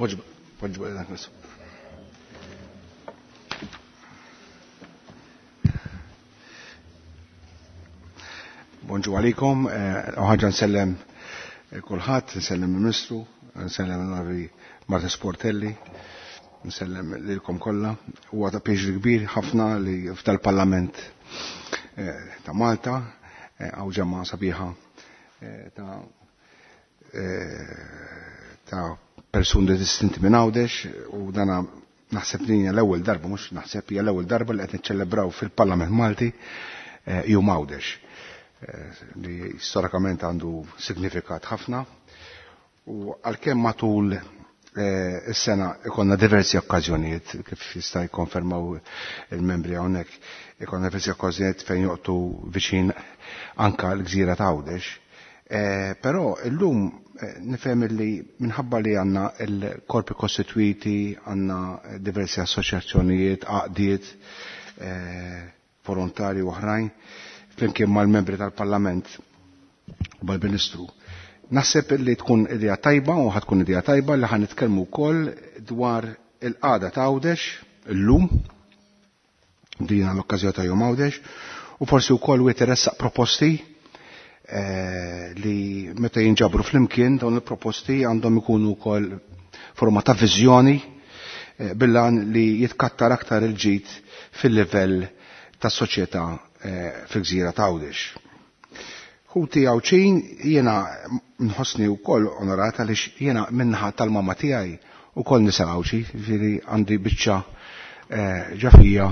Poġġu Bonġu għalikom, ħaġa nsellem kulħadd, nsellem il-Ministru, nsellem l-Onorevoli Marta Sportelli, nsellem lilkom kollha. Huwa ta' pjaċir kbir ħafna li f'dal-Parlament ta' Malta hawn ġemgħa sabiħa ta' persuni distinti minn Għawdex u dana naħseb li hija l-ewwel darba, mhux naħseb hija l-ewwel darba li qed niċċelebraw fil-Parlament Malti Jum Għawdex li storikament għandu signifikat ħafna u għalkemm matul is-sena ikonna diversi okkażjonijiet kif jista' jikkonfermaw il-membri hawnhekk, ikonna diversi okkażjonijiet fejn joqtu viċin anka l-gżira ta' Għawdex. Però illum nifhem li minħabba li għandna l-korpi kostitwiti, għandna diversi assoċjazzjonijiet, għaqdiet, volontari u oħrajn, flimkien mal-membri tal-Parlament u mal-Ministru. Naħseb li tkun idea tajba u ħatkun idea tajba li ħan nitkellmu wkoll dwar il-qagħda ta' Għawdex illum, dina l-okkażjoni ta' Jum Għawdex, u forsi wkoll wieħed iressaq proposti li meta jinġabru flimkien dawn il-proposti għandhom ikunu wkoll forma ta' viżjoni billan li jitkattar aktar il-ġid fil-livell tas-soċjetà fil-gżira ta' Għawdex. Ħuti Għawdxin jiena nħossni wkoll onorata għaliex jiena minnaħa tal-mama tiegħi wkoll nisel Għawdxi, ġifieri għandi biċċa ġafija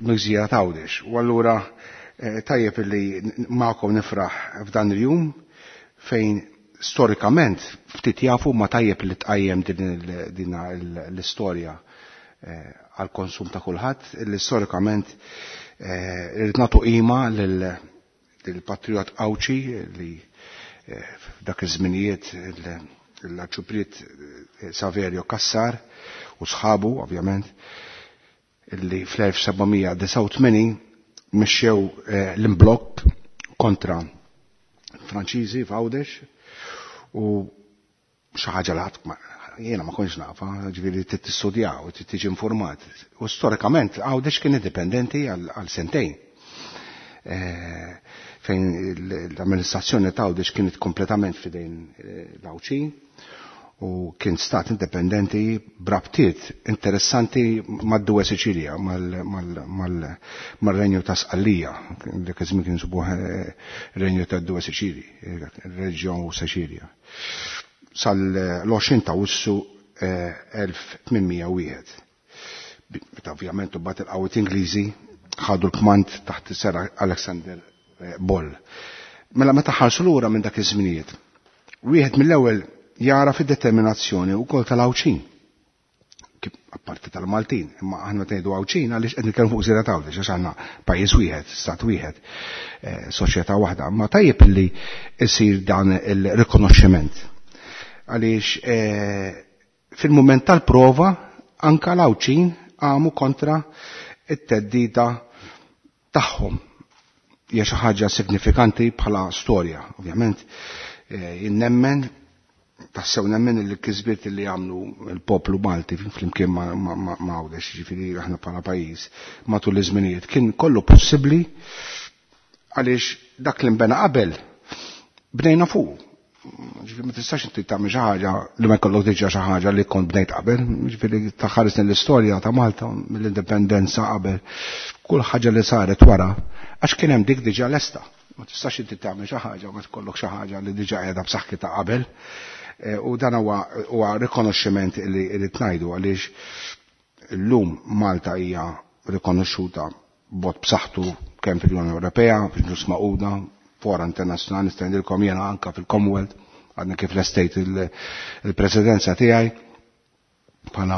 mill-gżira ta' Għawdex. U allura tajjeb li magħkom nifraħ f'dan il-jum fejn storikament ftit jafu ma tajjeb li tqajjem din l-istorja għal konsum ta' kulħadd, li storikament irrid nagħtu qima lill-patriot Għawdxi li f'dak iż-żminijiet l-Arċipriet Saverio Cassar u sħabu ovvjament illi fl-1789 mexxew l-imblokk kontra Franċiżi f'Għawdex u xi ħaġa li ħadd jiena ma kontx nafa, ġifieri trid tistudjaw, trid tiġi informat. U storikament Għawdex kien indipendenti għal sentejn. Fejn l-amministrazzjoni ta' Għawdex kienet kompletament f'idejn l-Għawdxin u kien stat indipendenti b'rabtiet interessanti mad-Due Sicilia, mal-Renju ta' Sqallija, dak iż-żmien kien subuh Renju ta' Due Sicili, Reġjon Sicilia. Sal-20 ta' Awwissu 1801. Meta ovvjament imbagħad il-qawwiet Ingliżi ħadu l-kmand taħt Sir Alexander Boll. Mela meta ħarsu lura minn dak iż-żminijiet, wieħed mill-ewwel jara fid-determinazzjoni wkoll tal-Għawdxin. Apparti tal-Maltin, imma aħna tgħidu Għawdxin għaliex qed nitkellmu fuq Gżira t'Għawdex għax għandna pajjiż wieħed, stat wieħed, soċjetà waħda, imma tajjeb li jsir dan il-rikonoxximent. Għaliex fil-mument tal-prova anka l-Għawdxin għamu kontra it-teddida tagħhom. Hija xi ħaġa signifikanti bħala storja, ovvjament. Jien nemmen, tassew nemmen li l-kisbiet li għamlu l-poplu Malti flimkien ma' Għawdex, ġifieri aħna bħala pajjiż matul iż-żminijiet, kien kollu possibbli għaliex dak li nbena qabel bnejna fuq. Ġifieri ma tistax inti tagħmel xi ħaġa li ma jkollok diġà xi ħaġa li kont bnejt qabel. Ġifieri taħares l-istorja ta' Malta mill-indipendenza qabel, kull ħaġa li saret wara għax kien hemm dik diġà lesta. Ma tistax inti tagħmel xi ħaġa ma tkollok xi ħaġa li diġà qiegħda b'saħħitha qabel. U dan huwa rikonoxximent li rrid ngħidu għaliex illum Malta hija rikonoxxuta b'mod b'saħħtu kemm fil-Unjoni Ewropea, fil-Ġnus Magħquda, fora internazzjonali, nista' ngħidilkom jiena anka fil-Commonwealth, għadna kif lestejt il-presidenza tiegħi bħala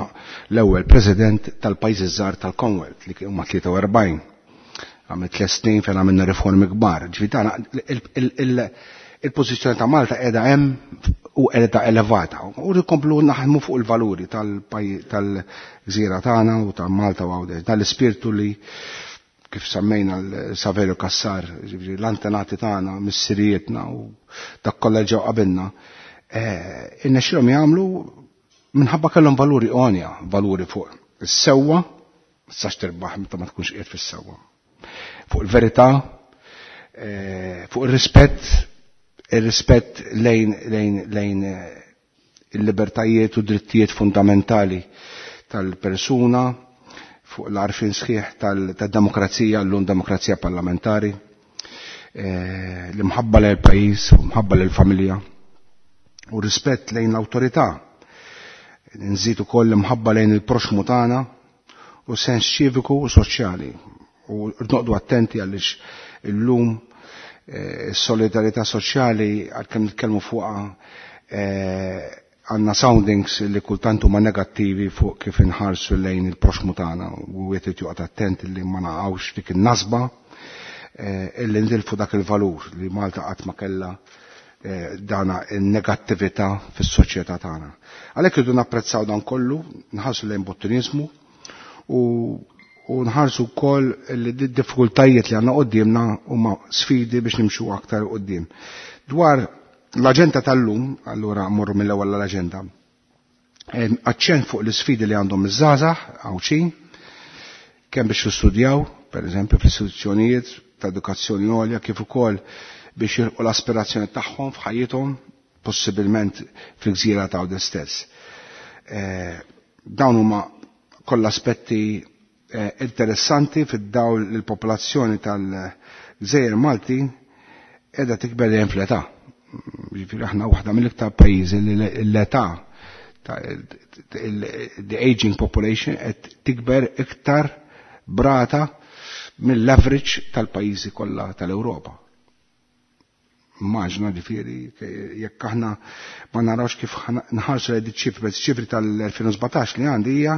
l-ewwel president tal-pajjiżi żgħar tal-Commonwealth li huma 43. Għamil 3 snin fejn għamilna riformi kbar. Ġifieri tagħna il-pożizzjoni ta' Malta qiegħda hemm u qiegħda elevata. U nkomplu naħdmu fuq il-valuri tal-gżira tagħna u ta' Malta u Għawdex. Dan l-ispirtu li kif semmejna l-Saverio Cassar, ġifieri l-antenati tagħna, missirijietna u dak kollha ġew qabilna, innexxielhom jagħmlu Minħabba kellhom valuri għonja, valuri fuq is-sewwa, tistax tirbaħ meta ma tkunx qiegħed fis-sewwa. Fuq il-verità, fuq ir-rispett, ir-rispett lejn lejn lejn il-libertajiet u drittijiet fundamentali tal-persuna, fuq l-għarfien sħiħ tad-demokrazija, llum demokrazija parlamentari, l-imħabba lejn il-pajjiż, l-imħabba lejn familja u rispett lejn l-awtorità. Nżid ukoll l-imħabba lejn il-proxmu tagħna u sens ċiviku u soċjali. U noqdu attenti għaliex illum is-solidarità soċjali għalkemm nitkellmu fuqha għandna soundings li kultant huma negattivi fuq kif inħarsu lejn il-proxmu tagħna u wieħed irid joqgħod attent li ma naqgħux dik in-nasba illi ndilfu dak il-valur li Malta qatt ma kellha dana in-negattività fis-soċjetà tagħna. Għalhekk irridu napprezzaw dan kollu, nħarsu lejn bottinizmu u u nħarsu wkoll li d-diffikultajiet li għandna quddiemna huma sfidi biex nimxu aktar quddiem. Dwar l-aġenda tal-lum, allura mmorru mill-ewwel l-aġenda. Aċċent fuq l-isfidi li għandhom iż-żgħażagħ Għawdxin, kemm biex jistudjaw, per eżempju, fl-istituzzjonijiet ta' edukazzjoni għolja, kif ukoll biex jilqu l-aspirazzjoni tagħhom f'ħajjithom, possibilment fil-gżira ta' Għawdex stess. Dawn huma kollha aspetti interessanti fid-dawl li l-popolazzjoni tal-Gżejjer Malti qiegħda tikber dejjem fl-età. Ġifieri aħna waħda mill-iktar pajjiżi li l-età the aging population qed tikber iktar brata mill-average tal-pajjiżi kollha tal-Ewropa. Immaġna ġifieri jekk aħna ma narawx kif nħarsu lejn ċifri, ċifri tal-2017 li għandi hija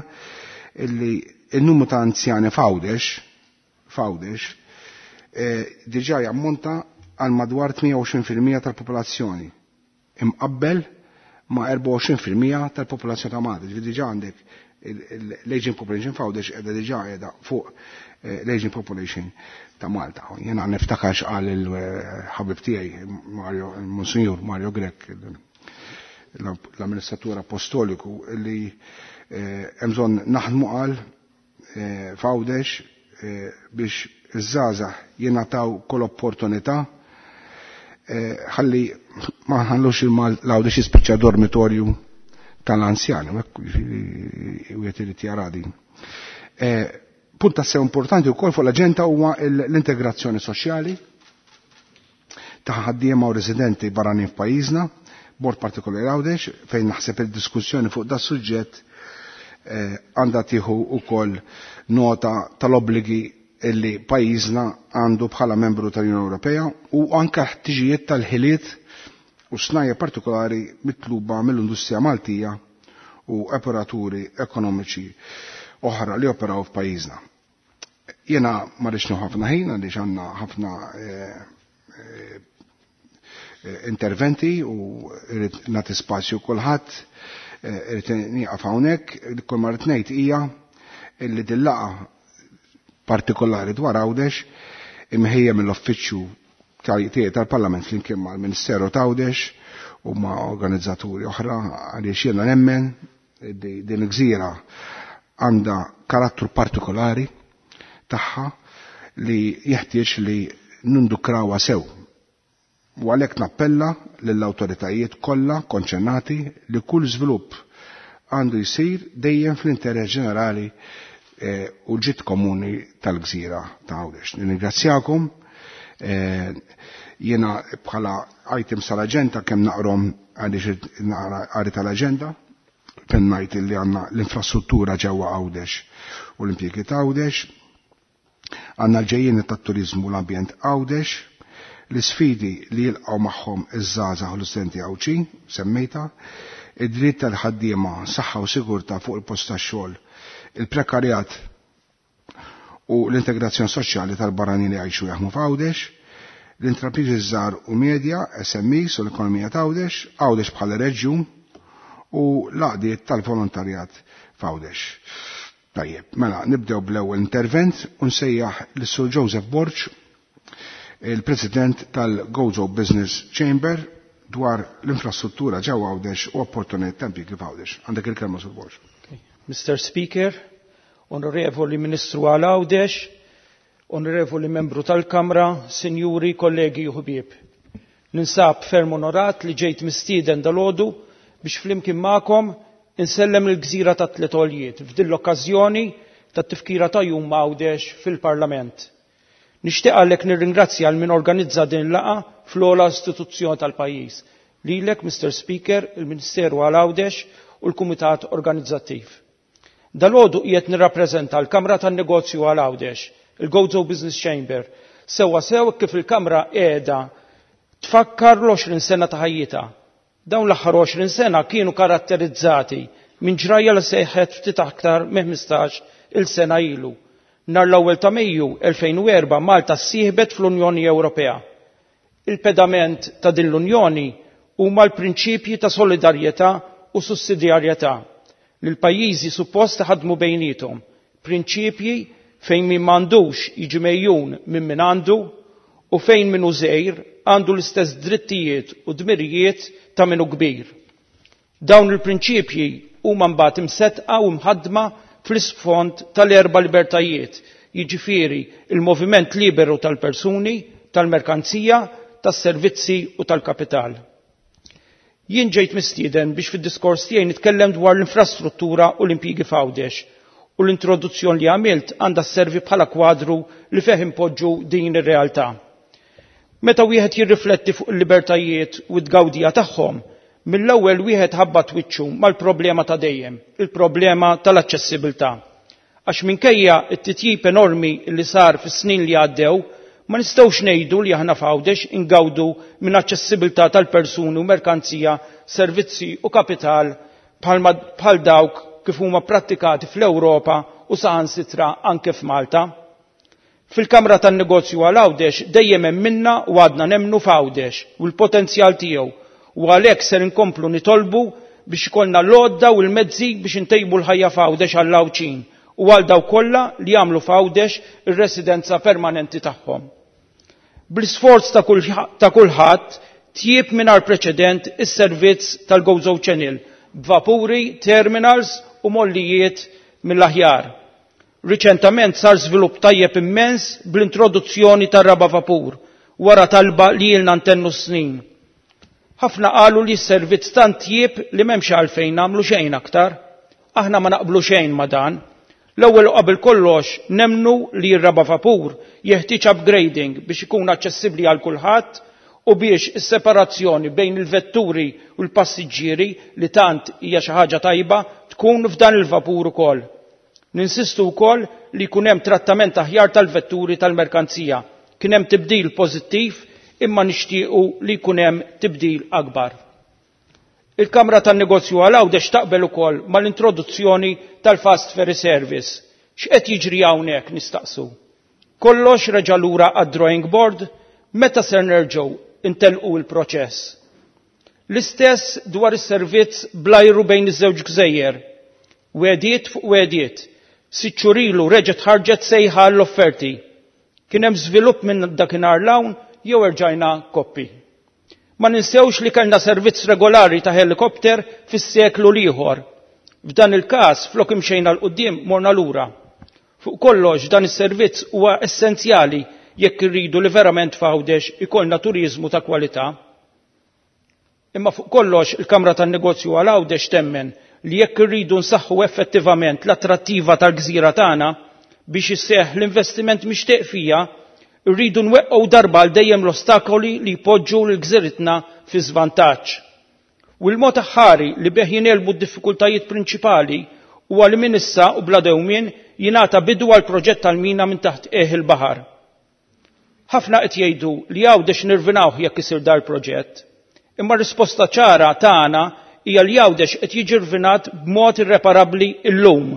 illi il-numru ta' anzjani f'Għawdex f'Għawdex diġà jammonta għal madwar 28% tal-popolazzjoni imqabbel ma' 24% tal-popolazzjoni ta' Malta. Ġifieri diġà għandek l-aging population f'Għawdex qiegħda diġà qiegħda fuq l-aging population ta' Malta. Jiena niftakar x'qal il-ħabib tiegħi Mario, il-Monsinjur Mario Grech, l-amministratur apostoliku, li hemm bżonn naħdmu qal f'Għawdex biex iż-żgħażagħ jingħataw kull opportunità ħalli ma nħallux l-Għawdex jispiċċa dormitorju tal-anzjani, u wieħed irid jara din. Punt tassew importanti wkoll fuq l-aġenda huwa l-integrazzjoni soċjali ta' ħaddiema u residenti barranin f'pajjiżna, bord partikolari Għawdex, fejn naħseb il-diskussjoni fuq da suġġett għandha tieħu wkoll nota tal-obbligi illi pajjiżna għandu bħala membru tal-Unjoni Ewropea u anke ħtiġijiet tal-ħiliet u snajja partikolari mitluba mill-industrija Maltija u operaturi ekonomiċi oħra li operaw f'pajjiżna. Jiena ma rridx ħafna ħin għaliex għandna ħafna interventi u rrid nagħti spazju kulħadd, irrid nieqaf hawnhekk, kull ma rrid ngħid hija illi din-laqgħa partikolari dwar Għawdex imħejja mill-uffiċċju tiegħi tal-Parlament flimkien mal-Ministeru t'Għawdex u ma' organizzaturi oħra għaliex jiena nemmen din il-gżira għandha karattru partikolari tagħha li jeħtieġ li nindukrawha sew. U għalhekk nappella lill-awtoritajiet kollha konċernati li kull żvilupp għandu jsir dejjem fl-interess ġenerali u l-ġid komuni tal-gżira ta' Għawdex. Nirringrazzjakom. Jiena bħala items tal-aġenda kemm naqrom għaliex naqra qari tal-aġenda, fejn ngħid li għandna l-infrastruttura ġewwa Għawdex u l-impjiegi ta' Għawdex, għandna l-ġejjieni tat-turiżmu u l-ambjent Għawdex, l-isfidi li jilqgħu magħhom iż-żgħażagħ u l-istudenti Għawdxin, semmejta, id-dritt tal-ħaddiema, saħħa u sigurtà fuq il-post tax-xogħol, il-prekarjat u l-integrazzjoni soċjali tal-barranin li jgħixu jaħdmu f'Għawdex, l-intrapriżi żgħar u medja, SMEs u l-ekonomija ta' Għawdex, Għawdex bħala reġjun u l-għaqdiet tal-volontarjat f'Għawdex. Tajjeb, mela nibdew bl-ewwel intervent u nsejjaħ lis-Sur Joseph Borg, il-President tal-Gozo Business Chamber, dwar l-infrastruttura ġewwa Għawdex u opportunitajiet ta' impjiegi f'Għawdex. Għandek il-kelma, Sur Borg. Mr. Speaker, Onorevoli Ministru għal Għawdex, Onorevoli Membru tal-Kamra, Sinjuri, kollegi u ħbieb. Ninsab ferm onorat li ġejt mistieden dalgħodu biex flimkien magħkom insellem il-gżira ta' Tliet Għoljiet f'din l-okkażjoni tat-tifkira ta' Jum Għawdex fil-Parlament. Nixtieq għalhekk nirringrazzja għal min organizza din il-laqgħa fl-ogħla istituzzjoni tal-pajjiż. Lilek, Mr. Speaker, il-Ministeru għal Għawdex u l-Kumitat Organizzattiv. Dalgħodu qiegħed nirrappreżenta l-Kamra tan-Negozju għal Għawdex, il-Gozo Business Chamber, sewwa sew kif il-Kamra qiegħda tfakkar l-20 sena ta' ħajjitha. Dawn l-aħħar 20 sena kienu karatterizzati minn ġrajja li seħħet ftit aktar minn 15 il sena ilu. Nhar l-ewwel ta' Mejju 2004 Malta ssieħbet fl-Unjoni Ewropea. Il-pedament ta' din l-Unjoni huma l-prinċipji ta' solidarjetà u sussidjarjetà li l-pajjiżi suppost ħadmu bejniethom, prinċipji fejn min m'għandux jiġi megħjun minn min għandu u fejn min hu żgħir għandu l-istess drittijiet u dmirijiet ta' min hu kbir. Dawn il-prinċipji huma mbagħad imsettqa u mħaddma fl-isfond tal-erba' libertajiet, jiġifieri il-moviment liberu tal-persuni, tal-merkanzija, tas-servizzi u tal-kapital. Jien ġejt mistieden biex fid-diskors tiegħi nitkellem dwar l-infrastruttura u l-impjiegi f'Għawdex u l-introduzzjoni li għamilt għandha sservi bħala kwadru li fih impoġġu din ir-realtà. Meta wieħed jirrifletti fuq il-libertajiet u t-tgawdija tagħhom, mill-ewwel wieħed ħabbat wiċċu mal-problema ta' dejjem, il-problema tal-aċċessibilità. Għax minkejja t-titjib enormi li sar fis-snin li għaddew, ma nistgħux ngħidu li aħna f'Għawdex ingawdu minn aċċessibilità tal-persuni u merkanzija, servizzi u kapital bħal dawk kif huma prattikati fl-Ewropa u saħansitra anke f'Malta. Fil-Kamra tan-Negozju għal Għawdex dejjem emminna u għadna nemmnu f'Għawdex u l-potenzjal tiegħu u għalhekk ser inkomplu nitolbu biex ikollna l-għodda u l-mezzi biex intejbu l-ħajja f'Għawdex għall-Għawdxin u għal dawk kollha li jagħmlu f'Għawdex ir-residenza permanenti tagħhom. Bl-isforz ta' kulħadd tjieb mingħajr preċedent is-servizz tal-Gozo Channel b'vapuri, terminals u mollijiet mill-aħjar. Riċentament sar żvilupp tajjeb immens bl-introduzzjoni tar-raba' vapur wara talba li ilna ntennu snin. Ħafna qalu li s-servizz tant tjieb li m'hemmx għalfejn nagħmlu xejn aktar. Aħna ma naqblu xejn ma' dan. L-ewwel u qabel kollox nemmnu li r-raba' vapur jeħtieġ upgrading biex ikun aċċessibbli għal kulħadd u biex is-separazzjoni bejn il-vetturi u l-passiġġieri li tant hija xi ħaġa tajba tkun f'dan il-vapur ukoll. Ninsistu wkoll li jkun hemm trattament aħjar tal-vetturi tal-merkanzija. Kien hemm tibdil pożittiv imma nixtiequ li jkun hemm tibdil akbar. Il-Kamra tan-Negozju għal Għawdex taqbel ukoll mal-introduzzjoni tal-Fast Ferry Service. X'qed jiġri hawnhekk nistaqsu? Kollox reġa' lura għad-drawing board? Meta ser nerġgħu intelqu l-proċess? L-istess dwar is-servizz bl-ajru bejn iż-żewġ gżejjer. Wegħdiet fuq wegħdiet. Sitt xhur ilu reġgħet ħarġet sejħa għall-offerti. Kien hemm żvilupp minn dakinhar 'l hawn jew erġajna koppi? Ma ninsewx li kellna servizz regolari ta' helikopter fis-seklu l-ieħor. F'dan il-każ flok imxejna 'l quddiem morna lura. Fuq kollox dan is-servizz huwa essenzjali jekk irridu li verament f'Għawdex ikollna turiżmu ta' kwalità. Imma fuq kollox il-Kamra tan-Negozju għal Għawdex temmen li jekk irridu nsaħħu effettivament l-attrattiva tal-gżira tagħna biex isseħħ l-investiment mixtieq fija, irridu nweqqgħu darba għal dejjem l-ostakoli li jpoġġu lil gżiritna fi żvantaġġ. U l-mod aħħari li bih jingħelbu d-diffikultajiet prinċipali huwa li minn issa u bla dewmien jingħata bidu għal proġett tal-mina minn taħt qiegħ il-baħar. Ħafna qed jgħidu li Għawdex nirvinawh jekk isir dar proġett. Imma r-risposta ċara tagħna hija li Għawdex qed jiġi rvinat b'mod irreparabbli llum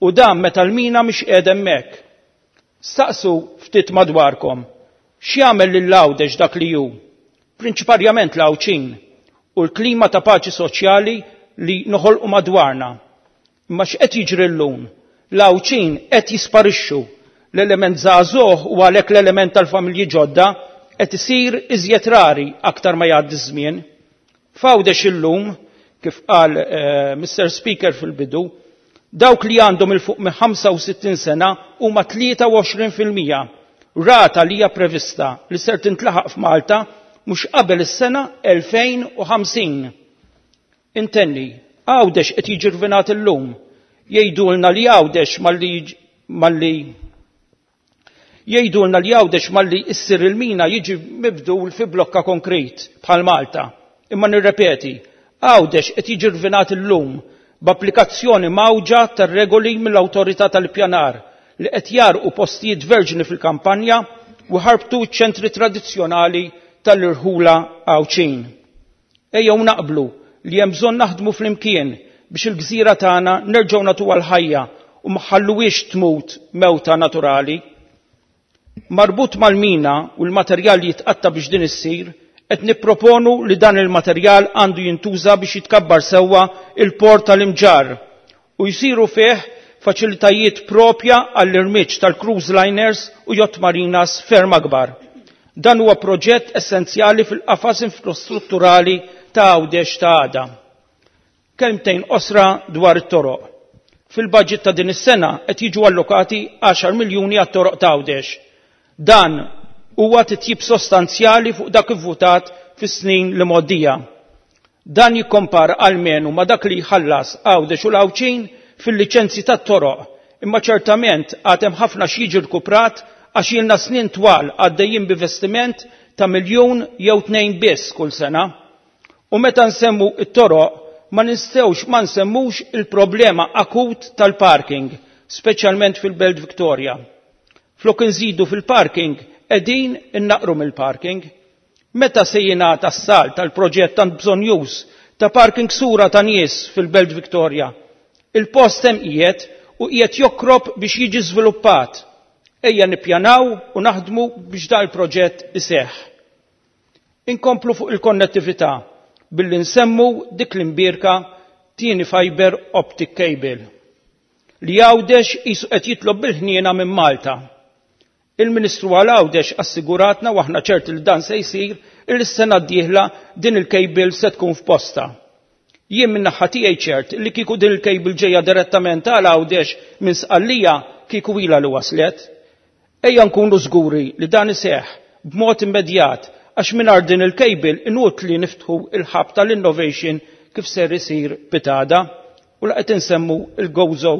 u dan meta l-mina mhix qiegħda hemmhekk. Staqsu ftit madwarkom. X'jagħmel lil Għawdex dak li hu? Prinċiparjament l-Għawdxin u l-klima ta' paċi soċjali li noħolqu madwarna. Imma x'qed jiġri llum? L-Għawdxin qed jisparixxu. L-element żagħżugħ u għalhekk l-element tal-familji ġodda qed isir iżjed rari aktar ma jgħaddi ż-żmien. F'Għawdex illum, kif qal Mr. Speaker fil-bidu, dawk li għandhom 'il fuq minn 65 sena huma 23%, rata li hija prevista li ser tintlaħaq f'Malta mhux qabel is-sena 2050. Intenni, Għawdex qed jiġi rvinat illum. Jgħidulna li Għawdex malli malli jgħidulna li Għawdex malli issir il-mina jiġi mibdul fi blokka konkrit bħal Malta. Imma nirrepeti, Għawdex qed jiġi rvinat illum b'applikazzjoni mgħawġa tar-regoli mill-Awtorità tal-Ippjanar li qed jgħarrqu postijiet verġni fil-kampanja u jħarbtu ċ-ċentri tradizzjonali tal-irħula Għawdxin. Ejjew naqblu li hemm bżonn naħdmu flimkien biex il-gżira tagħna nerġgħu nagħtuha l-ħajja u ma ħalluhiex tmut mewta naturali. Marbut mal-mina u l-materjal li jitqatta' biex din issir, qed nipproponu li dan il-materjal għandu jintuża biex jitkabbar sewwa il-port tal-Imġarr u jsiru fih faċilitajiet propja għall-irmiġġ tal-cruise liners u yacht marinas ferm akbar. Dan huwa proġett essenzjali fil-qafas infrastrutturali ta' Għawdex ta' għada. Kelmtejn qosra dwar it-toroq. Fil-budget ta' din is-sena qed jiġu allokati 10 miljuni għat-toroq ta' Għawdex. Dan huwa titjib sostanzjali fuq dak ivvutat fis-snin li mgħoddija. Dan jikkompara almenu ma' dak li jħallas Għawdex u l-Għawdxin fil-liċenzji tat-toroq, imma ċertament għad hemm ħafna x'jiġi rkuprat għax ilna snin twal għaddejjin b'investiment ta' miljun jew tnejn biss kull sena. U meta nsemmu t-toroq ma nistgħux ma nsemmux il-problema akut tal-parking, speċjalment fil-Belt Victoria. Flok inżidu fil-parking, qegħdin innaqru mill-parking. Meta se jingħata s-salt għal proġett tant bżonnjuż ta' parking sura ta' nies fil-Belt Victoria? Il-post hemm qiegħed u qiegħed jokrob biex jiġi żviluppat. Ejja nippjanaw u naħdmu biex dan il-proġett iseħħ. Inkomplu fuq il-konnettività billi nsemmu dik l-imbierka tieni fiber optic cable li Għawdex qisu qed jitlob bil-ħniena minn Malta. Il-Ministru għal Għawdex assiguratna u aħna ċerti li dan se jsir illi s-sena d-dieħla din il-cable se tkun f'postha. Jien min-naħa tiegħi ċert li kieku din il-cable ġejja direttament għal Għawdex minn Sqallija kieku ilha li waslet. Ejja nkunu żguri li dan iseħħ b'mod immedjat għax mingħajr din il-cable inutli niftħu il-hub tal-innovation kif ser isir pitgħada. U la qed insemmu il-Gozo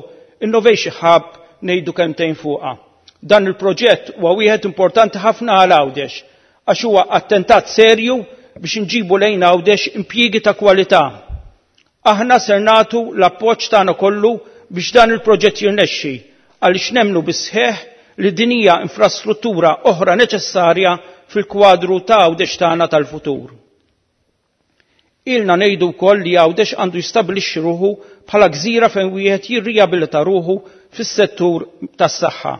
Innovation Hub ngħidu kemmtejn fuqha. Dan il-proġett huwa wieħed importanti ħafna għal Għawdex għax huwa attentat serju biex inġibu lejn Għawdex impjiegi ta' kwalità. Aħna ser nagħtu l-appoġġ tagħna kollu biex dan il-proġett jirnexxi għaliex nemmnu bis-sħiħ li din hija infrastruttura oħra neċessarja fil-kwadru ta' Għawdex tagħna tal-futur. Ilna ngħidu wkoll li Għawdex għandu jistabbilixxi ruħu bħala gżira fejn wieħed jirrijabilita ruħu fis-settur tas-saħħa.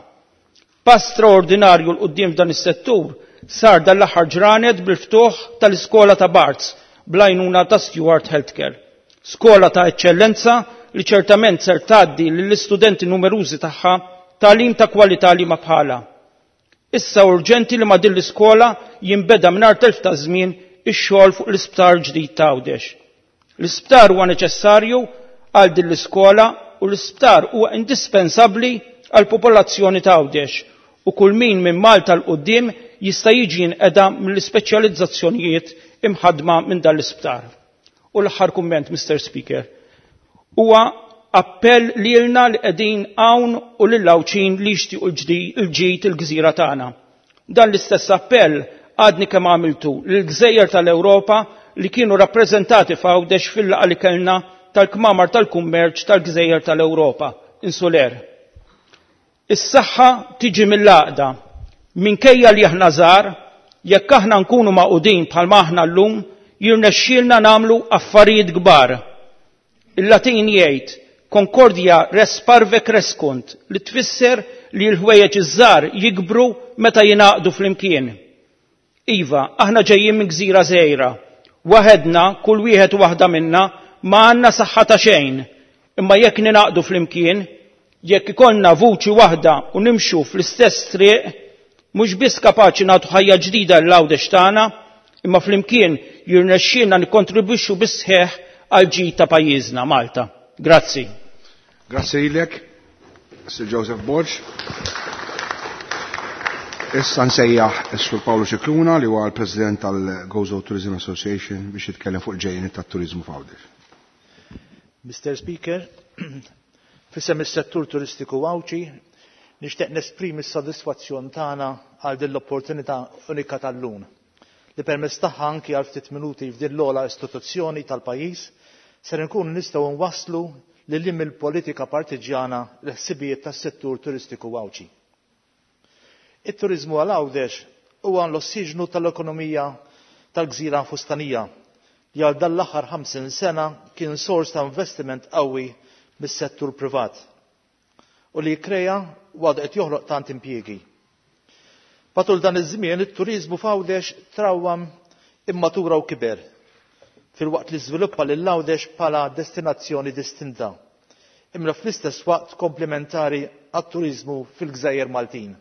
Pass straordinarju 'l quddiem f'dan is-settur sar dan l-aħħar ġranet bil-ftuħ tal-iskola ta' Barts bl-għajnuna ta' Steward Healthcare. Skola ta' eċċellenza li ċertament ser tgħaddi lill-istudenti numerużi tagħha tagħlim ta' kwalità liema bħalha. Issa urġenti li ma' din l-iskola jinbeda mingħajr telf ta' żmien ix-xogħol fuq l-isptar ġdid ta' Għawdex. L-isptar huwa neċessarju għal din l-iskola u l-isptar huwa indispensabbli għall-popolazzjoni ta' Għawdex u kull min minn Malta 'l quddiem jista' jiġi jinqeda mill-ispeċjalizzazzjonijiet imħaddma minn dan l-isptar. U l-aħħar kumment, Mister Speaker, huwa appell lilna li qegħdin hawn u lill-Għawdxin li jixtiequ l-ġid il-gżira tagħna. Dan l-istess appell għadni kemm għamiltu lill-gżejjer tal-Ewropa li kienu rappreżentati f'Għawdex fil-laqgħa li kellna tal-Kmamar tal-Kummerċ tal-Gżejjer tal-Ewropa, Insuler. Is-saħħa tiġi mill-għaqda. Minkejja li aħna żgħar, jekk aħna nkunu magħqudin bħalma aħna llum, jirnexxielna nagħmlu affarijiet kbar. Il-Latin jgħid concordia res parve crescunt li tfisser li l-ħwejjeġ iż-żgħar jikbru meta jingħaqdu flimkien. Iva, aħna ġejjin minn gżira żgħira. Waħedna, kull wieħed u waħda minna, ma għandna saħħa ta' xejn. Imma jekk ningħaqdu flimkien, jekk ikollna vuċi waħda u nimxu fl-istess triq, mhux biss kapaċi nagħtu ħajja ġdida lil Għawdex tagħna, imma flimkien jirnexxielna nikkontribwixxu bis-sħiħ għall-ġid ta' pajjiżna Malta. Grazzi. Grazzi lilek, Sir Joseph Borg. Issa nsejjaħ is-Sur Paolo Scicluna li huwa l-President tal-Gozo Tourism Association biex jitkellem fuq il-ġejjeni tat-turiżmu f'Għawdex. Mr. Speaker, f'isem is-settur turistiku Għawdxi nixtieq nesprimi s-sodisfazzjon tagħna għal din l-opportunità unika tal-lum li permezz tagħha anki għal ftit minuti f'din l-ogħla istituzzjoni tal-pajjiż ser inkunu nistgħu nwasslu lil hinn mill-politika partiġjana l-ħsibijiet tas-settur turistiku Għawdxi. It-turiżmu għal Għawdex huwa l-ossiġnu tal-ekonomija tal-gżira fustanija li għal dan l-aħħar 50 sena kien sors ta' investiment qawwi mis-settur privat u li kkrea u għadu qed joħloq tant impjiegi. Matul dan iż-żmien it-turiżmu f'Għawdex trawwam, immatura u kiber, filwaqt li żviluppa lil Għawdex bħala destinazzjoni distinta, imma fl-istess waqt komplementari għat-turiżmu fil-gżejjer Maltin.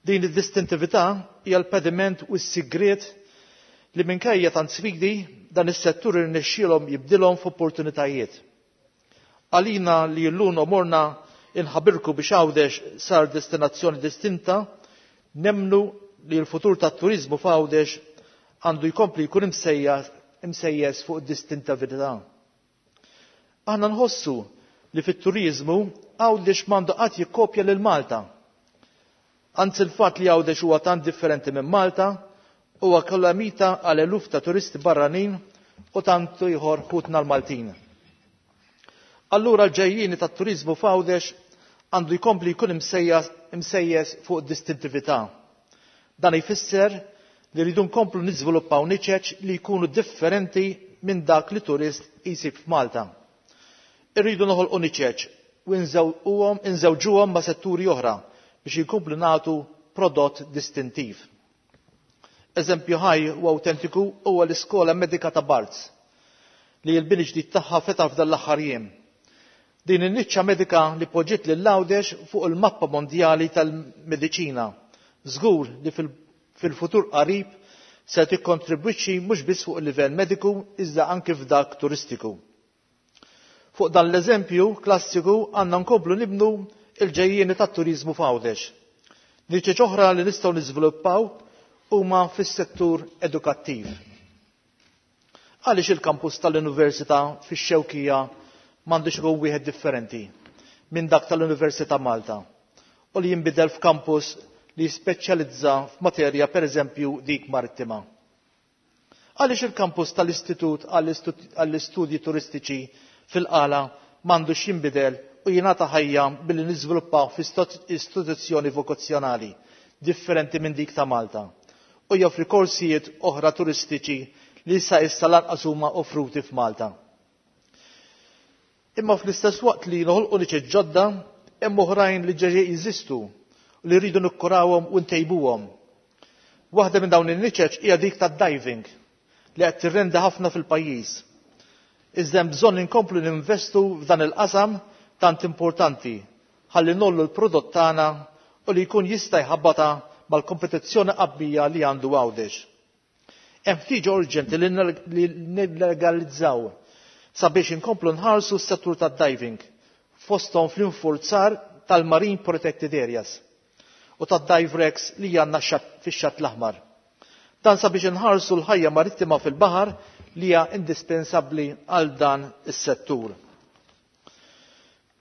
Din id-distintività hija l-pediment u s-sigriet li minkejja tant sfidi dan is-settur irnexxielhom jibdilhom f'opportunitajiet. Għalina li llum omorna inħabirku biex Għawdex sar destinazzjoni distinta, nemmnu li l-futur tat-turiżmu f'Għawdex għandu jkompli jkun imsejjes fuq id-distintività. Aħna nħossu li fit-turiżmu Għawdex m'għandu qatt jikkopja lil Malta. Anzi l-fatt li Għawdex huwa tant differenti minn Malta huwa kalamita għal eluf ta' turisti barranin u tant ieħor ħutna l-Maltin. Allura l-ġejjieni tat-turiżmu f'Għawdex għandu jkompli jkun imsejjes fuq id-distintività. Dan jfisser li rridu nkomplu niżviluppaw niċeċ li jkunu differenti minn dak li turist jsib f'Malta. Irridu noħolqu niċeċ u nżewġuhom ma' setturi oħra biex inkomplu nagħtu prodott distintiv. Eżempju ħaj u awtentiku huwa l-Iskola Medika ta' Barts li l-bini ġdid tagħha fetaħ f'dan l-aħħar jiem. Din in-niċċa medika li poġġiet lil Għawdex fuq il-mappa mondjali tal-mediċina. Żgur li fil-futur qarib se tikkontribwixxi mhux biss fuq il-livell mediku iżda anke f'dak turistiku. Fuq dan l-eżempju klassiku għandna nkomplu nibnu il-ġejjieni tat-turiżmu f'Għawdex. Niċeċ oħra li nistgħu niżviluppaw huma fis-settur edukattiv. Għaliex il-kampus tal-Università fix-Xewkija m'għandux ikun wieħed differenti minn dak tal-Università Malta u li jinbidel f'kampus li jispeċjalizza f'materja pereżempju dik marittima. Għaliex il-kampus tal-Istitut għall-Istudji Turistiċi fil-Qala m'għandux jinbidel u jingħata ħajja billi niżviluppaw f'istituzzjoni vokazzjonali differenti minn dik ta' Malta u joffri korsijiet oħra turistiċi li sa issa lanqas huma offruti f'Malta. Imma fl-istess waqt li noħolqu niċeċ ġodda, hemm oħrajn li ġeġe jeżistu u li rridu nikkurawhom u ntejbuhom. Waħda minn dawn in-niċeċ hija dik tad-diving li qed tirrenda ħafna fil-pajjiż. Iżda hemm bżonn inkomplu ninvestu f'dan il-qasam tant importanti ħalli nollu l-prodott tagħna u li jkun jista' jħabbata mal-kompetizzjoni qawwija li għandu Għawdex. Hemm ħtieġa urġenti li nillegalizzaw sabiex inkomplu nħarsu s-settur tad-diving fosthom fl-infurzar tal-Marine Protected Areas u tad-dive wrecks li għandna fix-Xatt l-Aħmar. Dan sabiex inħarsu l-ħajja marittima fil-baħar li hija indispensabbli għal dan is-settur.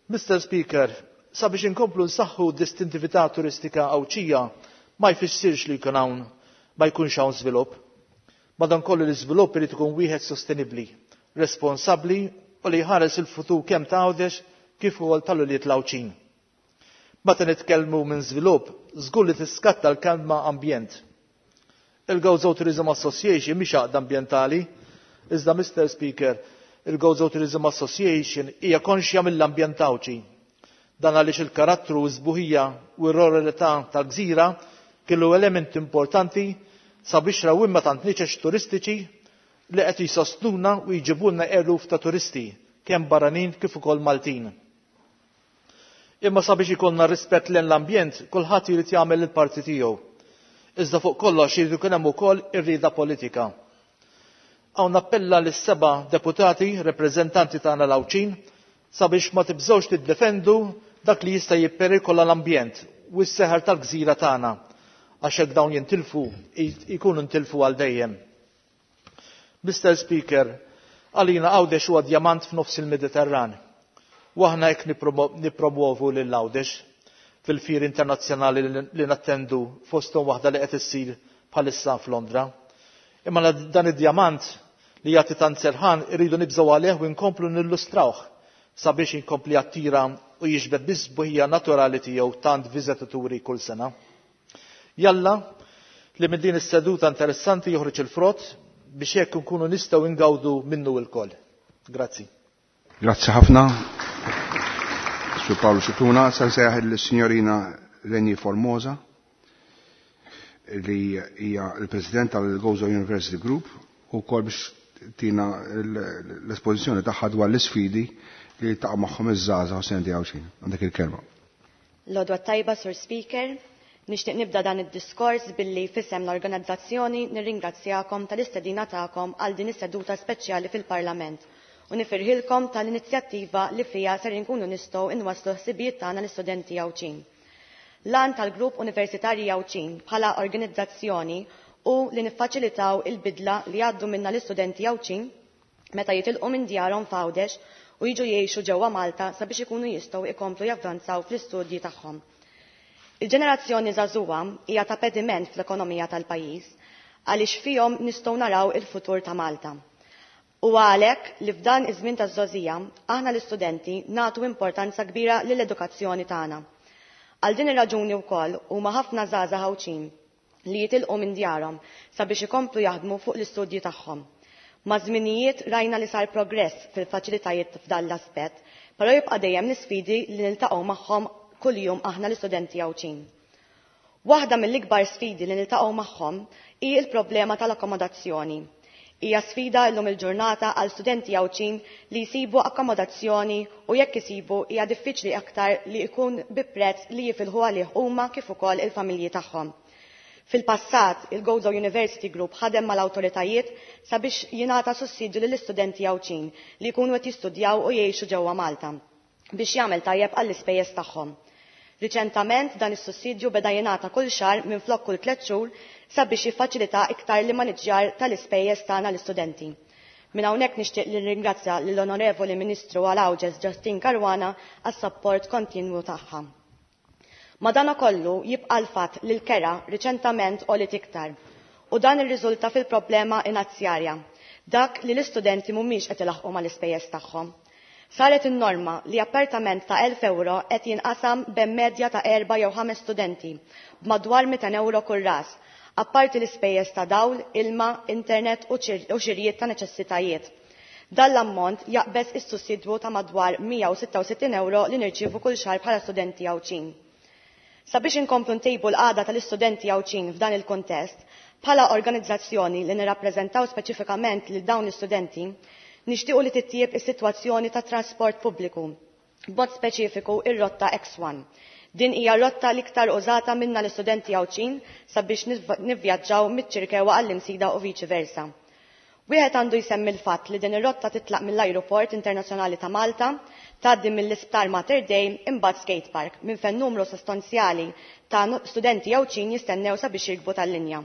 Mr. Speaker, sabiex inkomplu nsaħħu distintività turistika Għawdxija ma jfissirx li jkun hawn ma jkunx hawn żvilupp. Madankollu l-iżvilupp irid ikun wieħed sostenibbli, responsabbli u li jħares il-futur kemm ta' Għawdex kif ukoll tal-ulied l-Għawdxin. Meta nitkellmu minn żvilupp, żgur li tiskatta l-kelma ambjent. Il-Gozo Tourism Association mhix għaqda ambjentali, iżda Mr. Speaker, il-Gozo Tourism Association hija konxja mill-ambjent Għawdxi. Dan għaliex il-karattru u s-sbuħija u r-ruralità tal-gżira kellu element importanti sabiex rawwimma tant niċeċ turistiċi li qed jisostnuna u jġibulna eluf ta' turisti, kemm barranin kif ukoll Maltin. Imma sabiex ikollna rispett lejn l-ambjent, kulħadd irid jagħmel il-parti tiegħu. Iżda fuq kollox irid ikun hemm ukoll ir-rieda politika. Hawn nappella lis-seba' deputati rappreżentanti tagħna l-Għawdxin sabiex ma tibżgħux tiddefendu dak li jista' jipperikola l-ambjent u s-seħer tal-gżira tagħna għax hekk dawn jintilfu jkunu ntilfu għal dejjem. Mr. Speaker, għalina Għawdex huwa djamant f'nofs il-Mediterran. U aħna hekk nippromovu lil Għawdex fil-fieri internazzjonali li nattendu fosthom waħda li qed issir bħalissa f'Londra. Imma dan id-djamant li jagħti tant serħan irridu nibżgħu għalih u nkomplu nillustrawh sabiex inkompli jattira u jiġbed bis-sbuħija naturali tiegħu tant viżitaturi kull sena. Jalla li minn din is-seduta interessanti joħroġ il-frott biex hekk nkunu nistgħu ngawdu minnu lkoll. Grazzi. Grazzi ħafna. Sur Paolo Scicluna, sa nsejjaħ il-Signorina Reni Formosa li hija l-President tal-Gozo University Group u kol biex tina l-espożizzjoni tagħha dwar l-isfidi li taqa' magħhom iż-żgħażagħ u studenti Għawdxin. Għandek il-kelma. L-għodwa t-tajba, Sur Speaker, nixtieq nibda dan id-diskors billi f'isem l-organizzazzjoni nirringrazzjakom tal-istedina tagħkom għal din is-seduta speċjali fil-Parlament u nifirħilkom tal-inizjattiva li fija ser inkunu nistgħu inwasslu ħsibijiet tagħna l-istudenti Għawdxin. L-għan tal-Grupp Universitarji Għawdxin bħala organizzazzjoni u li niffaċilitaw il-bidla li għaddu minna l-istudenti Għawdxin meta jitilqu minn djarhom f'Għawdex u jiġu jgħixu ġewwa Malta sabiex ikunu jistgħu ikomplu javvanzaw fl-istudji tagħhom. Il-ġenerazzjoni żagħżugħa hija ta' pediment fl-ekonomija tal-pajjiż għaliex fihom nistgħu naraw il-futur ta' Malta. U għalhekk li f'dan iż-żmien taż-żgħożija aħna l-istudenti nagħtu importanza kbira lill-edukazzjoni tagħna. Għal din ir-raġuni wkoll huma ħafna żgħażagħ Għawdxin li jitilqu minn djarhom sabiex ikomplu jaħdmu fuq l-istudji tagħhom. Ma' żminijiet rajna li sar progress fil-faċilitajiet f'dan l-aspett, però jibqa' dejjem l-isfidi li niltaqgħu magħhom kuljum aħna l-istudenti Għawdxin. Waħda mill-ikbar sfidi li niltaqgħu magħhom hi l-problema tal-akkomodazzjoni. Hija sfida llum il-ġurnata għal studenti Għawdxin li jsibu akkomodazzjoni u jekk isibu hija diffiċli aktar li jkun bi prezz li jifilħu għalih huma kif ukoll il-familji tagħhom. Fil-passat, il-Gozo University Group ħadem mal-awtoritajiet sabiex jingħata sussidju lill-istudenti Għawdxin li jkunu qed jistudjaw u jgħixu ġewwa Malta biex jagħmel tajjeb għall-ispejjeż tagħhom. Riċentament dan is-sussidju beda jingħata kull xahar minflok kull 3 xhur sabiex jiffaċilita iktar l-immaniġġjar tal-ispejjeż tagħna l-istudenti. Minn hawnhekk nixtieq li nirringrazzja lill-Onorevoli Ministru għal Għawdex Justyne Caruana għas-sapport kontinwu tagħha. Madanakollu jibqa' l-fatt li l-kera riċentament għolit iktar u dan irriżulta fil-problema finanzjarja, dak li l-istudenti mhumiex qed ilaħqu mal-ispejjeż tagħhom. Saret in-norma li appartament ta' 1000 euro qed jinqasam bejn medja ta' 4 jew 5 studenti b'madwar 200 euro kull ras, apparti l-ispejjeż ta' dawl, ilma, internet u xirjiet ta' neċessitajiet. Dan l-ammont jaqbeż is-sussidju ta' madwar 166 euro li nirċievu kull xahar bħala studenti Għawdxin. Sabiex inkomplu ntejbu l-qagħda tal-istudenti Għawdxin f'dan il-kuntest, bħala organizzazzjoni li nirrappreżentaw speċifikament lil dawn l-istudenti, nixtiequ li titjieb is-sitwazzjoni tat trasport pubbliku, b'mod speċifiku ir-rotta X1. Din hija rotta l-iktar użata minna l-istudenti Għawdxin sabiex nivvjaġġaw miċ-Ċirkewwa għall-Imsida u viċi versa. Wieħed għandu jsemmi l-fatt li din ir-rotta titlaq mill-Ajruport Internazzjonali ta' Malta, tgħaddi mill-Isptar Mater Dei imbagħad Skate Park minn fejn numru sostanzjali ta' studenti Għawdxin jistennew sabiex jirkbu tal-linja.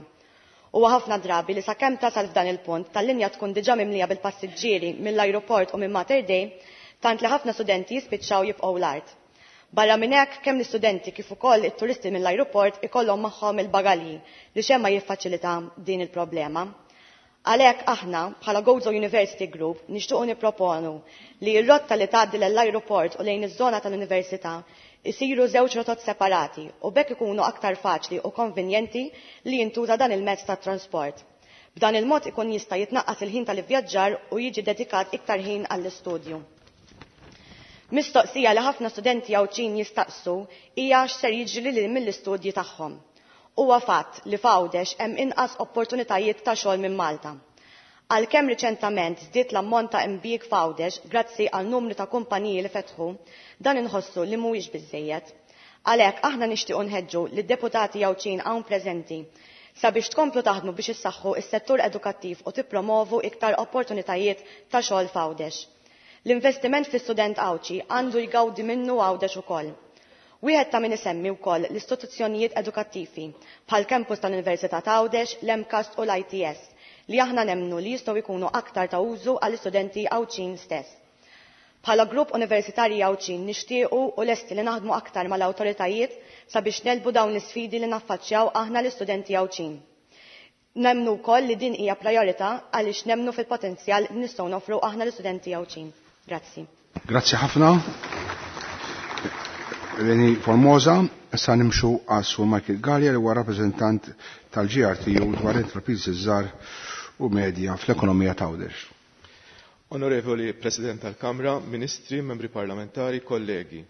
Huwa ħafna drabi li sakemm tasal f'dan il-punt tal-linja tkun diġà mimlija bil-passiġġieri mill-ajruport u minn Mater Dei, tant li ħafna studenti jispiċċaw jibqgħu l-art. Barra minn hekk kemm l-istudenti kif ukoll it-turisti mill-ajruport ikollhom magħhom il-bagalji li xejn ma jiffaċilita din il-problema. Għalhekk aħna bħala Gozo University Group nixtiequ nipproponu li r-rotta li tgħaddi lill-ajruport u lejn iż-żona tal-università isiru żewġ rotot separati u b'hekk ikunu aktar faċli u konvenjenti li jintuża dan il-mezz tat trasport. B'dan il-mod ikun jista' jitnaqqas il-ħin tal-ivvjaġġar u jiġi dedikat iktar ħin għall-istudju. Mistoqsija li ħafna studenti Għawdxin jistaqsu hija x'ser jiġri lil mill-istudji tagħhom. Huwa fatt li f'Għawdex hemm inqas opportunitajiet ta' xogħol minn Malta. Għalkemm riċentament żdied l-ammont ta' impjieg f'Għawdex grazzi għal numru ta' kumpaniji li fetħu, dan inħossu li mhuwiex biżejjed. Għalhekk aħna nixtiequ nħeġġu lid-deputati Għawdxin hawn preżenti Sabiex tkomplu taħdmu biex issaħħu s-settur edukattiv u tippromovu iktar opportunitajiet ta' xogħol f'Għawdex. L-investiment fl-istudent Għawdxi għandu jgawdi minnu Għawdex ukoll. Wieħed ta' min isemmi wkoll l-istituzzjonijiet edukattivi bħal campus tal-Università ta' Għawdex, l-MCAST u l-ITS li aħna nemmnu li jistgħu jkunu aktar ta' użu għall-istudenti Għawdxin stess. Bħala grupp universitarji Għawdxin nixtiequ u lesti li naħdmu aktar mal-awtoritajiet sabiex negħlbu dawn l-isfidi li naffaċċjaw aħna l-istudenti Għawdxin. Nemmnu wkoll li din hija priorità għaliex nemmnu fil-potenzjal li nistgħu nofru aħna l-istudenti Għawdxin. Grazzi. Grazzi ħafna. Reni Formosa, issa nimxu għal Sur Michael Gallia li huwa rappreżentant tal-GRTU dwar intrapriżi żgħar u medja fl-ekonomija ta' Għawdex. Onorevoli President tal-Kamra, Ministri, Membri Parlamentari, kollegi.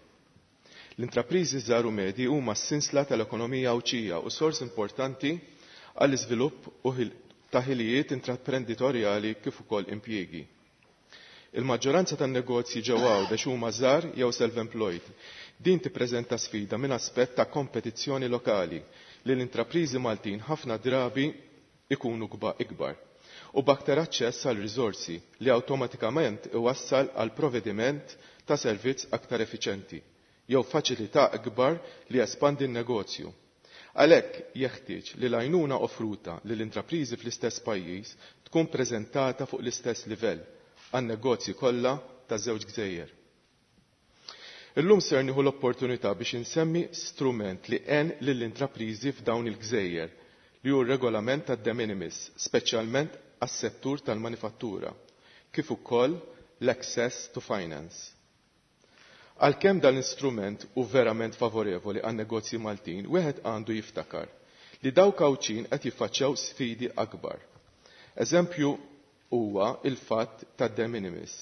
L-intrapriżi żgħar u medji huma s-sinsla tal-ekonomija Għawdxija u sors importanti għall-iżvilupp u ta' ħilijiet intraprenditorjali kif ukoll impjiegi. Il-maġġoranza tan-negozji ġewwa Għawdex huma żgħar jew self-employed. Din tippreżenta sfida minn aspett ta' kompetizzjoni lokali li l-intrapriżi Maltin ħafna drabi ikunu ikbar u b'aktar aċċess għal riżorsi li awtomatikament iwassal għal provvediment ta' servizz aktar effiċenti jew faċilità akbar li jespandi n-negozju. Għalhekk jeħtieġ li l-għajnuna offruta lill intrapriżi fl-istess pajjiż tkun preżentata fuq l-istess livell għan-negozji kollha taż-żewġ gżejjer. Illum ser nieħu l-opportunità biex insemmi strument li għen lill-intrapriżi f'dawn il-gżejjer li hu r-regolament tad-de minimis, speċjalment għas-settur tal-manifattura, kif ukoll l-access to finance. Għalkemm dan l-istrument hu verament favorevoli għan negozji Maltin, wieħed għandu jiftakar li dawk Għawdxin qed jiffaċċjaw sfidi akbar. Eżempju huwa il-fatt tad-de minimis.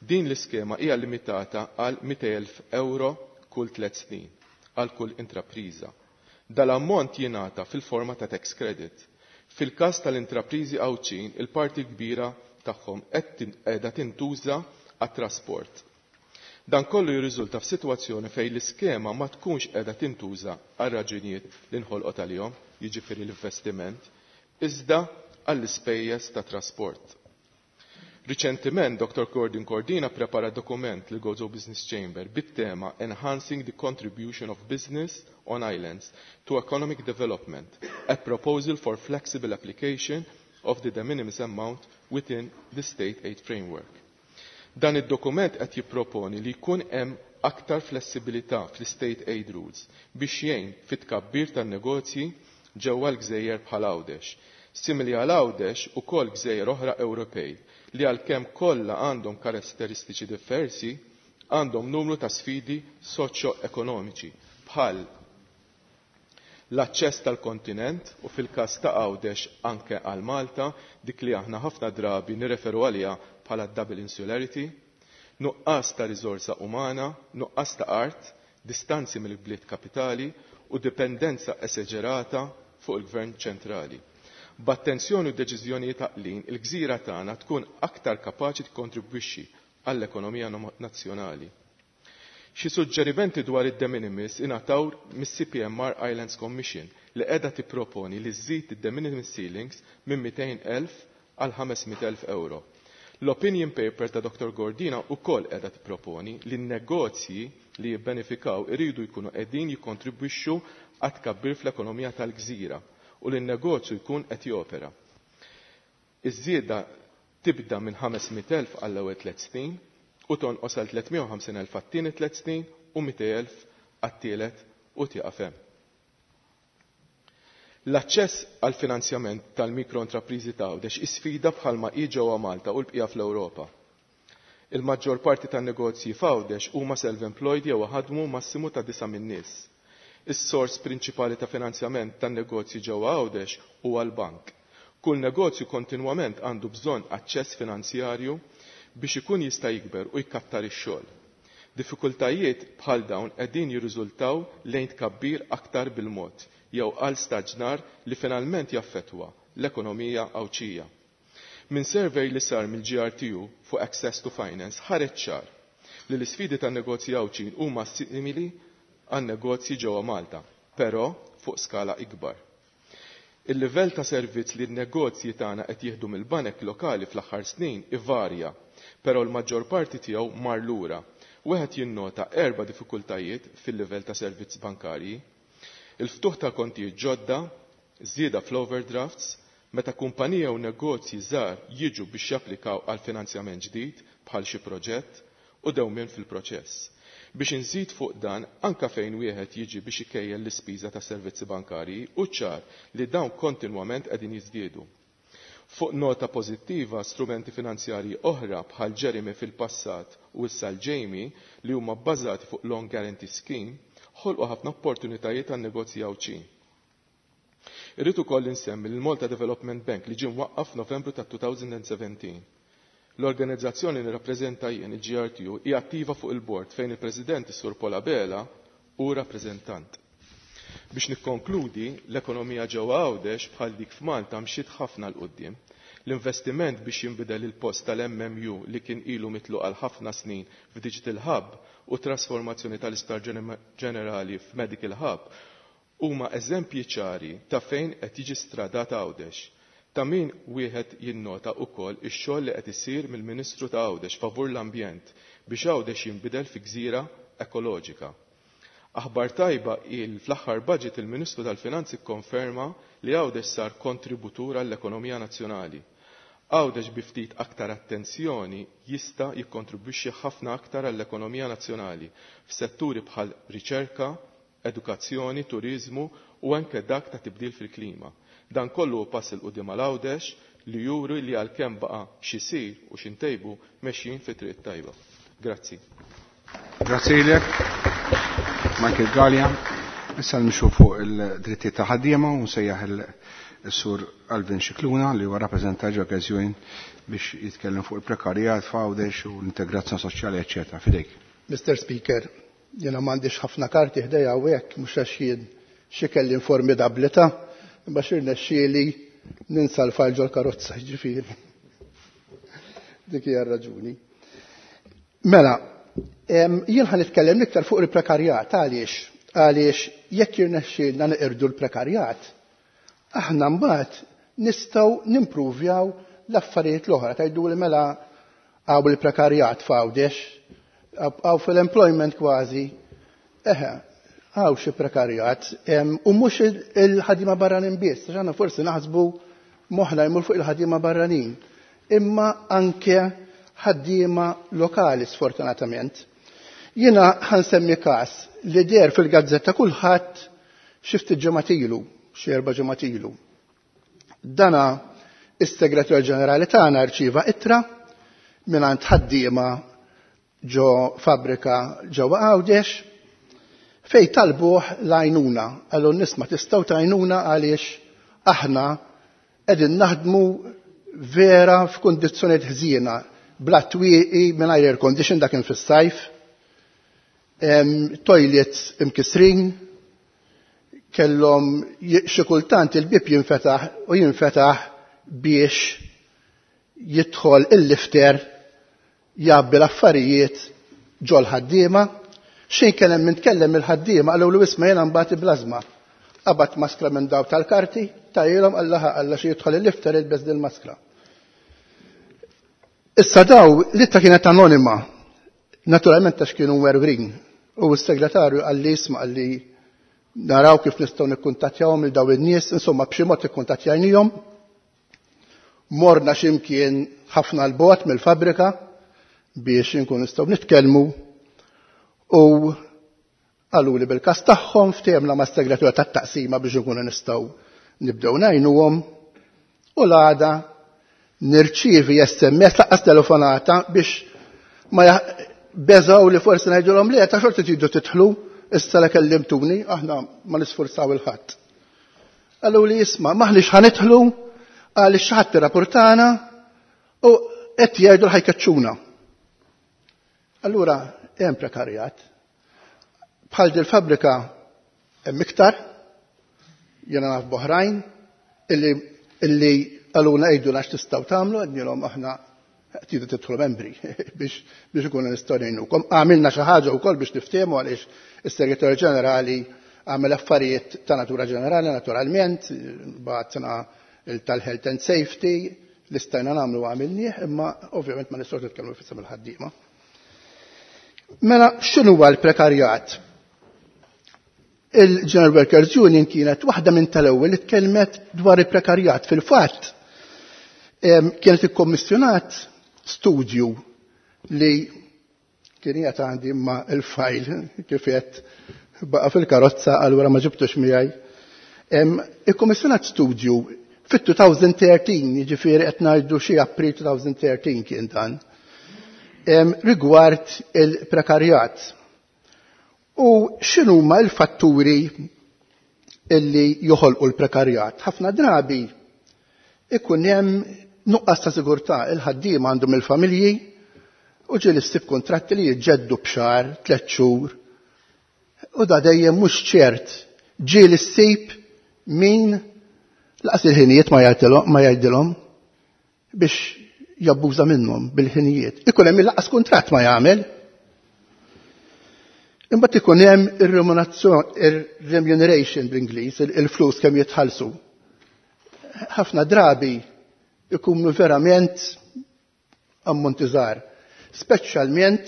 Din l-iskema hija limitata għal 200,000 euro kull 3 snin għal kull intrapriża. Dal-ammont jingħata fil-forma ta' tax credit. Fil-każ tal-intrapriżi Għawdxin, il-parti kbira tagħhom qiegħda tintuża għat-trasport. Dan kollu jirriżulta f'sitwazzjoni fejn l-iskema ma tkunx qiegħda tintuża għal raġunijiet li nħolqot għalihom, jiġifieri l-investiment, iżda għall-ispejjeż ta' trasport. Riċentiment, Dr. Gordon Cordina prepara dokument li Gozo Business Chamber bit-tema Enhancing the Contribution of Business on Islands to Economic Development, a proposal for flexible application of the de minimis amount within the state aid framework. Dan id-dokument qed jipproponi li jkun hemm aktar flessibilità fl-state aid rules biex jgħin fit-tkabbir tan-negozji ġewwa l-gżejjer bħal Għawdex. Simili għal Għawdex ukoll gżejjer oħra Ewropej li għalkemm kollha għandhom karatteristiċi diversi, għandhom numru ta' sfidi soċjo-ekonomiċi bħal l-aċċess tal-kontinent u fil-każ ta' Għawdex anke għal Malta, dik li aħna ħafna drabi nirreferu għaliha bħala double insularity, nuqqas ta' riżorsa umana, nuqqas ta' art, distanzi mill-bliet kapitali u dipendenza esaġerata fuq il-gvern ċentrali. B'attenzjoni u deċiżjonijiet għaqlin, il-gżira tagħna tkun aktar kapaċi tikkontribwixxi għall-ekonomija nazzjonali. Xi suġġerimenti dwar id-de minimis ingħataw mis-CPMR Islands Commission li qiegħda tipproponi li żżid id-de minimis ceilings minn 200,000 għal 500,000 euro. L-opinion paper ta' Dr. Gordina wkoll qiegħda tipproponi li n-negozji li jibbenefikaw iridu jkunu qegħdin jikkontribwixxu għat tkabbir fl-ekonomija tal-gżira u li n-negozju jkun qed jopera. Iż-żieda tibda minn 500,000 għall-ewwel 3 snin u tonqos għal 350,000 għat-tieni 3 snin u 200,000 għat-tielet u tieqaf hemm. L-aċċess għal finanzjament tal-mikroentrepriżi ta' Għawdex isfida bħalma hi ġewwa Malta u l-bqija fl-Ewropa. Il-maġġor parti tan-negozji f'Għawdex huma self-employed jew ħadmu massimu ta' 9 min-nies. Is-sors prinċipali ta' finanzjament tan-negozji ġewwa Għawdex huwa l-bank. Kull negozju kontinwament għandu bżonn aċċess finanzjarju biex ikun jista' jikber u jkattar ix-xogħol. Diffikultajiet bħal dawn qegħdin jirriżultaw lejn tkabbir aktar bil-mod jew għal staġnar li finalment jaffettwa l-ekonomija Għawdxija. Minn survey li sar mill-GRTU fuq Access to Finance ħareġ ċar li l-isfidi tan-negozji Għawdxin huma simili għan negozji ġewwa Malta, però fuq skala ikbar. Il-livell ta' servizz li n-negozji tagħna qed jieħdu mill-banek lokali fl-aħħar snin ivarja, però l-maġġor parti tiegħu mar lura. Wieħed jinnota erba' diffikultajiet fil-livell ta' servizz bankarji. Il-ftuħ ta' kontijiet ġodda, żieda fl-overdrafts, meta kumpanija u negozji żgħar jiġu biex japplikaw għal finanzjament ġdid bħal xi proġett u dewmien fil-proċess. Biex inżid fuq dan, anka fejn wieħed jiġi biex ikejjel l-ispiża ta' servizzi bankarji, hu ċar li dawn kontinwament qegħdin jiżdiedu. Fuq nota pożittiva, strumenti finanzjarji oħra bħal Jeremy fil-passat u issa l-Jamie li huma bbażati fuq Loan Guarantee Scheme ħolqu ħafna opportunitajiet għan negozji Għawdxin. Irrid ukoll insemmi l-Malta Development Bank li ġie mwaqqaf f'Novembru ta' 2017. L-organizzazzjoni li nirrappreżenta jien, il-GRTU, hija attiva fuq il-bord fejn il-President is-Sur Paul Abela hu rappreżentant. Biex nikkonkludi, l-ekonomija ġewwa Għawdex bħal dik f'Malta mxiet ħafna 'l quddiem. L-investiment biex jinbidel il-post tal-MMU li kien ilu mitluq għal ħafna snin f'Digital Hub u t-trasformazzjoni tal-Isptar Ġenerali f'Medical Hub huma eżempji ċari ta' fejn qed jiġi stradat Għawdex. Ta' min wieħed jinnota wkoll ix-xogħol li qed isir mill-Ministru ta' Għawdex favur l-ambjent biex Għawdex jinbidel fi gżira ekoloġika. Aħbar tajba hi li fl-aħħar budget il-Ministru tal-Finanzi kkonferma li Għawdex sar kontributur għall-ekonomija nazzjonali. Għawdex bi ftit aktar attenzjoni jista' jikkontribwixxi ħafna aktar għall-ekonomija nazzjonali f'setturi bħal riċerka, edukazzjoni, turiżmu u anke dak ta' tibdil fil-klima. Dan kollu hu pass 'il quddiem għal Għawdex li juri li għalkemm baqa' x'isir u x'intejbu mexjin fit-triq it-tajba. Grazzi. Grazzi lilek, Michael Galea. Issa nimxu fuq il-drittijiet ta' ħaddiema u nsejjaħ il-Sur Alvin Scicluna li huwa rappreżentant ġo Union biex jitkellem fuq il-prekarjat f'Għawdex u l-integrazzjoni soċjali, eċċetera. Fidejk. Mr. Speaker, jiena m'għandix ħafna karti ħdejja hawnhekk mhux għax jien xi kelli formidabbli ta' imma xi rnexxieli ninsa l-fajl ġol-karozza, ġifieri. Dik hija r-raġuni. Mela, jien ħa nitkellem iktar fuq il-prekarjat għaliex? Għaliex jekk jirnexxielna neqirdu l-prekarjat, aħna mbagħad nistgħu nimpruvjaw l-affarijiet l-oħra. Tgħidu li mela għaw il-prekarjat f'Għawdex, għaw fil-employment kważi, eħe, għaw xi prekarjat, u mhux il-ħaddiema barranin biss, għax aħna forsi naħsbu moħħna jmur fuq il-ħaddiema barranin, imma anke ħaddiema lokali sfortunatament. Jiena ħansemmi każ li deher fil-gazzetta kulħadd xi ftit ġimgħat ilu, xi 4 ġimgħat ilu. Dana is-Segretarju Ġenerali tagħna rċieva ittra mingħand ħaddiema ġo fabbrika ġewwa Għawdex fej talbuh l-għajnuna. Qallu nisma' tistgħu tgħinuna għaliex aħna qegħdin naħdmu vera f'kundizzjonijiet ħżiena, bla twieqi mingħajr air condition dak kien fis-sajf, toilets imkisrin, kellhom xi kultant il-bieb jinfetaħ u jinfetaħ biex jidħol il-lifter jgħabbi l-affarijiet ġol ħaddiema. Xejn kellem minn tkellem il-ħaddiema qalu lu isma' jiena mbagħad iblażma. Qabad maskra minn daw tal-karti, tajilhom qallaha qalla xi jidħol il-lifter ilbes din maskra. Issa daw l-ittra kienet anonima, naturalment għax kienu werwrin. U s-segretarju qalli isma' qalli naraw kif nistgħu nikkuntattjawhom il daw in-nies, insomma b'xi mod ikkuntattjajnihom. Morna x'imkien ħafna 'l bogħod mill-fabbrika biex inkun nistgħu nitkellmu u qalu li bil-każ tagħhom ftehemna mas-segretarju tat-taqsima biex inkunu nistgħu nibdew ngħinuhom u l-għada nirċievi SMS laqqas telefonata biex ma beżgħu li forsi ngħidulhom li ta' xorti tridu tidħlu issa la kellimtuni aħna ma nisforzaw il-ħadd. Qalu li isma' maħniex ħanidħlu għaliex xi ħadd irrapportana u qed jgħidu ħajkeċċuna. Allura hemm prekarjat. Bħal dil fabbrika hemm iktar, jiena naf b'oħrajn illi qaluna għidulna x'tistgħu tagħmlu, għednilhom aħna tridu tidħlu membri biex ikunu nistgħu ngħinukom. Għamilna xi ħaġa wkoll biex niftehmu għaliex is-Segretarju Ġenerali Għamel affarijiet ta' natura ġenerali, naturalment, bagħatna tal-health and safety, li stajna nagħmlu għamilnieh, imma ovvjament ma nistgħux nitkellmu f'isem il-ħaddiema. Mela, x'inhuwa l-prekarjat? Il-General Workers Union kienet waħda minn tal-ewwel li tkellmet dwar il-prekarjat. Fil-fatt, kienet ikkommissjonat studju li kien qiegħed għandi imma il-fajl kif qed baqa' fil-karozza allura ma ġibtux miegħi. Ikkommissjonat studju fit-2013, jiġifieri qed ngħidu xi April 2013 kien dan, rigward il-prekarjat. U x'inhuma l-fatturi illi joħolqu l-prekarjat? Ħafna drabi ikun hemm nuqqas ta' sigurtà, il-ħaddiema għandhom il-familji u ġieli ssib kontratti li jiġġeddu b'xahar, 3 xhur. U da dejjem mhux ċert. Ġieli ssib min laqas il-ħinijiet ma jgħidilhom biex jabbuża minnhom bil-ħinijiet. Ikun hemm laqas kuntratt ma jagħmel. Imbagħad ikun hemm ir-remuneration bl-Ingliż, il-flus kemm jitħallsu. Ħafna drabi ikunu verament ammonti żgħar. Speċjalment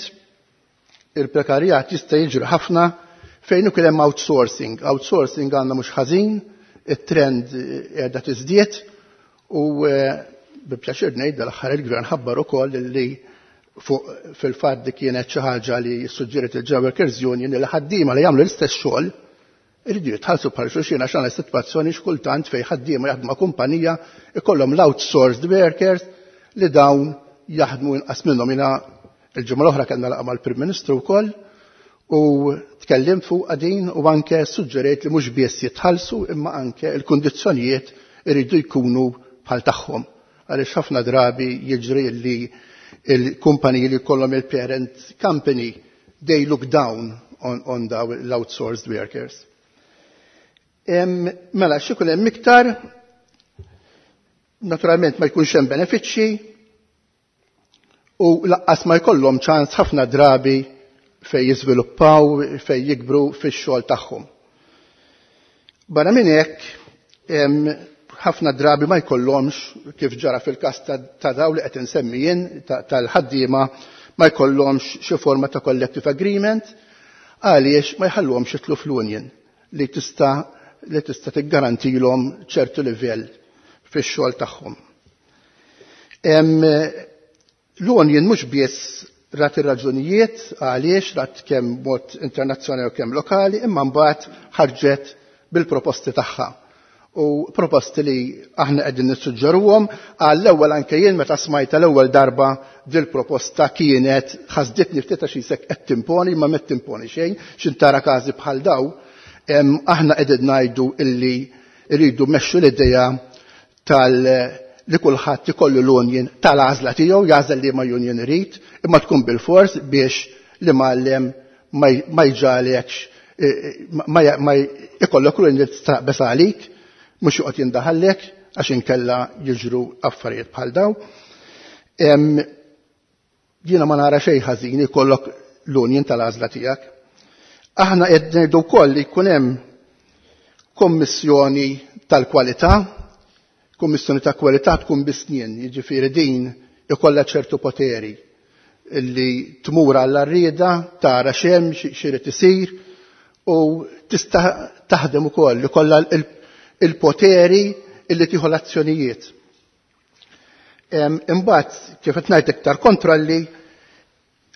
il-prekarjat jista' jiġri ħafna fejn ukoll hemm outsourcing. Outsourcing għandna mhux ħażin, it-trend qiegħda tiżdied u bi pjaċir ngħid dal-aħħar il-gvern ħabbar ukoll li fuq fil-fatt di kienet xi ħaġa li suġġeriet il-General Workers Union li ħaddiema li jagħmlu l-istess xogħol iridu jitħallsu bħal xulxin għax għandna sitwazzjoni xkultant fejn ħaddiema jaħdmu ma' kumpanija ikollhom l-outsourced workers li dawn jaħdmu inqas minnhom. Jiena il-ġimgħa l-oħra kellna laqgħa mal-Prim Ministru wkoll u tkellimt fuq din u anke suġġerejt li mhux biss jitħallsu imma anke l-kundizzjonijiet iridu jkunu bħal tagħhom. Għaliex ħafna drabi jiġri li il-kumpaniji li jkollhom il-parent company, they look down on daw l-outsourced workers. Mela, x'ikun hemm iktar, naturalment ma jkunx hemm benefiċċji u laqqas ma jkollhom ċans ħafna drabi fej jiżviluppaw, fej jikbru fix-xogħol tagħhom. Barra minn hekk, ħafna drabi ma jkollhomx, kif ġara fil-każ ta' daw li qed insemmi jien tal-ħaddiema, ma jkollhomx xi forma ta' collective agreement għaliex ma jħalluhomx jidħlu fl-union li tista' tiggarantilhom ċertu livell fix-xogħol tagħhom. L-union mhux biss rat ir-raġunijiet għaliex rat kemm mod internazzjonali u kemm lokali, imma mbagħad ħarġet bil-proposti tagħha. U proposti li aħna qegħdin nissuġġeruhom għall-ewwel anke jien meta smajta l-ewwel darba dil-proposta kienet ħasditni ftit għax isek qed timponi ma qed timponi xejn, x'intara każi bħal daw. Aħna qegħdin ngħidu illi rridu mmexxu l-idea tal li kulħadd ikollu l-union tal-għażla tiegħu, jagħżel li ma union irid, imma tkun bil-fors biex li mgħallem ma jġalekx, ma ikollok l-union li tistaqbes għalik, mhux joqgħod jindaħallek għax inkella jiġru affarijiet bħal daw. Jiena ma nara xejn ħażin ikollok l-union tal-għażla tiegħek. Aħna qed ngħidu wkoll li jkun hemm kommissjoni tal-kwalità, kommissjoni ta' kwalità tkun bis-snien, jiġifieri din ikollha ċertu poteri li tmur għall-arrieda, tara x'hemm, x'irid isir u tista' taħdem ukoll, ikollha il-poteri illi tieħu l-azzjonijiet. Imbagħad kif qed ngħid iktar kontrolli,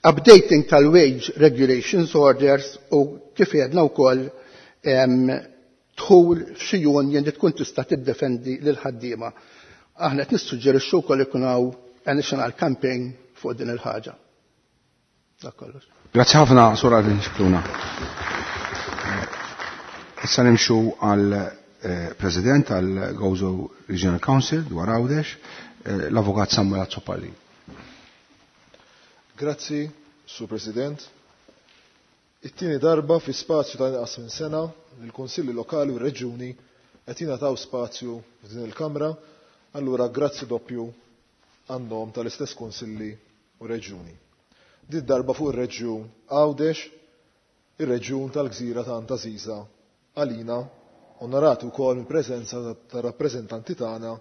updating tal-wage regulations orders u kif għedna wkoll dħul f'xi union li tkun tista' tiddefendi lil ħaddiema. Aħna qed nissuġġerixxu wkoll ikun hawn a national campaign fuq din il-ħaġa. Dak kollox. Grazzi ħafna, Sur Alvin Scicluna. Issa nimxu għal President tal-Gozo Regional Council dwar Għawdex, l-Avukat Samuel Azzopardi. Grazzi, Sur President. It-tieni darba fi spazju ta' inqas minn sena li l-Kunsilli Lokali u r-Reġjuni qed jingħataw spazju f'din il-Kamra, allura grazzi doppju għan-nom tal-istess Kunsilli u Reġjuni. Din darba fuq ir-Reġjun Għawdex, ir-Reġjun tal-Gżira ta' Għantażiża għalina onorati wkoll mill-preżenza tar-rappreżentanti tagħna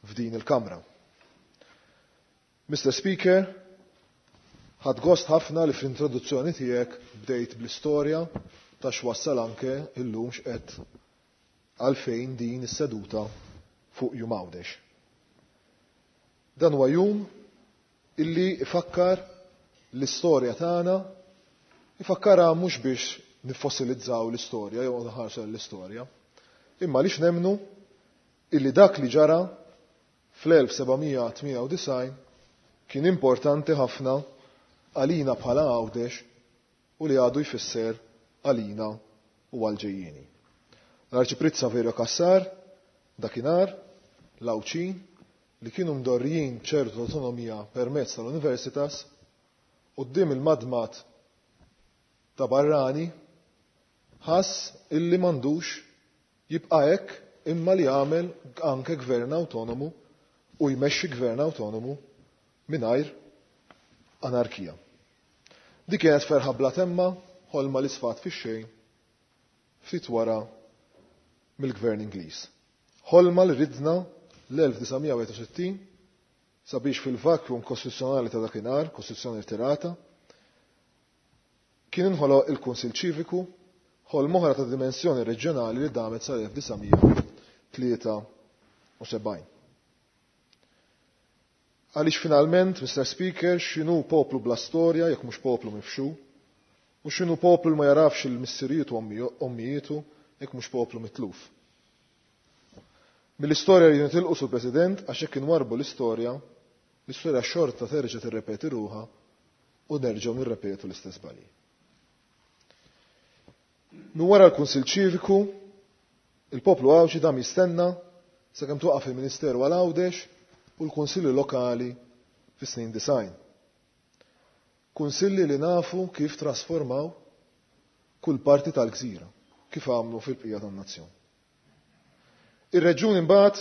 f'din il-Kamra. Mr. Speaker, ħadt gost ħafna li fl-introduzzjoni tiegħek bdejt bl-istorja ta' x'wassal anke illum x'qed għalfejn din is-seduta fuq Jum Għawdex. Dan huwa jum illi ifakkar l-istorja tagħna, ifakkarha mhux biex nifossilizzaw l-istorja jew nħarsu l-istorja, imma għaliex nemmnu illi dak li ġara fl-1798 kien importanti ħafna għalina bħala Għawdex u li għadu jfisser għalina u għal-ġejjieni. L-Arċipriet Saverio Cassar, dakinhar, l-Għawdxin, li kienu mdorrijin ċertu autonomija permezz tal-Universitas, quddiem il-madmat ta' barrani, ħass illi m'għandux jibqa' hekk imma li jagħmel anke gvern awtonomu u jmexxi gvern awtonomu mingħajr anarkija. Dik kienet ferħa bla temma, ħolma li sfat fix-xejn ftit wara mill-gvern Ingliż. Ħolma li ridna l-1961 sabiex fil-vacuum kostituzzjonali ta' dakinhar, kostituzzjoni rtirata, kien inħoloq il-Kunsill Ċiviku, ħolma oħra ta' dimensjoni reġjonali li damet sal-1973. Għaliex finalment, Mr. Speaker, x'inhu poplu bla storja jekk mhux poplu mifxu, u x'inhu poplu li ma jarafx il-missirijiet u ommijietu jekk mhux poplu mitluf. Mill-istorja li nitilqu sur President, għax hekk inwarbu l-istorja, l-istorja xorta terġa' tirrepeti ruħha u nerġgħu nirrepetu l-istess żbalji. Min wara l-Kunsill Ċiviku, il-poplu Għawdxi dam jistenna sakemm twaqaf il-Ministeru għal Għawdex u l-Kunsilli Lokali fis-snin 90. Kunsilli li nafu kif trasformaw kull parti tal-gżira, kif għamlu fil-bqija tan-nazzjon. Ir-reġjuni mbagħad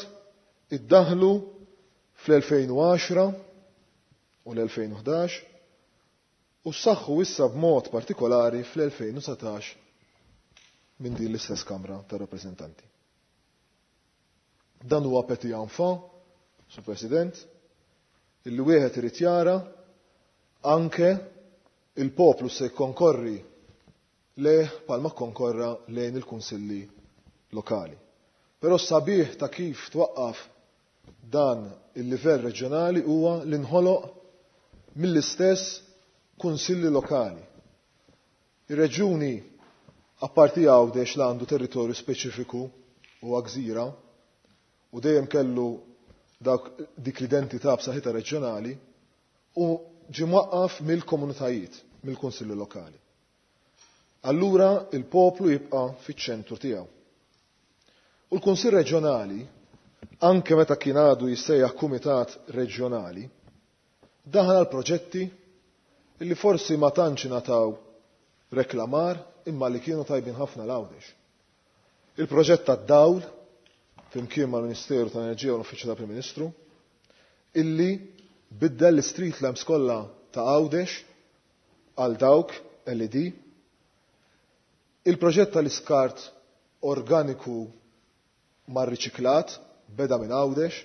iddaħlu fl-2010 u l-2011 u ssaħħu issa b'mod partikolari fl-2019 minn din l-istess Kamra tar-Rappreżentanti. Dan huwa petit enfant, Sur President, illi wieħed irid jara anke il-poplu se jkonkorri lejh palma konkorra lejn il-kunsilli lokali. Però sabiħ ta' kif twaqqaf dan il-livell reġjonali huwa li nħoloq mill-istess kunsilli lokali. Ir-reġjuni, apparti Għawdex li għandu territorju speċifiku u gżira u dejjem kellu dak dik l-identità b'saħħitha reġjonali, u ġie mwaqqaf mill-komunitajiet, mill-kunsilli lokali. Allura il-poplu jibqa' fiċ-ċentru tiegħu. U l-Kunsill Reġjonali, anke meta kien għadu jissejjaħ Kumitat Reġjonali, daħal għal proġetti illi forsi ma tantx ingħataw reklamar imma li kienu tajbin ħafna l-Għawdex. Il-proġett tad-dawl, flimkien mal-Ministeru tal-Enerġija u l-Uffiċċju tal-Prim Ministru, illi biddel l-street lamps kollha ta' Għawdex għal dawk LED. Il-proġett tal-iskart organiku mar-riċiklat beda minn Għawdex,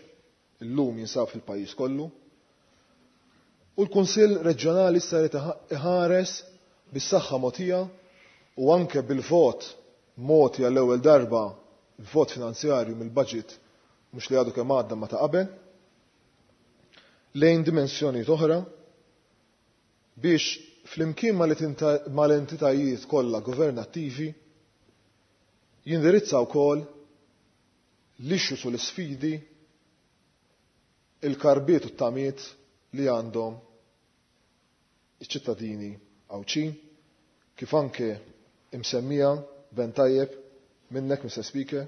illum jinsab fil-pajjiż kollu. U l-Kunsill Reġjonali issa jrid iħares bis-saħħa mogħtija u anke bil-vot mogħti għall-ewwel darba, il-vot finanzjarju mill-budget mhux li għadu kemm għadda ma ta' qabel, lejn dimensjonijiet oħra biex flimkien mal-entitajiet kollha governattivi jindirizza wkoll l-issues u l-isfidi, il-karbiet u t-tamiet li għandhom iċ-ċittadini Għawdxin, kif anke imsemmija ben tajjeb minnek, Mr. Speaker,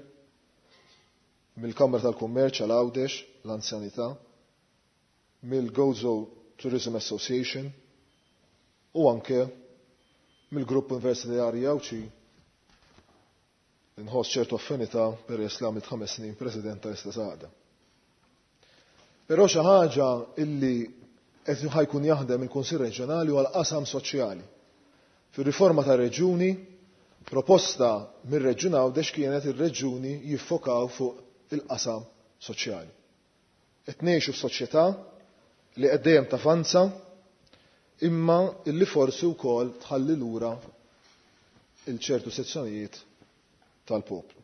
mill-Kamra tal-Kummerċ għal Għawdex, l-anzjanità, mill-Gozo Tourism Association u anke mill-Grupp Universitarji Għawdxi. Nħoss ċertu affinità peress li għamilt 5 snin president tal-istess għaqda. Però xi ħaġa illi qed ħajkun jaħdem il-Kunsill Reġjonali huwa l-qasam soċjali. Fir-riforma tar-reġjuni Proposta mir-Reġjun Għawdex kienet ir-reġjuni jiffokaw fuq il-qasam soċjali. Qed ngħixu f'soċjetà li qed dejjem tavanza imma illi forsi wkoll tħalli lura il ċertu sezzjonijiet tal-poplu.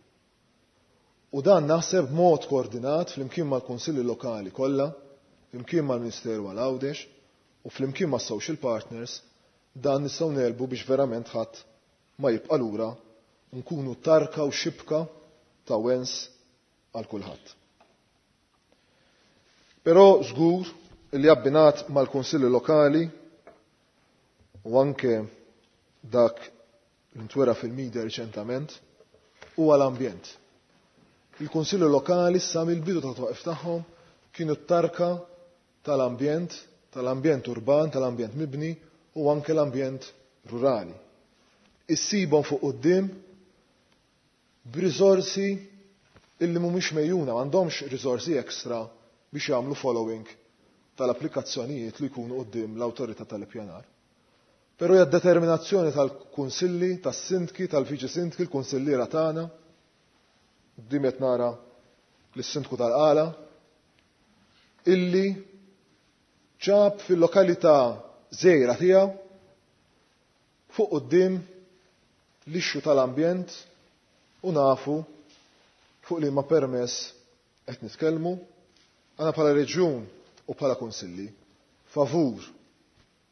U dan naħseb b'mod koordinat flimkien mal-Kunsilli Lokali kollha, flimkien mal-Ministeru għal Għawdex u flimkien mas-social partners, dan nistgħu negħlbu biex verament ħadd ma jibqa' lura u nkunu tarka u xibka ta' wens għal kulħadd. Però żgur li abbinat mal-Kunsilli Lokali u anke dak li ntwera fil-media riċentament huwa l-ambjent. Il-Kunsilli Lokali sa mill-bidu ta' twaqif tagħhom kienu t-tarka tal-ambjent, tal-ambjent urban, tal-ambjent mibni u anke l-ambjent rurali. Issibhom fuq quddiem b'riżorsi illi mhumiex mejjuna, m'għandhomx riżorsi ekstra biex jagħmlu following tal-applikazzjonijiet li jkunu quddiem l-awtorità tal-ippjanar. Però hija determinazzjoni tal-kunsilli, tas-sindki, tal-viċi sindki, l-kunsilliera tagħna. Quddiem qed nara lis-sindku tal-Qala illi ġab fil-lokalità żgħira tiegħu fuq quddiem l-issue tal-ambjent u nafu fuq li ma permess qed nitkellmu. Għana bħala reġjun u bħala kunsilli favur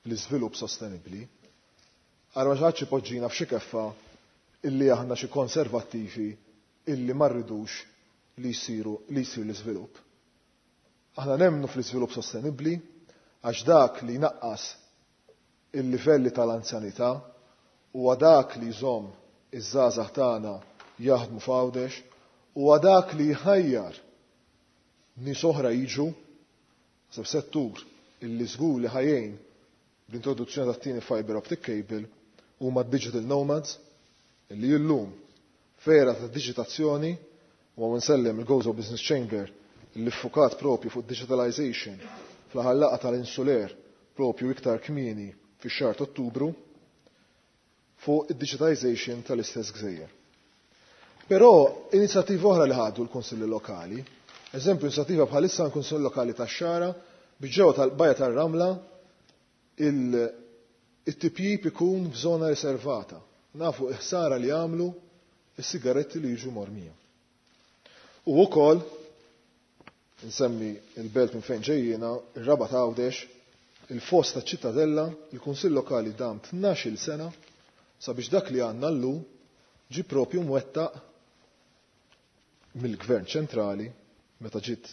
l-iżvilupp sostenibbli. Ara ma xi ħadd ipoġġina f'xi keffa illi aħna xi konservattivi illi ma rridux li jsiru li jsir l-iżvilupp. Aħna nemmnu fl-iżvilupp sostenibbli għax dak li jnaqqas il-livelli tal-anzjanità huwa dak li jżomm iż-żgħażagħ tagħna jaħdmu f'Għawdex, huwa dak li jħajjar nies oħra jiġu seb settur illi żgur li ħa jgħin bl-introduzzjoni tat-tieni fiber optic cable huma digital nomads illi illum f'era ta' digitazzjoni u hawn insellem il-Gozo Business Chamber illi ffukat propju fuq digitalization fl-aħħar laqgħa tal-Insuler propju iktar kmieni fix-xahar ta' Ottubru fuq id-digitization tal-istess gżejjer. Però inizjattiva oħra li ħadu l-Kunsilli Lokali, eżempju inizjattiva bħalissa l-Kunsill Lokali tax-Xagħra biex ġewwa tal-Bajja tar-Ramla it-tipjip ikun f'żona riservata. Nafu il-ħsara li jagħmlu is-sigaretti li jiġu mormija. U wkoll nsemmi il-belt minn fejn ġejjiena, ir-Rabat Għawdex, il-foss ta' Ċittadella, il-Kunsill Lokali dam 12-il sena sabiex dak li għandna llum ġi propju mwettaq mill-Gvern ċentrali meta ġiet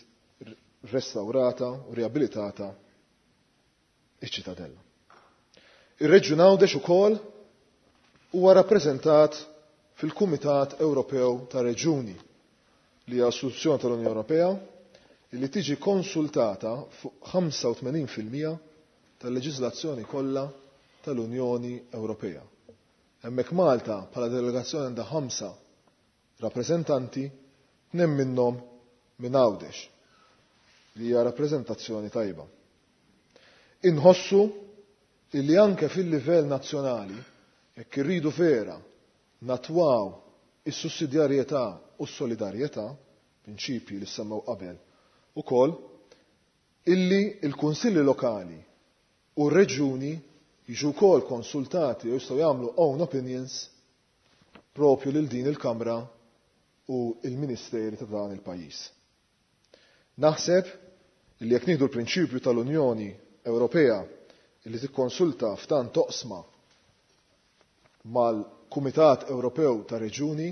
restaurata u riabilitata iċ-Ċittadella. Ir-Reġjun Għawdex ukoll huwa rappreżentat fil-Kumitat Ewropew ta' Reġjuni li hija istituzzjoni tal-Unjoni Ewropea li tiġi konsultata fuq 85% tal-leġiżlazzjoni kollha tal-Unjoni Ewropea. Hemmhekk Malta bħala delegazzjoni għandha 5 rappreżentanti, 2 minnhom minn Għawdex, li hija rappreżentazzjoni tajba. Inħossu illi anke fil-livell nazzjonali, jekk irridu vera natwaw is-sussidjarjetà u s-solidarjetà, prinċipji li semmew qabel ukoll, illi l-kunsilli lokali u r-reġjuni jiġu wkoll konsultati u jistgħu jagħmlu own opinions propju lil din il-Kamra u il-Ministeri ta' dan il-pajjiż. Naħseb illi jekk nieħdu l-prinċipju tal-Unjoni Ewropea illi tikkonsulta f'tant toqsma mal-Kumitat Ewropew ta' Reġjuni,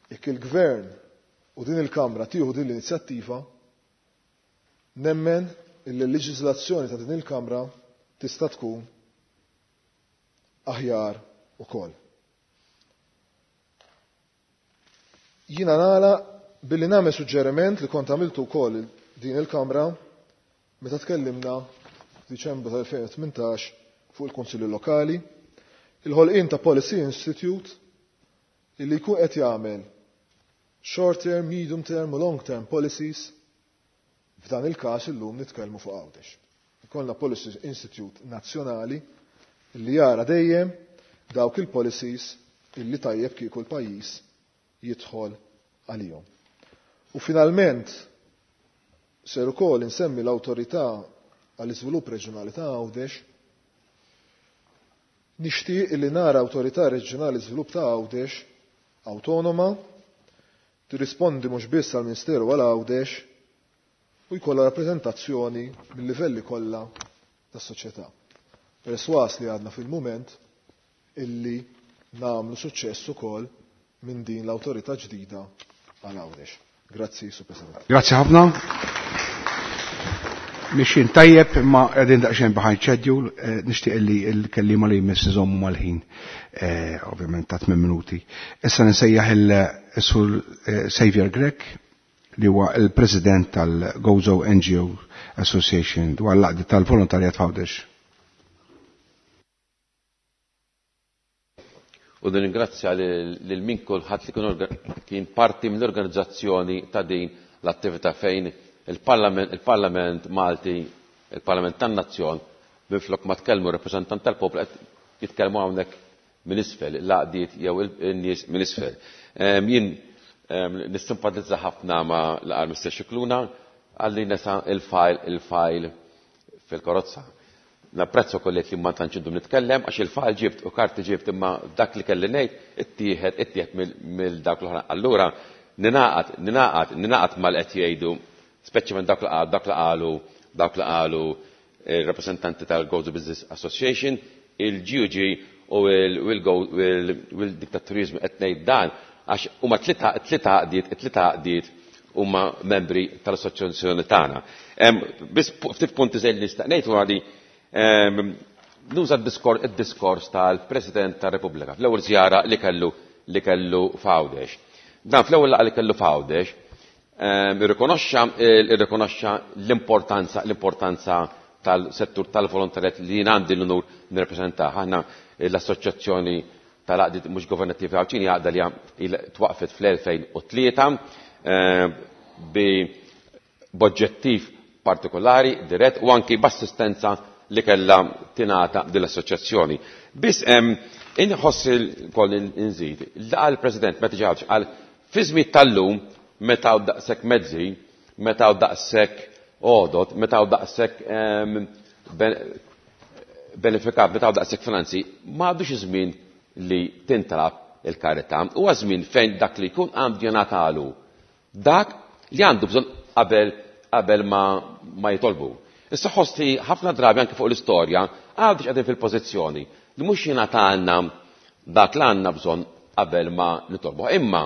jekk il-Gvern u din il-Kamra tieħu din l-inizjattiva, nemmen illi l-leġiżlazzjoni ta' din il-Kamra tista' tkun aħjar ukoll. Jiena nagħlaq billi nagħmel suġġeriment li kont għamiltu wkoll din il-Kamra meta tkellimna f'Diċembru tal-2018 fuq il-Kunsilli Lokali, il-ħolqien ta' Policy Institute illi jkun qed jagħmel short term, medium term u long term policies. F'dan il-każ illum nitkellmu fuq Għawdex. Ikollna Policy Institute nazzjonali li jara dejjem dawk il-policies illi tajjeb kieku l-pajjiż jidħol għalihom. U finalment ser ukoll insemmi l-Awtorità għall-Iżvilupp Reġjonali ta' Għawdex. Nixtieq illi nara Awtorità Reġjonali Żvilupp ta' Għawdex awtonoma, tirrispondi mhux biss għall-Ministeru għal Għawdex u jkollha rappreżentazzjoni mill-livelli kollha tas-soċjetà. Perswas li għadna fil-mument illi nagħmlu suċċess ukoll minn din l-awtorità ġdida għal Għawdex. Grazzi, Sur President. Grazzi ħafna. Mixin tajjeb imma qegħdin daqsxejn behind schedule, nixtieq li l-kelliema li jmiss iżommu mal-ħin, ovvjament ta' 8 minuti. Issa nsejjaħ il-Sur Xavier Grech li huwa il-President tal-Gozo NGO Association dwar l-għaqda tal-volontarjat f'Għawdex. U nirringrazzja lil min kulħadd li kien parti mill-organizzazzjoni ta' din l-attività fejn il-Parlament Malti, il-Parlament tan-Nazzjon, minflok ma tkellmu rappreżentant tal-poplu qed jitkellmu hawnhekk minn isfel, l-għaqdiet jew in-nies minn isfel. Jien nissimpatizza ħafna ma' l-qal Mr. Scicluna għalli nesa il-fajl fil-karozza. Napprezza kollet li ma tantx indum nitkellem għax il-fajl ġibt u karti ġibt imma dak li kelli ngħid ittieħed mill dak l-oħra. Allura ninaqad mal qed jgħidu, speċjalment dak li qal, dak li qalu, dak li qalu il-rappresentanti tal-Gozo Business Association, il-GUG u il-diktatturizmu qed ngħid dan għax huma tlieta għaqdiet huma membri tal-assoċjazzjoni tagħna. Biss ftit punti żejn li nista' ngħid huwa li nuża d-diskors tal-President tar-Repubblika fl-ewwel żjara li kellu f'Għawdex. Dan fl-ewwel laqgħa li kellu f'Għawdex irrikonoxxa l-importanza tal-settur tal-volontarjat li jien għandi l-unur nirrepreżentah. Aħna l-Assoċjazzjoni tal-Għaqdiet Mhux Governattivi Għawdxin hija għaqda li twaqfet fl-2003 b'oġġettiv partikolari, dirett u anki b'assistenza li kellha tingħata din l-assoċjazzjoni. Biss inħoss ukoll inżid, laqa l-President meta ġie Għawdex qal fi żmien tal-lum meta hawn daqshekk mezzi, meta hawn daqshekk għodod, meta hawn daqshekk benefikat, meta hawn daqshekk finanzi, ma għadux iż-żmien li tintalab il-karità. Huwa żmien fejn dak li jkun għandu jingħatalu dak li għandu bżonn qabel ma jitolbu. Issa ħosti ħafna drabi anke fuq l-istorja għadux qegħdin fil-pożizzjoni li mhux jingħatalna dak li għandna bżonn qabel ma nitolbu. Imma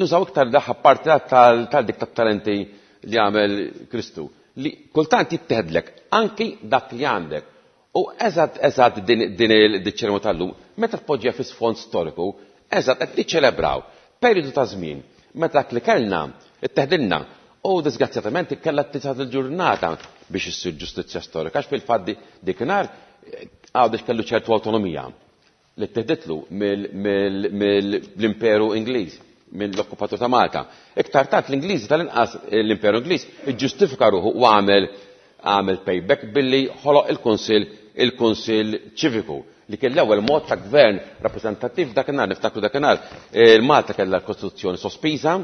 nużaw iktar daħ parti tal-dik tat-talenti li għamel Kristu, li kultant jitteħdlek anki dak li għandek. U eżatt eżatt din iċ-ċerimonja tal-lum, meta tpoġġiha fi sfond storiku, eżatt qed niċċelebraw perjodu ta' żmien meta dak li kellna itteħdilna u disgrazzjatament kellha tisad il-ġurnata biex issir ġustizzja storika, għax fil-fatt dikinhar Għawdex kellu ċertu awtonomija li tteħditlu mill-Imperu Ingliż, mill-okkupatur ta' Malta. Iktar tard l-Ingliżi tal-inqas l-Imperu Ingliż iġġustifika ruħu u għamel payback billi ħoloq il-Kunsill Ċiviku li kien l-ewwel mod ta' gvern rappreżentattiv dakinhar, niftakru dakinhar Malta kellha l-Kostituzzjoni sospiża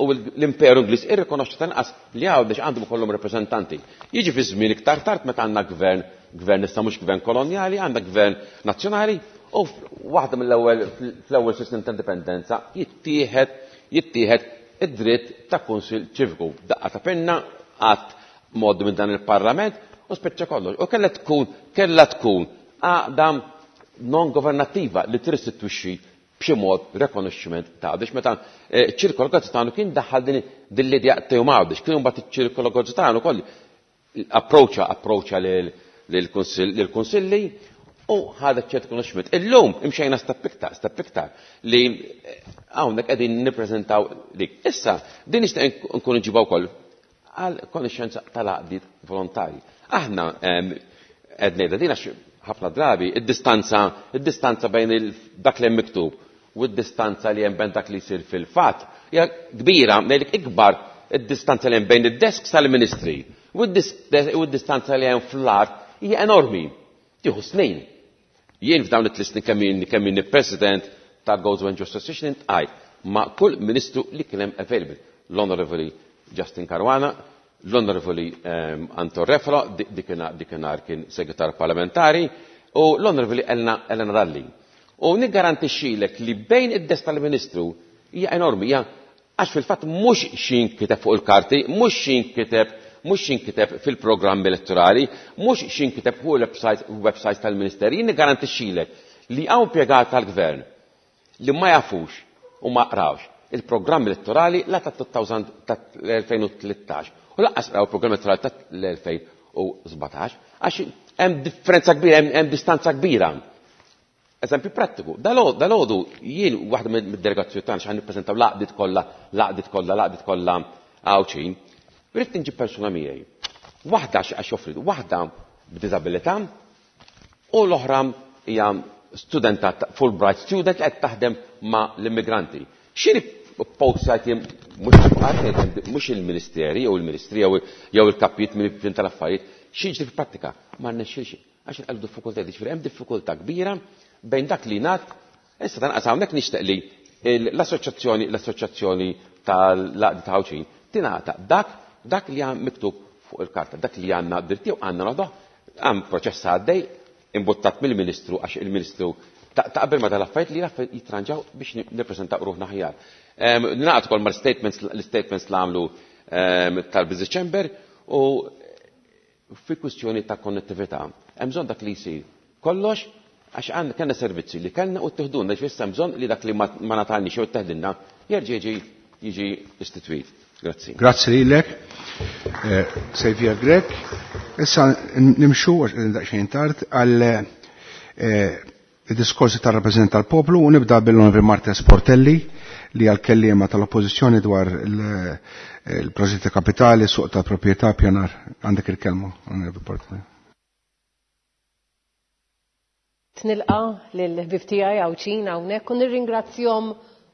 u l-Imperu Ingliż irrikonoxxa tal-inqas li Għawdex għandhom ikollhom rappreżentanti. Jiġi fi żmien iktar tard meta għandna gvern, gvern issa mhux gvern kolonjali, għandna gvern nazzjonali u waħda mill-ewwel fl-ewwel snin ta' indipendenza jittieħed id-dritt ta' Kunsill Ċiviku. Daqqa ta' pinna qatt mod minn dan il-Parlament u spiċċa kollox. U kellha tkun għaqda non governattiva li tirristitwixxi b'xi mod rikonoxximent ta' Għawdex. Meta ċ-ċirkolu Gozzitanu kien daħħal din l-idea tiegħu ma' Għawdex, kien imbagħad iċ-ċirkolu Gozzitanu ukoll approċċa lill-kunsilli u ħadet ċert rikonoxximent. Illum imxejna step iktar, step iktar li hawnhekk qegħdin nippreżentaw dik. Issa din nixtieq nkun nġibha wkoll għal konoxxenza tal-għaqdiet volontari. Aħna qed ngħidha din għax ħafna drabi id-distanza bejn dak li hemm miktub u d-distanza li hemm bejn dak li jsir fil-fatt hija kbira, ngħidlek ikbar id-distanza li hemm bejn id-desks tal-ministri u d-distanza li hemm fl-art hija enormi. Tieħu snin. Jien f'dawn it-tliet snin kemm inni President tal-Gozo NGO Association iltqajt ma' kull ministru li kien hemm available. L-Onorevoli Justin Caruana, l-Onorevoli Anton Refalo, dikinhar kien segretar parlamentari, u l-Onorevoli Elena Dalli. U niggarantixxilek li bejn id-desk tal-Ministru hija enormi, hija għax fil-fatt mhux x'inkiteb fuq il-karti, mhux xinkiteb fil-programm elettorali, mhux xinkiteb fuq il-website tal-Ministeri, jien niggarantixxilek li hawn impjegat tal-Gvern li ma jafux u ma qrawx il-programm elettorali la ta' 2013 u lanqas qraw il-programm elettorali ta' l-2017 għax hemm differenza kbira, hemm distanza kbira. Eżempju prattiku, dalgħodu jien waħda mid-delegazzjoni tagħna x'ħan nippreżentaw l-għaqdiet kollha, l-għaqdiet kollha, l-għaqdiet kollha Għawdxin, ridt nġib persuna miegħi. Waħda għax joffri, waħda b'diżabilità u l-oħra hija studenta Fulbright student li qed taħdem ma' l-immigranti. Xiri postajt mhux il-ministeri jew il-ministri jew il-kapijiet minn tal-affarijiet, xi fil-prattika ma rnexxilx għax il diffikultà, ġifieri hemm diffikultà kbira bejn dak li ngħad. Issa tanqas hawnhekk nixtieq li l-assoċjazzjoni tal-għaqdiet Għawdxin tingħata dak li għan miktub fuq il-karta, dak li għandna dritti u għandna noħduh, għam proċess għaddej imbuttat mill-Ministru għax il-Ministru taqbel ma tal-affarijiet li l-affarijiet jitranġaw biex nippreżentaw ruħna aħjar. Naqgħod ukoll mal-statements l-statements li għamlu tal-Business Chamber u fi kwistjoni ta' konnettività. Hemm bżonn dak li jsir kollox għax għandna kellna servizzi li kellna u tieħdulna, ġifieri hemm bżonn li dak li ma ngħatalniex jew teħdilna jerġa' jiġi istituit. Grazzi. Grazzi lilek, Xavier Grech. Issa nimxu daqsxejn tard għal diskorsi tal-rappresentant tal-poplu u nibda bil-Onorevoli Marta Sportelli li għal-kellima tal-oppozizjoni dwar il-proġetti kapitali, suq ta' proprjetà, pjanar. Għandek il-kelma, Onorevoli Portelli. Nilqa lill-ħbieb tiegħi Għawdxin hawnhekk u nirringrazzjahom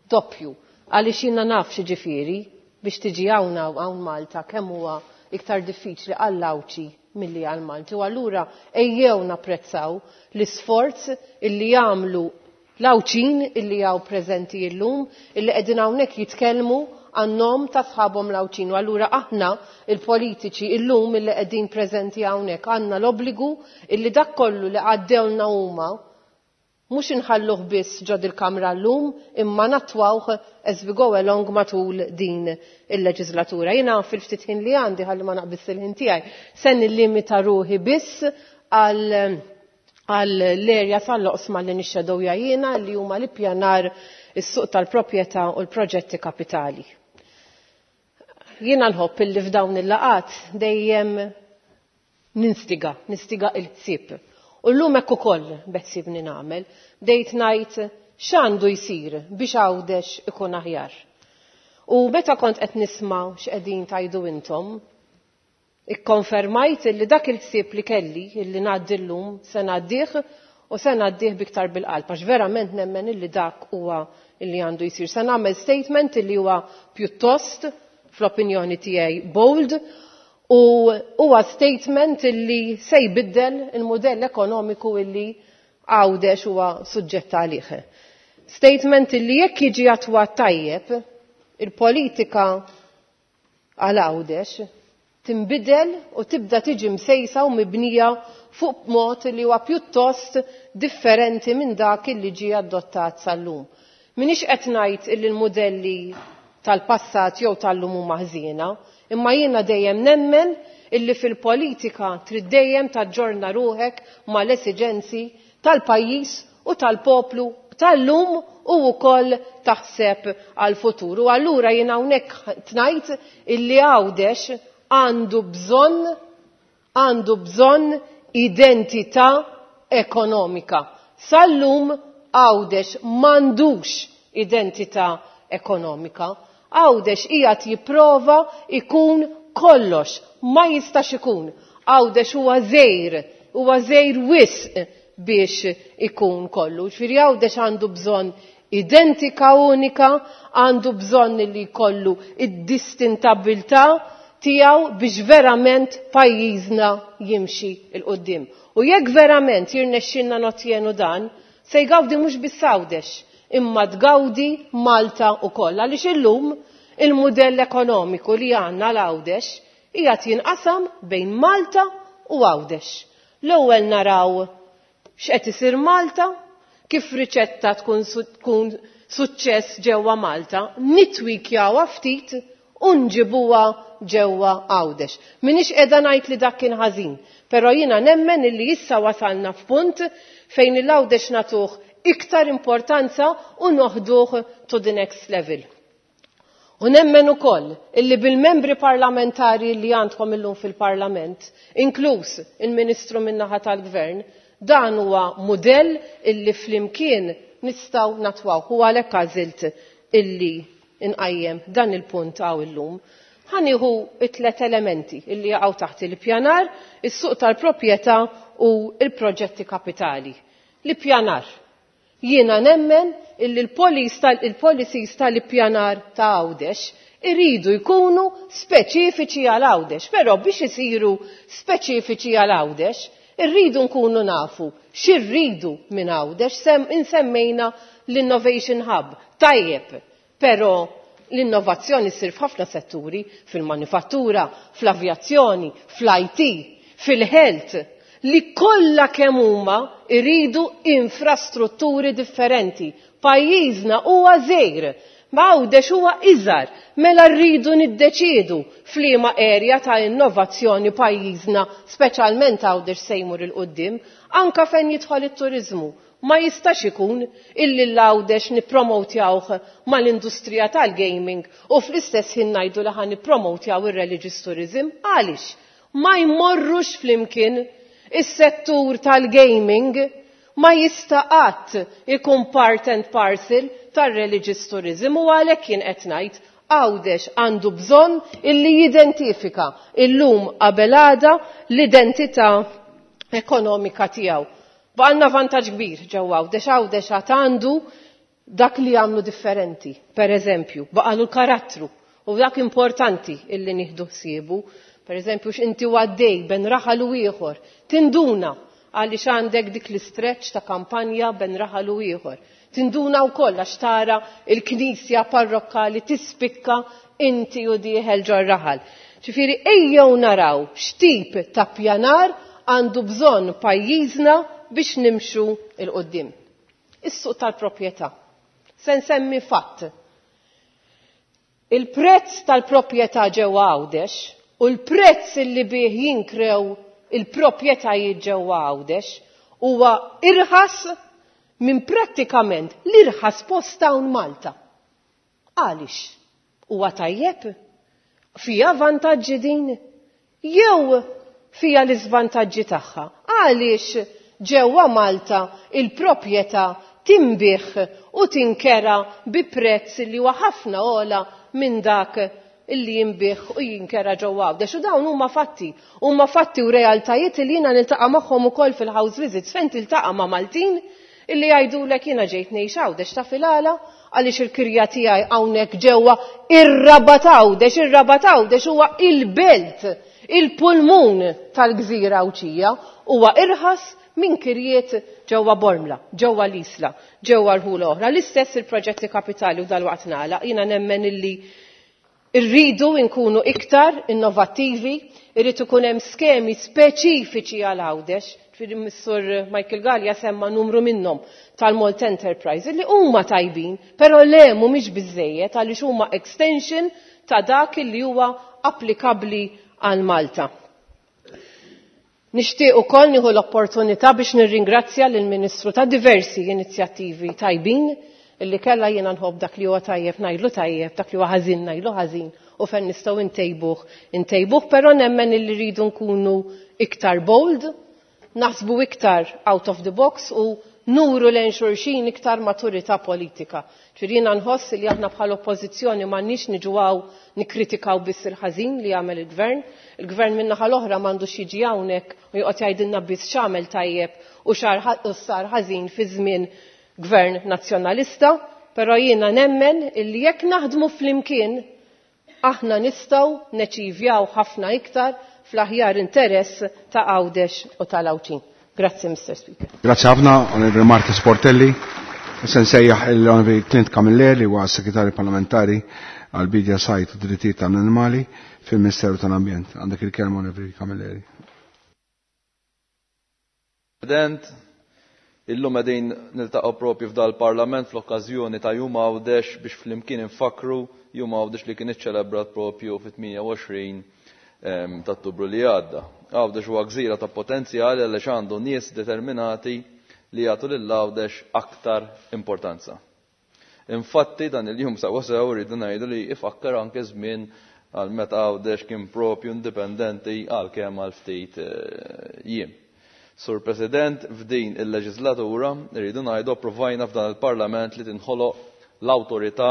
doppju għaliex jiena naf x'jiġifieri biex tiġi hawn hawn Malta, kemm huwa iktar diffiċli għall-Għawdxi milli għal Malti. U allura ejjew napprezzaw l-isforz illi jagħmlu l-Għawdxin illi hawn preżenti illum, illi qegħdin hawnhekk jitkellmu għan-nom ta' sħabhom l-Għawdxin. U allura aħna il-politiċi illum illi qegħdin preżenti hawnhekk għandna l-obbligu illi dak kollu li għaddewlna huma mhux inħalluh biss ġo dil-kamra llum imma nattwawh as we go along matul din il-leġislatura. Jiena fil-ftit ħin li għandi, ħalli ma naqbiż il-ħin tiegħi, se nillimita ruħi biss għal l-erja tal-oqsma li nixxedowja jiena, li huma l-ippjanar, is-suq tal-proprjetà u l-proġetti kapitali. Jiena nħobb illi f'dawn il-laqgħat dejjem ninstiga, nistiga il-ħsieb. U llum hekk ukoll beħsiebni nagħmel, bdejt ngħid x'għandu jsir biex Għawdex ikun aħjar. U meta kont qed nisma' x'qegħdin tgħidu intom, ikkonfermajt li dak il-ħsieb li kelli illi ngħaddi llum se ngħaddih u se ngħaddih biktar bil-qalb għax verament nemmen illi dak huwa illi għandu jsir. Se nagħmel statement illi huwa pjuttost, fl-opinjoni tiegħi, bold u huwa statement illi se jbiddel il-modell ekonomiku illi Għawdex huwa suġġett għalih. Statement illi jekk jiġi attwat tajjeb, il-politika għal Għawdex timbidel u tibda tiġi msejsa u mibnija fuq mod li huwa pjuttost differenti minn dak illi ġie adottat sal-lum. Minix qed ngħid illi l-modelli tal-passat jew tal-lum huma ħżiena, imma jiena dejjem nemmen illi fil-politika trid dejjem taġġorna ruħek mal-esiġenzi tal-pajjiż u tal-poplu tal-lum u wkoll taħseb għal-futur. U allura jiena hawnhekk ngħid illi Għawdex għandu bżonn identità ekonomika. Sal-lum Għawdex m'għandux identità ekonomika. Għawdex qiegħed jipprova ikun kollox, ma jistax ikun. Għawdex huwa żgħir, huwa żgħir wisq biex ikun kollu. Ġifieri Għawdex għandu bżonn identità unika, għandu bżonn li jkollu id-distintabilità tiegħu biex verament pajjiżna jimxi 'l quddiem. U jekk verament jirnexxilna notjenu dan, se jgawdi mhux biss Għawdex, imma tgawdi Malta wkoll. Għaliex illum il-mudell ekonomiku li għandna għal Għawdex qiegħed jinqasam bejn Malta u Għawdex. L-ewwel naraw x'qed isir Malta, kif riċetta tkun tkun suċċess ġewwa Malta, nitwikjawha ftit u nġibuha ġewwa Għawdex. M'iniex qiegħda ngħid li dak kien ħażin, però jiena nemmen illi issa wasalna f'punt fejn il-Għawdex nagħtuh iktar importanza u noħduh to the next level. U nemmen ukoll illi bil-membri parlamentari li għandkom illum fil-Parlament, inkluż il-Ministru min-naħa tal-Gvern, dan huwa mudell illi flimkien nistgħu natwawh u għalhekk għażilt illi nqajjem dan il-punt hawn illum. Ħa nieħu t-tliet elementi illi jaqgħu taħt il-pjanar, is-suq tal-proprjetà u l-proġetti kapitali. L-ippjanar. Jiena nemmen illi l-policies tal-ippjanar ta' Għawdex iridu jkunu speċifiċi għal Għawdex, però biex isiru speċifiċi għal Għawdex irridu nkunu nafu x'irridu minn Għawdex. Insemmejna l-Innovation Hub. Tajjeb, però l-innovazzjoni ssir f'ħafna setturi, fil-manifattura, fl-avjazzjoni, fl-IT, fil-health, li kollha kemm huma jridu infrastrutturi differenti. Pajjiżna huwa żgħir, ma Għawdex huwa iżgħar, mela rridu niddeċiedu f'liema area ta' innovazzjoni pajjiżna, speċjalment Għawdex se jmur 'il quddiem, anke fejn jidħol it-turiżmu. Ma jistax ikun illi l-Għawdex nippromotjawh mal-industrija tal-gaming u fl-istess ħin ngħidu li ħa nippromotjaw ir-religious tourism. Għaliex? Ma jmorrux flimkien. Is-settur tal-gaming ma jista' qatt ikun part and parcel tar-religious tourism u għalhekk jien qed ngħid Għawdex għandu bżonn illi jidentifika illum qabel għada l-identità ekonomika tiegħu. Baqalna vantaġġ kbir ġewwa Għawdex, Għawdex għad għandu dak li jagħmlu differenti. Per eżempju, baqalu l-karattru u dak importanti illi nieħdu ħsiebu. Per eżempju, x'inti għaddej ben raħal u ieħor, tinduna għaliex għandek dik l-istretch ta' kampanja ben raħal u ieħor. Tinduna wkoll għax tara l-knisja parrokkali tispikka inti u dieħel ġor-raħal. Ġifieri ejjew naraw x'tip ta' pjanar għandu bżonn pajjiżna biex nimxu 'l quddiem. Is-suq tal-proprjetà. Se nsemmi fatt. Il-prezz tal-proprjetà ġewwa Għawdex u l-prezz li bih jinkrew il-proprjetajiet ġewwa Għawdex huwa irħas minn prattikament l-irħas post hawn Malta. Għaliex? Huwa tajjeb? Fiha vantaġġi din? Jew fiha l-iżvantaġġi tagħha? Għaliex ġewwa Malta il-proprjetà tinbiegħ u tinkera bi prezz li huwa ħafna ogħla minn dak illi jinbiegħ u jinkera ġewwa Għawdex? U dawn huma fatti, huma fatti u realtajiet li jiena niltaqa' magħhom ukoll fil-house visits fejn tiltaqa' ma' Maltin illi jgħidulek jiena ġejt ngħix Għawdex taf il-għala għaliex il-kirja tiegħi hawnhekk ġewwa ir-Rabat Għawdex, ir-Rabat Għawdex huwa il-belt, il-pulmun tal-gżira Għawdxija, huwa irħas minn kirjiet ġewwa Bormla, ġewwa l-Isla, ġewwa rħula oħra. L-istess il-proġetti kapitali u dalwaqt nagħlaq, jiena nemmen illi rridu nkunu iktar innovattivi, irid ikun hemm skemi speċifiċi għal Għawdex, ġifieri Missur Michael Galea semma numru minnhom tal-Malt Enterprise li huma tajbin, però le mhumiex biżżejjed għaliex huma extension ta' dak li huwa applikabbli għal Malta. Nixtieq ukoll nieħu l-opportunità biex nirringrazzja lill-Ministru ta' diversi inizjattivi tajbin illi kellha. Jiena nħobb dak li huwa tajjeb ngħidlu tajjeb, dak li huwa ħażin ngħidlu ħażin u fejn nistgħu ntejbuh intejbuh, però nemmen illi rridu nkunu iktar bold, naħsbu iktar out of the box u nuru lejn xulxin iktar maturità politika. Ġifieri jiena nħoss li aħna bħala oppożizzjoni m'għandniex niġu hawn nikkritikaw biss il-ħażin li jagħmel il-gvern. Il-gvern min-naħa l-oħra m'għandux jiġi hawnhekk u joqgħod jgħidilna biss x'għamel tajjeb u sar ħażin fi żmien gvern nazzjonalista, però jiena nemmen illi jekk naħdmu flimkien Aħna nistgħu neċivjaw ħafna iktar fl-aħjar interess ta' Għawdex u tal-Għawdxin. Grazzi, Mr. Speaker. Grazzi ħafna, Onorevoli Marta Sportelli. Issa nsejjaħ l-Onorevoli Clint Camilleri li huwa Segretarju Parlamentari għal bidja Sajt u Drittijiet tal-Animali fil-Ministeru tal-Ambjent. Għandek il-kelma, Onorevoli Camilleri. President, illum qegħdin niltaqgħu propju f'dal-Parlament fl-okkażjoni ta' Jum Għawdex biex flimkien infakkru Jum Għawdex li kien iċċelebrat propju fit-28 ta' Ottubru li għadda. Għawdex huwa gżira ta' potenzjali għaliex għandu nies determinati li jagħtu lil Għawdex aktar importanza. Infatti dan il-jum sewwa sew rridu ngħidu li ifakkar anke żmien għal meta Għawdex kien propju indipendenti għalkemm għal ftit jiem. Sur President, f'din il-leġislatura rridu ngħidu approvajna f'dan il-Parlament li tinħoloq l-Awtorità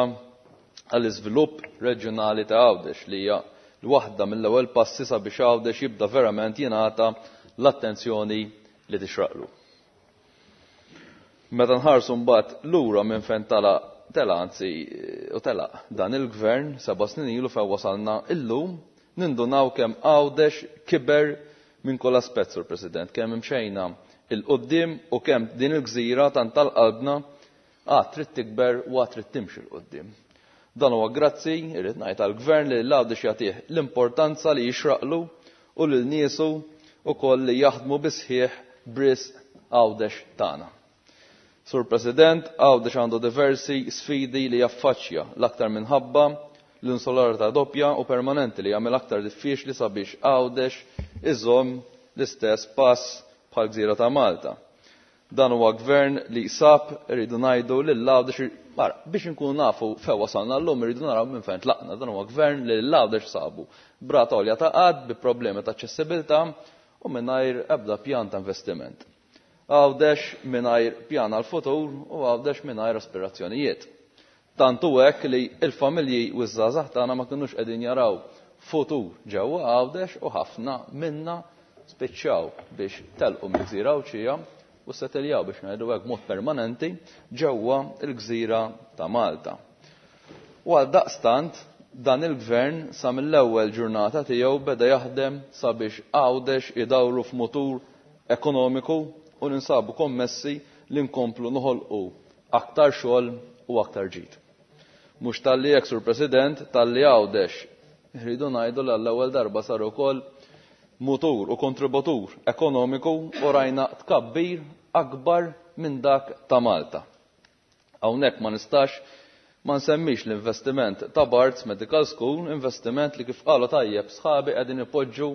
għall-Iżvilupp Reġjonali ta' Għawdex li hija l-waħda mill-ewwel passi sabiex Għawdex jibda verament jingħata l-attenzjoni li tixraqlu. Meta nħarsu mbagħad lura minn fejn tala tela anzi u telaq dan il-gvern 7 snin ilu fejn wasalna illum, nindunaw kemm Għawdex kiber minn kull aspett, Sur President, kemm imxejna il-qoddim u kemm din il-gżira tant tal-qalbna għad trid tikber u għad trid timxi l-qoddim. Dan huwa grazzi, irrid ngħid, għall-gvern li l-Għawdex jagħtih l-importanza li jixraqlu u lil niesu ukoll li jaħdmu bisħieħ b'risq Għawdex tagħna. Sur President, Għawdex għandu diversi sfidi li jaffaċċja, l-aktar minħabba l-insularità doppja u permanenti li jagħmel aktar diffiċli sabiex Għawdex iżomm l-istess pass bħal gżira ta' Malta. Dan huwa gvern li sab, irridu ngħidu lil Għawdex, mara, biex inkunu nafu fejn wasalna llum irridu naraw minn fejn tlaqna. Dan huwa gvern li lil Għawdex sabu b'rata għolja ta' qgħad, bi problemi ta' aċċessibilità u mingħajr ebda pjan ta' investiment. Għawdex mingħajr pjan għall-futur u Għawdex mingħajr aspirazzjonijiet. Tant hu hekk li l-familji u ż-żgħażagħ tagħna ma kinux qegħdin jaraw futur ġewwa Għawdex u ħafna minna spiċċaw biex telqu mill-gżira Għawdxija u setteljaw biex ngħidu hekk b'mod permanenti ġewwa l-gżira ta' Malta. U għal daqstant dan il-gvern sa mill-ewwel ġurnata tiegħu beda jaħdem sabiex Għawdex idawru f'mutur ekonomiku u ninsabu kommessi li nkomplu noħolqu aktar xogħol u aktar ġid. Mhux talli hekk, Sur President, talli Għawdex rridu ngħidu li għall-ewwel darba sar ukoll mutur u kontributur ekonomiku u rajna tkabbir akbar minn dak ta' Malta. Hawnhekk ma nistax ma nsemmix l-investiment ta' Barts Medical School, investiment li kif qalu tajjeb sħabi qegħdin ipoġġu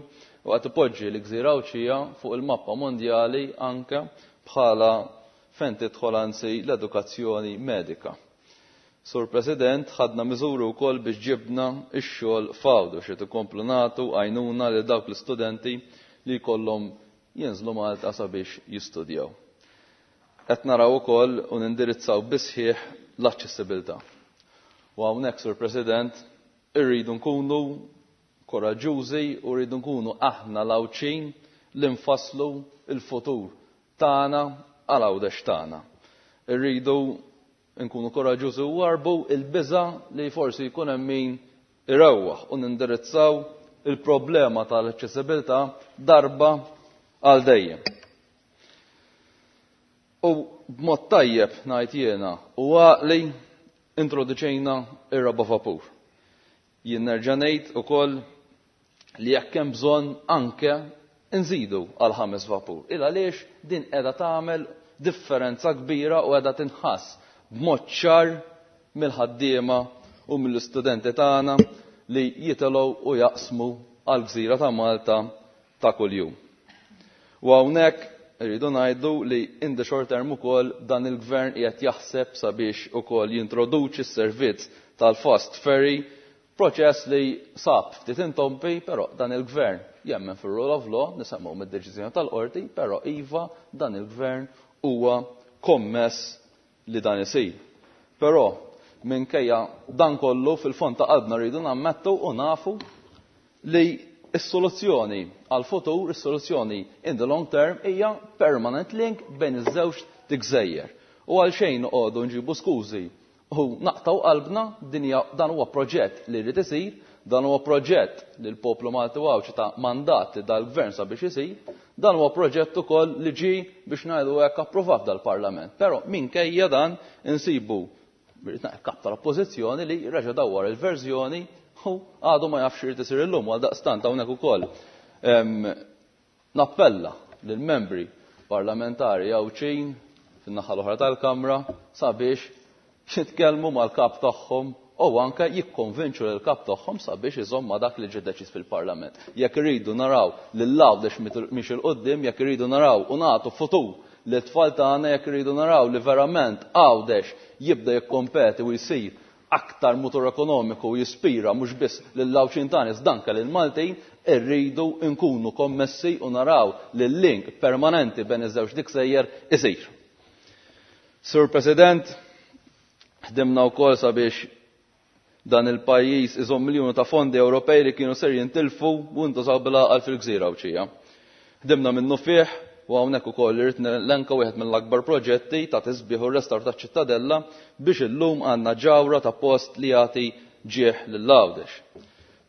u qed ipoġġi l-gżira Għawdxija fuq il-mappa mondjali anke bħala fejn tidħol anzi l-edukazzjoni medika. Sur President, ħadna miżuri wkoll biex ġibna x-xogħol f'Għawdex qed ikomplu nagħtu għajnuna lil dawk l-istudenti li jkollhom jinżlu Malta sabiex jistudjaw. Qed naraw ukoll u nindirizzaw bisħieħ l-aċċessibilità. U hawnhekk, Sur President, irridu nkunu koraġġużi u rridu nkunu aħna l-Għawdxin li nfasslu l-futur tagħna għal Għawdex tagħna. Irridu nkunu koraġġużi u warbu il-biża' li forsi jkun hemm min irewwaħ u nindirizzaw il-problema tal-aċċessibilità darba għal dejjem. U b'mod tajjeb ngħid jiena u għaqli introduċejna ir-raba' vapur. Jien nerġa' ngħid ukoll li jekk hemm bżonn anke nżidu għal 5 vapur. Il għaliex din qiegħda tagħmel differenza kbira u qiegħda tinħass b'mod ċar mill-ħaddiema u mill-istudenti tagħna li jitilgħu u jaqsmu għall-gżira ta' Malta ta' kuljum. U hawnhekk irridu ngħidu li in the short term ukoll dan il-gvern qiegħed jaħseb sabiex ukoll jintroduċi s-servizz tal-fast ferry, proċess li sab ftit intompi, però dan il-gvern jemmen fir-rule of law, nisemgħu mid-deċiżjoni tal-qorti, però iva dan il-gvern huwa kommess li dan isir. Però minkejja dan kollu fil-fond ta' qalbna rridu nammettu u nafu li s-soluzzjoni għal-futur, is-soluzzjoni in the long term hija permanent link bejn iż-żewġ tigżejjer. U għal xejn noqogħdu nġibu skużi u naqtaw qalbna, dan huwa proġett li jrid isir, Dan huwa proġett li l-poplu Malti u Għawdxi ta mandat li dal-gvern sabiex isir, dan huwa proġett ukoll li ġie biex ngħidu hekk approvat dal-Parlament. Però minkejja dan insibu kap tal-oppożizzjoni li reġa' dawwar il-verżjoni u għadu ma jafx irid isir illum. Għaldaqstant hawnhekk ukoll nappella lill-membri parlamentari Għawdxin fin-naħa l-oħra tal-Kamra sabiex jitkellmu mal-kap tagħhom u anke jikkonvinċu lill-kap tagħhom sabiex iżomm ma' dak li ġie deċiż fil-Parlament. Jekk irridu naraw lil Għawdex miexi 'l quddiem, jekk irridu naraw u nagħtu futur lit-tfal tagħna, jekk irridu naraw li verament Għawdex jibda jikkompeti u jsir aktar mutur ekonomiku u jispira mhux biss lill-Għawdxin tagħna iżda anke lill-Maltin, irridu nkunu kommessi u naraw li l-link permanenti bejn iż-żewġ diksejjer isir. Sur President, ħdimna wkoll sabiex dan il-pajjiż iżomm miljuni ta' fondi Ewropej li kienu ser jintilfu u ntużaw bil-għaqal fil-gżira Għawdxija. Ħdimna minnufih u hawnhekk ukoll irrid nelenka wieħed mill-akbar proġetti ta' tisbiħ u restawr taċ-Ċittadella biex illum għandna ġawhra ta' post li jagħti ġieħ lil Għawdex.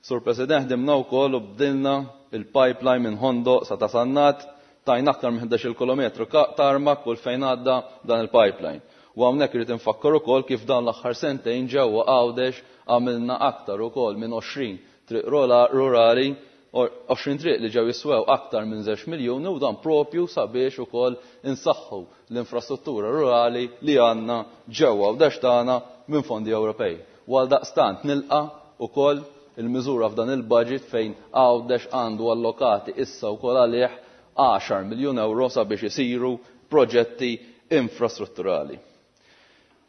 Sur President, ħdimna wkoll u bdilna il-pipeline minn Ħondoq sa Ta' Sannat, tajna aktar minn 11-il kilometru tarmac kull fejn għadda dan il-pipeline. U hawnhekk irrid infakkar ukoll kif dawn l-aħħar sentejn ġewwa Għawdex għamilna aktar ukoll minn 20 triq rurali, 20 triq li ġew jiswew aktar minn żewġ miljuni u dan propju sabiex ukoll insaħħu l-infrastruttura rurali li għandna ġewwa Għawdex tagħna minn fondi Ewropej. U għaldaqstant nilqa' ukoll il-miżura f'dan il-budget fejn Għawdex għandu allokati issa wkoll għalih 10 miljun euro sabiex isiru proġetti infrastrutturali.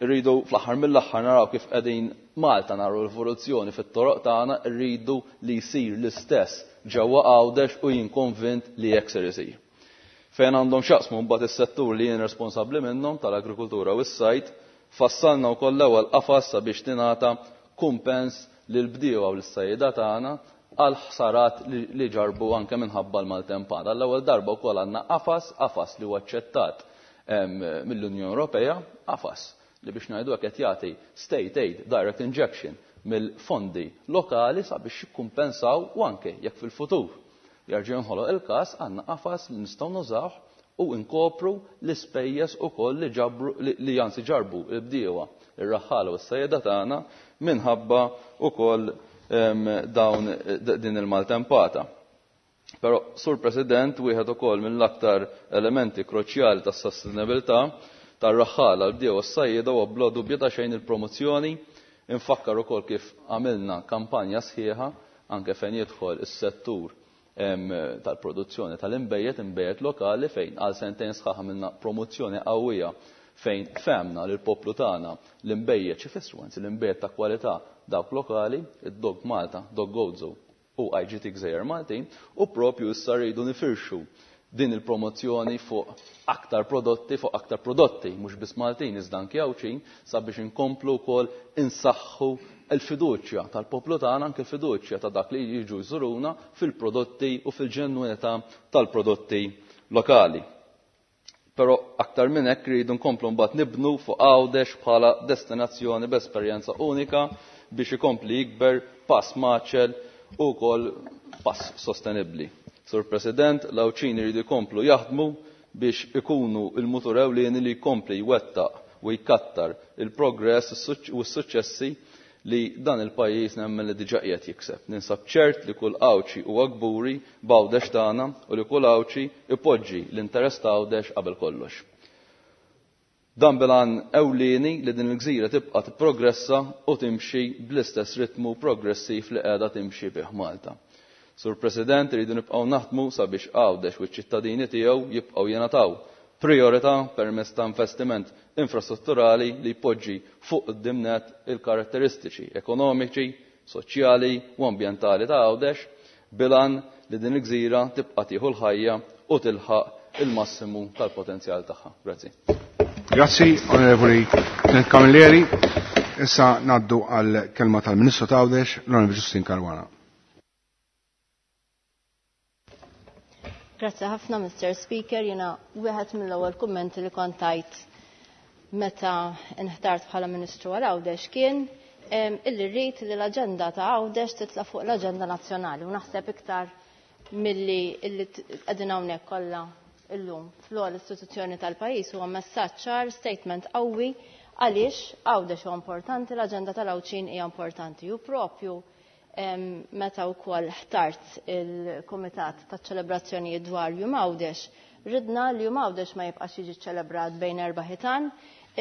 Irridu fl-aħħar mill-aħħar naraw kif qegħdin Malta naraw l-evoluzzjoni fit-toroq tagħna, irridu li jsir l-istess ġewwa Għawdex u jien konvint li hekk ser isir. Fejn għandhom x'jaqsmu mbagħad is-settur li jien responsabbli minnhom tal-agrikultura u s-sajd, fassalna wkoll l-ewwel qafas sabiex tingħata kumpens lill-bdiewa u lis-sajjieda tagħna għal ħsarat li ġarrbu anke minħabba l-maltempata. Għall-ewwel darba wkoll għandna qafas, qafas li huwa aċċettat mill-Unjoni Ewropea, qafas li biex ngħidu hekk qed jagħti state aid direct injection mill-fondi lokali sabiex jikkumpensaw u anke jekk fil-futur jerġa' jinħoloq il-każ għandna qafas li nistgħu nużawh u nkopru l-ispejjeż ukoll li ġabru li anzi ġarbu l-bdiewa, ir-raħħala u s-sajjeda tagħna minħabba wkoll dawn din il-maltempata. Però, Sur President, wieħed ukoll mill-aktar elementi kruċjali tas-sostenibilità tar-raħħala, l-bdiewa u s-sajjieda huwa bla dubju ta' xejn il-promozzjoni. Infakkar ukoll kif għamilna kampanja sħiħa anke fejn jidħol is-settur tal-produzzjoni tal-inbejjed, inbejjed lokali, fejn għal sentejn sħaħ għamilna promozzjoni qawwija fejn fehmna li l-poplu tagħna l-inbejjed x'ifissru, anzi l-inbejjed ta' kwalità dawk lokali, id-Dog Malta, Dog Gozo u IGT Gżejjer Maltin, u propju issa rridu nifirxu din il-promozzjoni fuq aktar prodotti, fuq aktar prodotti, mhux biss Maltin iżda anki Għawdxin, sabiex inkomplu wkoll insaħħu l-fiduċja tal-poplu tagħna, anke l-fiduċja ta' dak li jiġu jżuruna fil-prodotti u fil-ġenwinità tal-prodotti lokali. Però aktar minn hekk rridu nkomplu mbagħad nibnu fuq Għawdex bħala destinazzjoni b'esperjenza unika biex ikompli jikber pass maċel u wkoll pass sostenibbli. Sur President, l-Għawdxin iridu jkomplu jaħdmu biex ikunu l-mutur ewlieni li jkompli jwettaq u jkattar il-progress u s-suċċessi li dan il-pajjiż nemmen li diġà qiegħed jikseb. Ninsab ċert li kull Għawdxi huwa kburi b'Għawdex tagħna u li kull Għawdxi ipoġġi l-interess ta' Għawdex qabel kollox. Dan bil-għan ewlieni li din il-gżira tibqa' tipprogressa u timxi bl-istess ritmu progressiv li qiegħda timxi bih Malta. Sur President, irridu nibqgħu naħdmu sabiex Għawdex u ċ-ċittadini tiegħu jibqgħu jingħataw priorità permezz ta' investiment infrastrutturali li jpoġġi fuq quddiem nett il-karatteristiċi ekonomiċi, soċjali u ambjentali ta' Għawdex bil-għan li din il-gżira tibqa' tieħu l-ħajja u tilħaq il-massimu tal-potenzjal tagħha. Grazzi. Grazzi, Onorevoli Clint Camilleri. Issa ngħaddu għal kelma tal-Ministru ta' Għawdex, l-Onorevoli Justyne Caruana. Grazzi ħafna, Mr. Speaker. Jena wieħed mill-ewwel kummenti li kont tajt meta nħtart bħala Ministru għal Għawdex kien illi rrid li l-aġenda ta' Għawdex titla' fuq l-aġenda nazzjonali u naħseb iktar milli illi qegħdin hawnhekk kollha illum fl-ogħla istituzzjoni tal-pajjiż huwa messaġġ ċar, statement qawwi għaliex Għawdex huwa importanti, l-aġenda tal-Għawdxin hija importanti u propju meta wkoll ħtart il-Kumitat taċ-ċelebrazzjonijiet dwar Jum Għawdex, ridna li Jum Għawdex ma jibqax jiġi ċelebrat bejn erba' ħitan,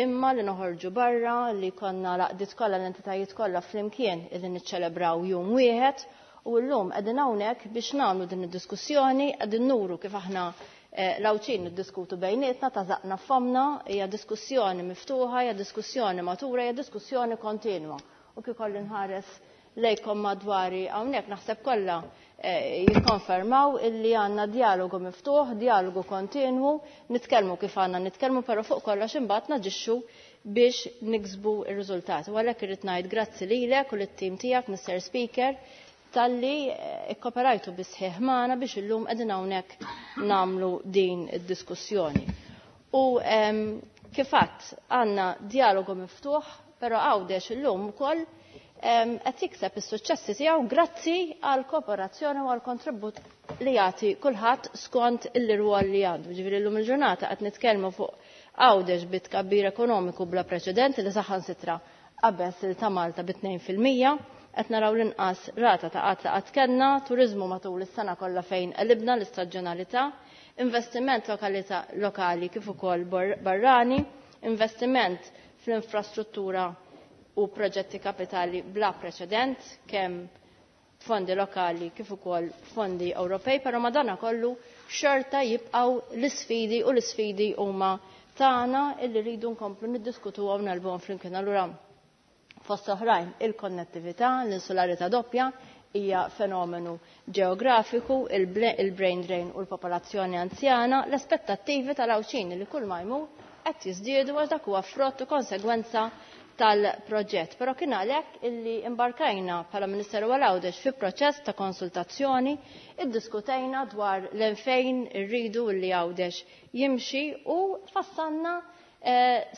imma li noħorġu barra, li konna laqdiet kollha l-entitajiet kollha flimkien illi niċċelebraw jum wieħed u llum qegħdin hawnhekk biex nagħmlu din id-diskussjoni, qegħdin nuru kif aħna l-Għawdxin niddiskutu bejnietna ta' żaqna f'fommna, hija diskussjoni miftuħa, hija diskussjoni matura, hija diskussjoni kontinwa. U kif kolli nħares lejkom madwari hawnhekk naħseb kollha jikkonfermaw illi għandna dialogu miftuħ, dialogu kontinwu, nitkellmu kif għandna nitkellmu, però fuq kollox imbagħad naġixxu biex niksbu r-riżultati. U għalhekk irrid ngħid grazzi lilek u lit-tim tiegħek, Mr. Speaker, talli ikkoperajtu bisħieħ magħna biex illum qegħdin hawnhekk nagħmlu din id-diskussjoni. U kif għadt għandna dialogu miftuħ, però Għawdex illum ukoll qed jikseb is-suċċessi tiegħu grazzi għal kooperazzjoni u għal kontribut li jagħti kulħadd skont il-rwol li għandu. Ġifieri llum il-ġurnata qed nitkellmu fuq Għawdex bi tkabbir ekonomiku bla preċedenti li saħansitra qabeż il ta' Malta bi 2%, qed naraw l-inqas rata ta' qatt li qatt kellna, turiżmu matul is-sena kollha fejn qelibna l-istaġjonalità, investiment lokali kif ukoll barrani, investiment fl-infrastruttura u proġetti kapitali bla preċedent, kemm fondi lokali kif ukoll fondi Ewropej, però madana kollu xorta jibqgħu l-isfidi u l-isfidi huma tagħna illi rridu nkomplu niddiskutuhom u nelbuhom flimkien. Allura fost oħrajn il-konnettività, l-insularità doppja hija fenomenu ġeografiku, il-brain drain u l-popolazzjoni anzjana, l-aspettattivi tal-Għawdxin li kull ma jmur qed jiżdiedu għax dak huwa frott u konsegwenza tal-proġett. Però kien għalhekk illi imbarkajna bħala Ministeru għal Għawdex fi proċess ta' konsultazzjoni, iddiskutejna dwar l-fejn irridu illi Għawdex jimxi u fassanna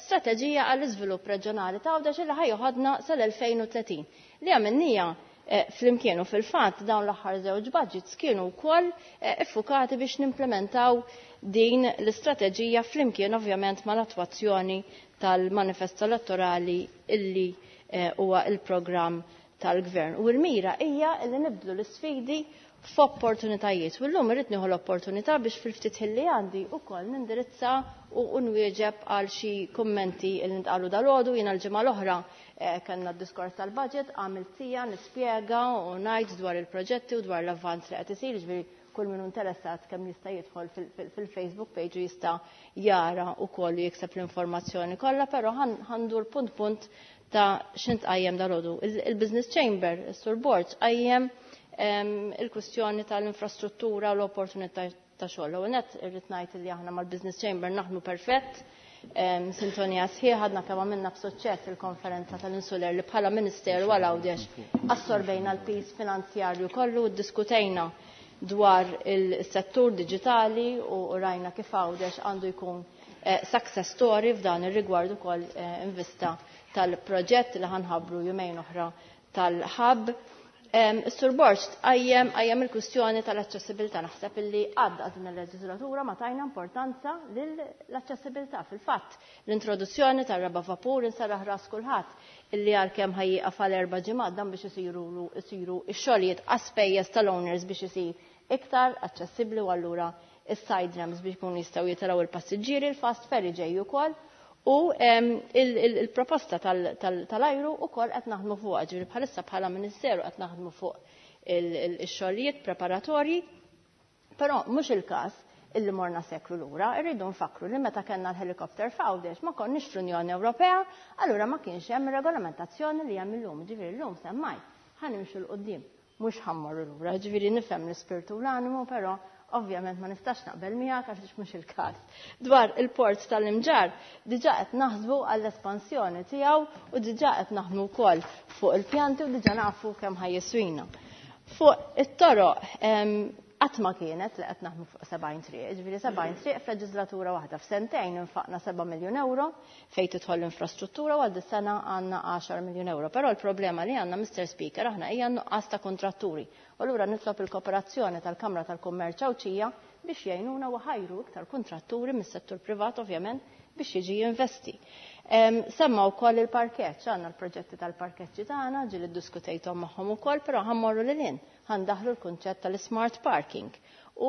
strateġija għall-iżvilupp reġjonali ta' Għawdex illi ħajoħodna sal-2030. Li għamilnija flimkien u fil-fatt dawn l-aħħar żewġ budgets kienu wkoll iffukati biex nimplementaw din l-istrateġija flimkien ovvjament mal-attwazzjoni tal-manifest elettorali illi huwa il-programm tal-gvern. U l-mira hija illi nibdlu l-isfidi f'opportunitajiet. U llum irrid nieħu l-opportunità biex fil-ftit li għandi wkoll nindirizza u nwieġeb għal xi kummenti li ntqalu dalgħodu. Jiena l-ġimgħa l-oħra kellna d-diskors tal-budget, għamilt sija nispjega u ngħid dwar il-proġetti u dwar l-avvanz li qed isir, ġifieri kull min interessat kemm jista' jidħol fil-Facebook page u jista' jara wkoll u jikseb l-informazzjoni kollha, però ħandur punt punt ta' x'int qajjem dalgħodu. Il-Business Chamber, is-Sur Borg, qajjem il-kwistjoni tal-infrastruttura u l-opportunità ta' xogħol. U net irrid ngħid li aħna mal-Business Chamber naħdmu perfett, sintonija sħiħa, għadna kemm għamilna b'suċċess il-konferenza tal-Insular li bħala Ministeru għal Għawdex assorbejna l-pis finanzjarju kollu, ddiskutejna dwar il-settur diġitali u rajna kif Għawdex għandu jkun success story f'dan ir-rigward ukoll invista tal-proġett li ħanħabbru jumejn oħra tal-hub. Is-Sur Borg qajjem il-kwistjoni tal-aċċessibilità. Naħseb illi għadda din il-leġislatura ma tajna importanza lill-aċċessibilità. Fil-fatt, l-introduzzjoni tar-raba' vapur insarraħ ras kulħadd illi għalkemm ħajjieqaf għal 4 ġimgħat dan biex isiru x-xogħlijiet għas-spejjeż tal-owners biex isir iktar aċċessibbli u allura is-side ramps biex ikunu jistgħu jitilgħu il-passiġġieri, il-fast ferry ġej ukoll. U il-proposta tal-ajru ukoll qed naħdmu fuqha, ġifieri bħalissa bħala Ministeru qed naħdmu fuq ix-xogħlijiet preparatorji, però mhux il-każ illi morna seklu lura, irridu nfakru li meta kellna l-helikopter f'Għawdex ma konniex fl-Unjoni Ewropea, allura ma kienx hemm regolamentazzjoni li hemm illum, ġifieri llum semmaj ħanimxu l quddiem, mhux ħammorru lura, ġifieri nifhem l-ispirtu u l-animu, però ovvjament ma nistax naqbel miegħek għax mhux il-każ. Dwar il-port tal-Imġarr diġà qed naħsbu għall-espansjoni tiegħu u diġà qed naħdmu wkoll fuq il-pjanti u diġà nafu kemm ħajjiswina. Fuq it-toroq, Qatt ma kienet li qed naħdmu fuq 70 triq, ġifieri 70 triq f'leġislatura waħda. F'sentejn infaqna 7 miljun euro fejn tidħol l-infrastruttura u għal dis-sena għandna 10 miljun euro. Però l-problema li għandna, Mr. Speaker, aħna hija nuqqas ta' kontratturi. U allura nitlob il-kooperazzjoni tal-Kamra tal-Kummerċ Għawdxija biex jgħinuna u ħajru iktar kontratturi mis-settur privat ovvjament biex jiġi jinvesti. Semma wkoll il-parkeġġ, għandna l-proġetti tal-parkeġġi tagħna, ġieli ddiskutejthom magħhom ukoll, però ħa mmorru lil hinn, ħa ndaħħlu l-kunċett tal-smart parking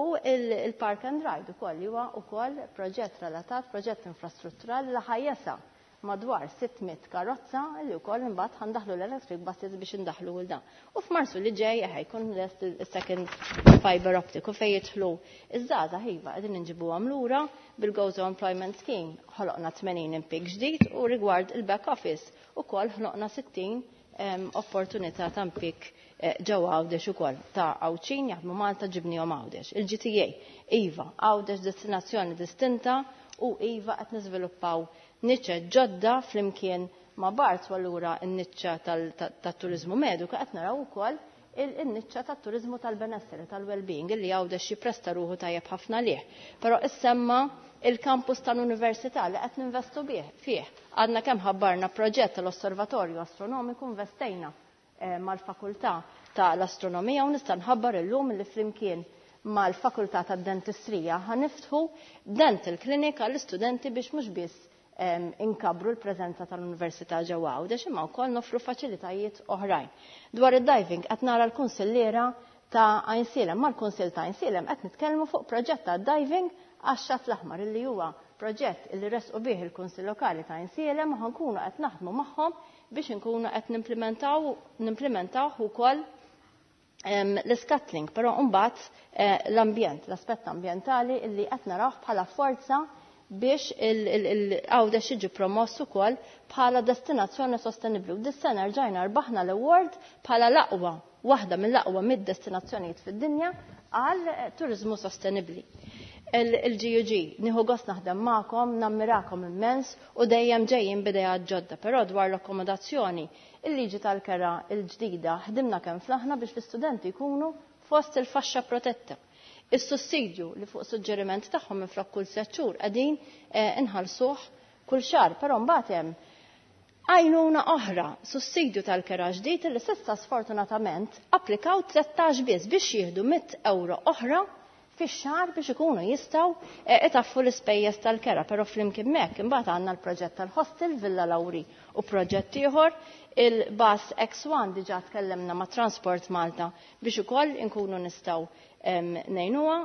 u il-park and ride ukoll li huwa wkoll proġett relatat, proġett infrastrutturali li ħa jesa' madwar 600 karozza li wkoll imbagħad ħa ndaħħlu l-electric buses biex indaħħlu l dan. U f'Marzu li ġej jkun lest il-second fiber optic u fejn jidħlu iż-żgħażagħ, iva, qegħdin inġibuhom lura bil-Gozo Employment Scheme, ħoloqna 80 impjieg ġdid u rigward il-back office ukoll ħloqna 60 opportunità ta' impjieg ġewwa Għawdex ukoll ta' Għawdxin jaħdmu Malta ġibnihom Għawdex. Il-GTA, iva, Għawdex destinazzjoni distinta u iva, qed niżviluppaw niċċa ġodda flimkien ma' Barts u allura n-niċċa tat-turiżmu mediku, qed naraw ukoll il-niċċa tat-turiżmu tal-benesseri, tal-well-being, illi Għawdex jippresta ruħu tajjeb ħafna lih. Però issemma il-campus tal-Università li qed ninvestu bih fih. Għadna kemm ħabbarna proġett tal-Osservatorju Astronomiku, investejna mal-Fakultà tal-Astronomija u nista' nħabbar illum li flimkien mal-Fakultà tad-Dentistrija ħa niftħu dental clinic għall-istudenti biex mhux biss inkabru l-preżenza tal-Università ġewwa Għawdex imma wkoll nofru faċilitajiet oħrajn. Dwar id-diving, qed nara l-kunsilliera ta' Għajnsielem, mal-Kunsill ta' Għajnsielem qed nitkellmu fuq proġett ta' diving għax-Xatt l-Aħmar illi huwa proġett illi resqu bih il-Kunsill Lokali ta' Għajnsielem u ħa nkunu qed naħdmu magħhom biex inkunu qed nimplementaw ukoll l-scuttling, però mbagħad l-ambjent, l-aspett ambjentali illi qed narawh bħala forza biex il-Għawdex jiġi promoss ukoll bħala destinazzjoni sostenibbli. U dis-sena rġajna rbaħna l-award bħala l-aqwa, waħda mill-aqwa mid-destinazzjonijiet fid-dinja għal turizmu sostenibbli. Il-GUG, nieħu gost naħdem magħkom, nammirakom immens u dejjem ġejjin b'idejat ġodda, però dwar l-akkomodazzjoni, il-liġi tal-kera il-ġdida ħdimna kemm flaħna biex l-istudenti jkunu fost il-faxxa protetta. Is-sussidju li fuq suġġeriment tagħhom minflok kull 6 xhur qegħdin inħallsuh kull xahar, però mbagħad hemm għajnuna oħra, sussidju tal-kera ġdid li s'issa sfortunatament applikaw 13 biss biex jieħdu 100 euro oħra fix-xahar biex ikunu jistgħu itaffu l-ispejjeż tal-kera, però flimkien hekk imbagħad għandna l-proġett tal-hostel Villa Lauri u proġett ieħor il-bus X1, diġà tkellemna ma' Transport Malta biex ukoll inkunu nistgħu ngħinuha,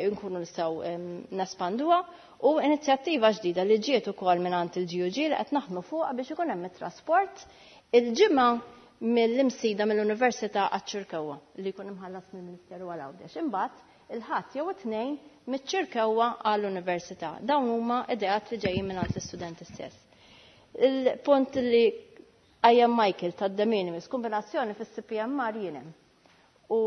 inkunu nistgħu nespanduha u inizjattiva ġdida li ġiet ukoll mingħand il-GUG li qed naħdmu fuqha biex ikun hemm it-trasport il-ġimgħa mill-Imsida, mill-Università għaċ-Ċirkewwa li jkun imħallas mill-Ministeru għal Għawdex. Imbagħad il-Ħadd jew it-Tnejn miċ-Ċirkewwa għall-Università. Dawn huma ideat li ġejjin mingħand l-istudenti stess. Il-punt li qajjem Michael tad-de minimis, kombinazzjoni fis-CPMR jien hemm. U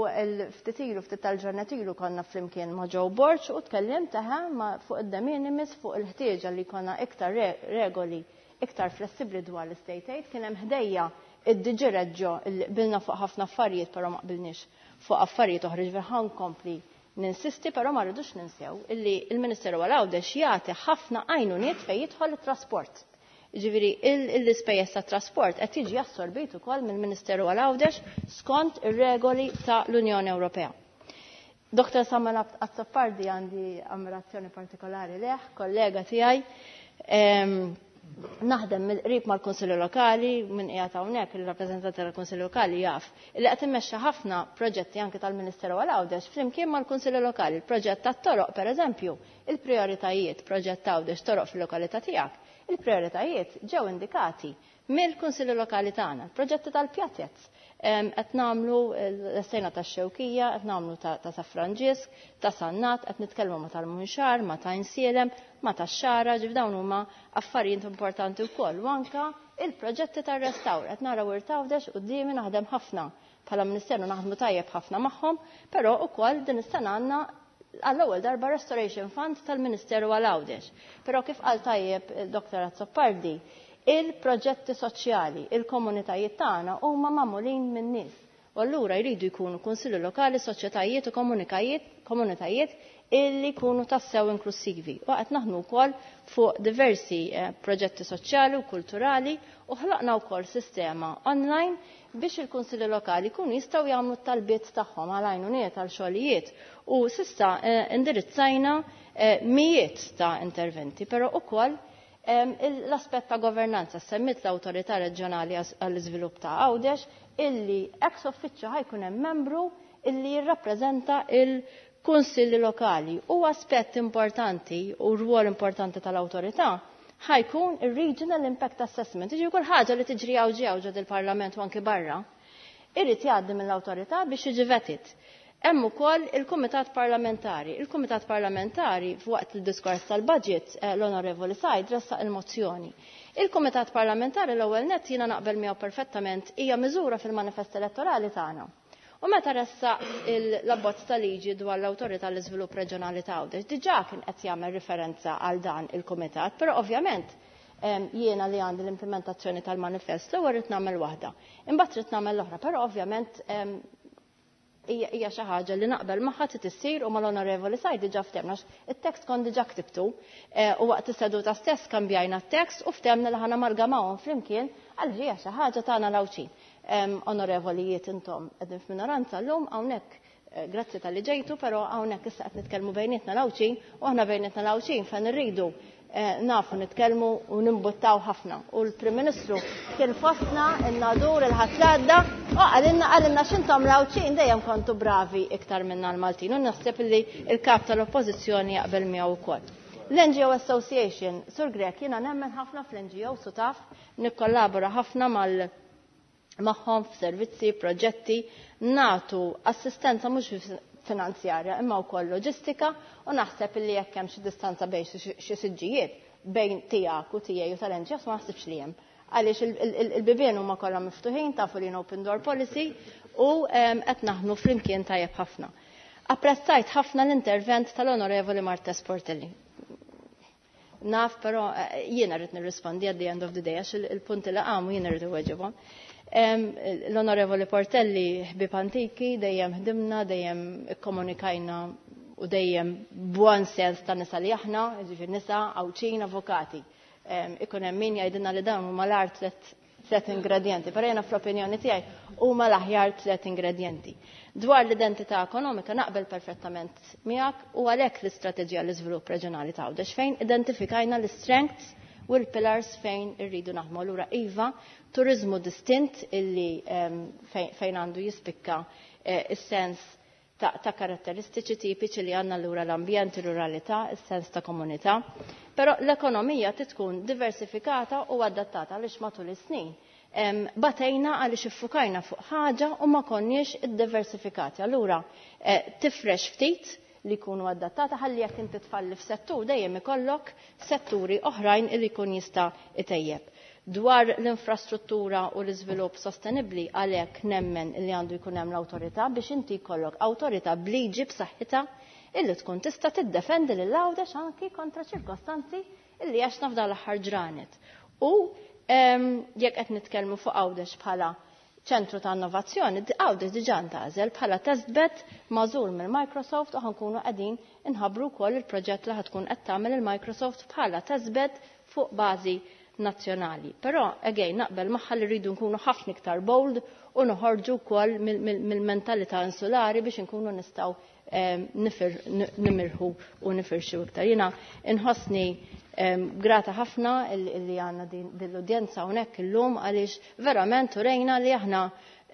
ftit ilu, ftit tal-ġranet ilu konna flimkien ma' Joe Borg u tkellim taħa fuq id-de minimis, fuq il-ħtieġa li konna iktar regoli iktar flessibli dwar l-state aid. Kien hemm ħdejja id-DG Reggio li qbilna fuq ħafna affarijiet, però ma qbilniex fuq affarijiet oħra, ġifieri ħa nkompli ninsisti, però ma rridux ninsew illi il-Ministeru għal Għawdex jagħti ħafna għajnuniet fejn jidħol it-trasport. Ġifieri l-ispejjeż tat trasport qed jiġi assorbit ukoll mill-Ministeru għal Għawdex skont ir-regoli ta' l-Unjoni Ewropea. Dr. Samuel Azzopardi għandi ammirazzjoni partikolari leh, kollega tiegħi. Naħdem mill-qrib mal-Kunsilli Lokali, minn qiegħed hawnhekk il-rappreżentanti tal-Kunsilli Lokali jaf li qed immexxi ħafna proġetti anke tal-Ministeru għal Għawdex flimkien mal-Kunsilli Lokali. Il-proġett tat-toroq pereżempju, il-prijoritajiet, proġett Għawdex toroq fil-lokalità tiegħek, il-prijoritajiet ġew indikati mill-Kunsilli Lokali tagħna. Proġetti tal-pjazez. Qed nagħmlu l-sejna tax-Xewkija, qed nagħmlu ta' San Franġisk, ta' Sannat, qed nitkellmu ma' tal-Munxar, ma' ta' Għajnsielem, ma' tax-Xagħra, ġif dawn huma affarijiet importanti wkoll. U anka il-proġetti tar-restawr, qed naraw Wirt Għawdex quddiemi, naħdem ħafna bħala Ministeru, naħdmu tajjeb ħafna magħhom, però ukoll din is-sena għandna għall-ewwel darba Restoration Fund tal-Ministeru għal Għawdex. Però kif qal tajjeb il-Dr. Azzopardi, il-proġetti soċjali, il-komunitajiet tagħna huma magħmulin minn nies. U allura jridu jkunu kunsilli lokali, soċjetajiet u komunitajiet illi jkunu tassew inklusivi. U qed naħdmu wkoll fuq diversi proġetti soċjali u kulturali u ħloqna wkoll sistema online biex il-kunsilli lokali jkunu jistgħu jagħmlu t-talbiet tagħhom għal għajnuniet għal xogħlijiet u s'issa indirizzajna mijiet ta' interventi, però ukoll l-aspett ta' governanza semmit l-Awtorità Reġjonali għall-Iżvilupp ta' Għawdex illi ex officio ħajkun hemm membru illi jirrappreżenta il-kunsilli lokali. U aspett importanti u rwol importanti tal-awtorità ħajkun ir-Regional Impact Assessment. Jiġifieri kull ħaġa li tiġri hawn ġew ġod il-Parlament u anki barra, irid jgħaddi mill-awtorità biex jiġi vetted. Hemm ukoll il-Kumitat Parlamentari. Il-Kumitat Parlamentari f'waqt il-diskors tal-budget l-Onorevoli Said ressaq il-mozzjoni. Il-Kumitat Parlamentari l-ewwel nett jiena naqbel miegħu perfettament hija miżura fil-manifest elettorali tagħna. U meta ressaq l-abbozz ta' liġi dwar l-Awtorità l-Iżvilupp Reġjonali ta' Għawdex, diġà kien qed jagħmel riferenza għal dan il-kumitat, però ovvjament jiena li għandi l-implementazzjoni tal-manifest l-ewwel rid nagħmel waħda. Imbagħad rid nagħmel l-oħra, però ovvjament hija xi ħaġa li naqbel magħha trid issir u mal-Onorevoli Said diġà ftehmna għax it-tekst kont diġà ktibtu u waqt is-seduta stess kambjajna t-tekst u ftehmna li ħa namalgamawhom flimkien għal hija xi ħaġa tagħna l-Għawdxin. Onorevolijiet intom qegħdin f'minoranza llum hawnhekk, grazzi talli ġejtu, però hawnhekk issa qed nitkellmu bejnietna l-Għawdxin u aħna bejnietna l-Għawdxin fejn irridu nafu nitkellmu u nimbuttaw ħafna. U l-Prim Ministru kien fostna n-Nadur il-Ħadd l-għadda u qalilna x'intom l-Għawdxin dejjem kontu bravi iktar minna l-Maltin u naħseb li l-kap tal-Oppożizzjoni jaqbel miegħu wkoll. L-NGO Association, Sur Grech, jiena nemmen ħafna fl-NGO su taf, nikkollabora ħafna magħhom f'servizzi, proġetti, natu assistenza mhux finanzjarja imma wkoll loġistika u naħseb li jekk hemm xi distanza bejn xi siġġijiet bejn tiegħek u tiegħi u tal-NGOs ma naħsibx li hemm. Għaliex il-bibien huma kollha miftuħin, tafu li open door policy u qed naħdmu flimkien tajjeb ħafna. Apprezzajt ħafna l-intervent tal-Onorevoli Marthese Portelli. Naf, però jiena rrid nirrispondi at the end of the day għax il-punti li qamu jiena rrid iweġibhom. L-Onorevoli Portelli ħbib antiki, dejjem ħdimna, dejjem ikkomunikajna u dejjem buon sens ta' nisa li aħna, ġifier nisa, Għawdxin, avukati. Ikun hemm min jgħidilna li dawn huma l-agħar tlet ingredienti, però jiena fl-opinjoni tiegħi huma l-aħjar tlet ingredienti. Dwar l-identità ekonomika naqbel perfettament miegħek u għalhekk l-istrateġija l-iżvilupp reġjonali ta' Għawdex fejn identifikajna l-strengths u l-pillars fejn irridu naħdmu. Allura iva, turizmu distint illi fejn għandu jispikka is-sens ta' karatteristiċi tipiċi li għandna lura l-ambjent, ir-ruralità, is-sens ta' komunità. Però l-ekonomija tkun diversifikata u adattata għaliex matul is-snin batejna għaliex iffukajna fuq ħaġa u ma konniex iddiversifikati. Allura tifrex ftit li jkunu adattata ħalli jekk inti tfalli f'settur dejjem ikollok setturi oħrajn li jkun jista' itejjeb. Dwar l-infrastruttura u l-iżvilupp sostenibbli għalhekk nemmen li għandu jkun hemm l-awtorità biex inti jkollok awtorità bliġi b'saħħitha illi tkun tista' tiddefendi lil Għawdex anki kontra ċirkostanzi illi għaxna f'dan l-aħħar ġranet. U jekk qed nitkellmu fuq Għawdex bħala ċentru ta' innovazzjoni, Għawdex diġà ntgħażel bħala testbed magħżul mill-Microsoft u ħankunu qegħdin inħabbru wkoll il-proġett li ħatkun qed tagħmel il-Microsoft bħala testbed fuq bażi nazzjonali. Però, again, naqbel magħha li rridu nkunu ħafna iktar bold u noħorġu wkoll mill-mentalità insulari biex inkunu nistgħu nimirħu u nifirxu iktar. Jiena inħossni grata ħafna li għandna din l-udjenza hawnhekk illum għaliex verament urejna li aħna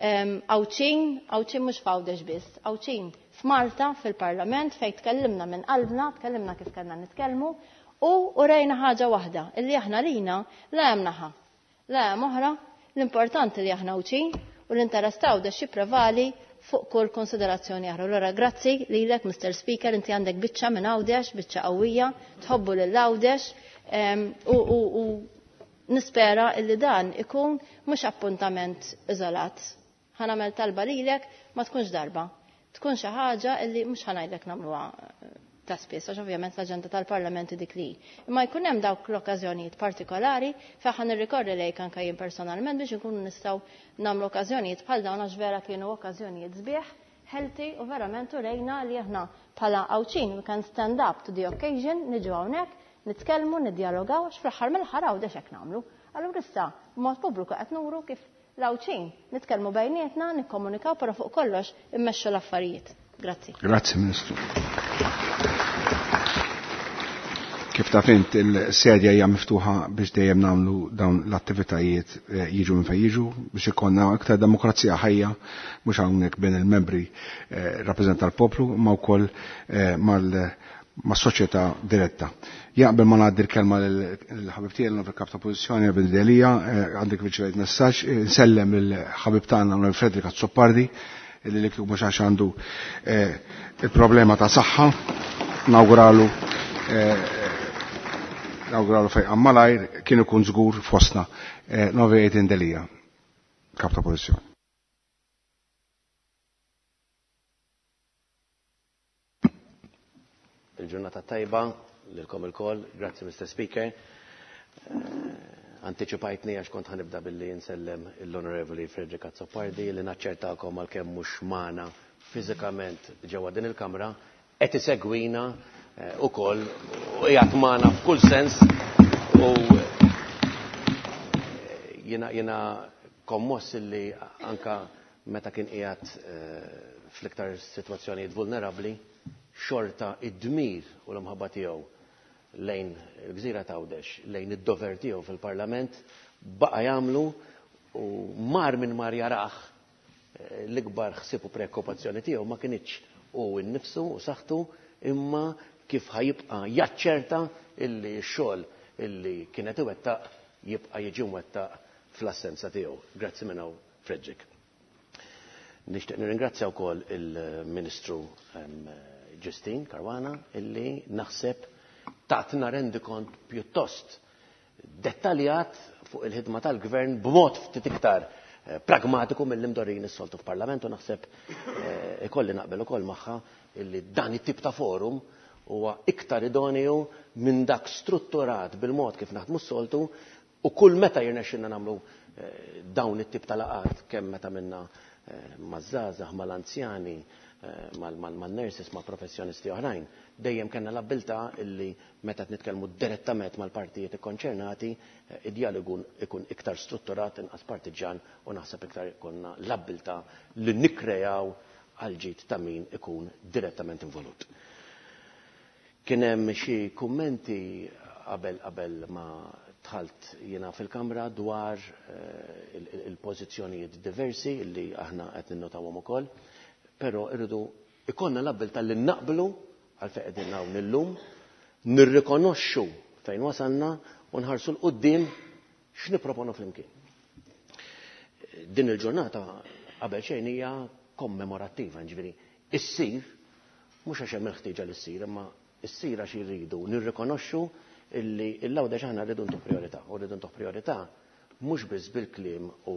Għawdxin, Għawdxin mhux f'Għawdex biss, Għawdxin f'Malta, fil-Parlament, fejn tkellimna minn qalbna, tkellimna kif kellna nitkellmu, u urejna ħaġa waħda, illi aħna lina la hemm naħa, la hemm oħra, l-importanti li aħna Għawdxin u l-interess ta' Għawdex jipprevali fuq kull konsiderazzjoni oħra. Allura grazzi lilek, Mr. Speaker, inti għandek biċċa minn Għawdex, biċċa qawwija, tħobbu lil Għawdex, u nispera illi dan ikun mhux appuntament iżolat. Ħa nagħmel talba lilek ma tkunx darba. Tkun xi ħaġa illi mhux ħa ngħidlek nagħmluha. ta' spiss, għax ovvjament l-aġenda tal-Parlament dik li. Imma jkun hemm dawk l-okkażjonijiet partikolari fejn ħa nirrikorri lejk anke jien personalment biex inkunu nistgħu nagħmlu okkażjonijiet bħal dawn għax vera kienu okkażjonijiet sbieħ, healthy u verament urejna li aħna bħala Għawdxin we can stand up to the occasion, niġu hawnhekk, nitkellmu, niddjalogaw għax fl-aħħar mill-aħħar Għawdex hekk nagħmlu. Allura issa b'mod pubbliku qed nuru kif l-Għawdxin nitkellmu bejnietna, nikkomunikaw però fuq kollox immexxu l-affarijiet. Grazzi. Grazzi Ministru. Kif taf int il-sedja hija miftuħa biex dejjem nagħmlu dawn l-attivitajiet eh, jiġu minn fejn jiġu biex ikollna iktar demokrazija ħajja mhux hawnhekk bejn il-membri eh, rappreżenta l-poplu ma wkoll eh, mal mas-soċjetà diretta. Jaqbel ma ngħaddi l-kelma l-ħabib tiegħi l kap ta' pożizzjoni Evan Delia, għandek riċevejt messaġġ, nsellem il-ħabib tagħna l Fredrik Azzopardi li li mhux għax għandu il-problema ta' saħħa, nawguralu nawguralu fejqan malajr kien ikun żgur fostna. Novi Edin Delia, kap ta' pożizzjoni. Il-ġurnata tajba lilkom ilkoll, grazzi Mr. Speaker. Anticipajtni għax kont ħanibda billi nsellem l-Onorevoli Frederick Azzopardi li naċċertakom għalkemm mhux magħna fiżikament ġewwa din il-Kamra qed isegwina ukoll u qiegħed magħna f'kull sens u jiena jiena kommoss illi anka meta kien qiegħed fl-iktar sitwazzjonijiet vulnerabbli xorta id-dmir u l-imħabba tiegħu lejn il-gżira t'Għawdex, lejn id-dover tiegħu fil-Parlament baqa' jagħmlu u mar minn mar jarah l-ikbar ħsieb u preokkupazzjoni tiegħu ma kinitx hu nnifsu u saħħtu imma kif ħa jibqa' jaċċerta illi x-xogħol illi kien qed iwettaq jibqa' jiġi mwettaq fl-assenza tiegħu. Grazzi minn hawn Frederick. Nixtieq nirringrazzja wkoll il-Ministru Justyne Caruana illi naħseb tatna rendikont pjuttost dettaljat fuq il-ħidma tal-Gvern b'mod ftit iktar pragmatiku mill-imdorrin is-soltu f'Parlament u naħseb ikolli naqbel ukoll magħha illi dan it-tip ta' forum huwa iktar idoneu minn dak strutturat bil-mod kif naħdmu s-soltu u kull meta jirnexxilna nagħmlu dawn it-tip ta' laqgħat kemm meta minna maż-żgħażagħ, mal-anzjani, mal-nurses, ma' professjonisti oħrajn, dejjem kellna l-abbiltà illi meta qed nitkellmu direttament mal-partijiet ikkonċernati, id-dialogu ikun iktar strutturat, inqas partiġġan u naħseb iktar ikollna l-abbiltà li nikkrejaw għall-ġid ta' min ikun direttament involut. Kien hemm xi kummenti qabel qabel ma dħalt jiena fil-Kamra dwar il-pożizzjonijiet diversi li aħna qed ninnotawhom ukoll, però irridu ikollna l-abbiltà li naqblu għal fejn qegħdin hawn illum, nirrikonoxxu fejn wasalna u nħarsu 'l quddiem x'nipproponu flimkien. Din il-ġurnata qabel xejn hija kommemorattiva, ġifieri issir mhux għax hemm il-ħtieġa li ssir, imma issir għax irridu nirrikonoxxu illi l-Għawdex aħna rridu ntuh priorità, u rridu ntuh priorità mhux biss bil-kliem u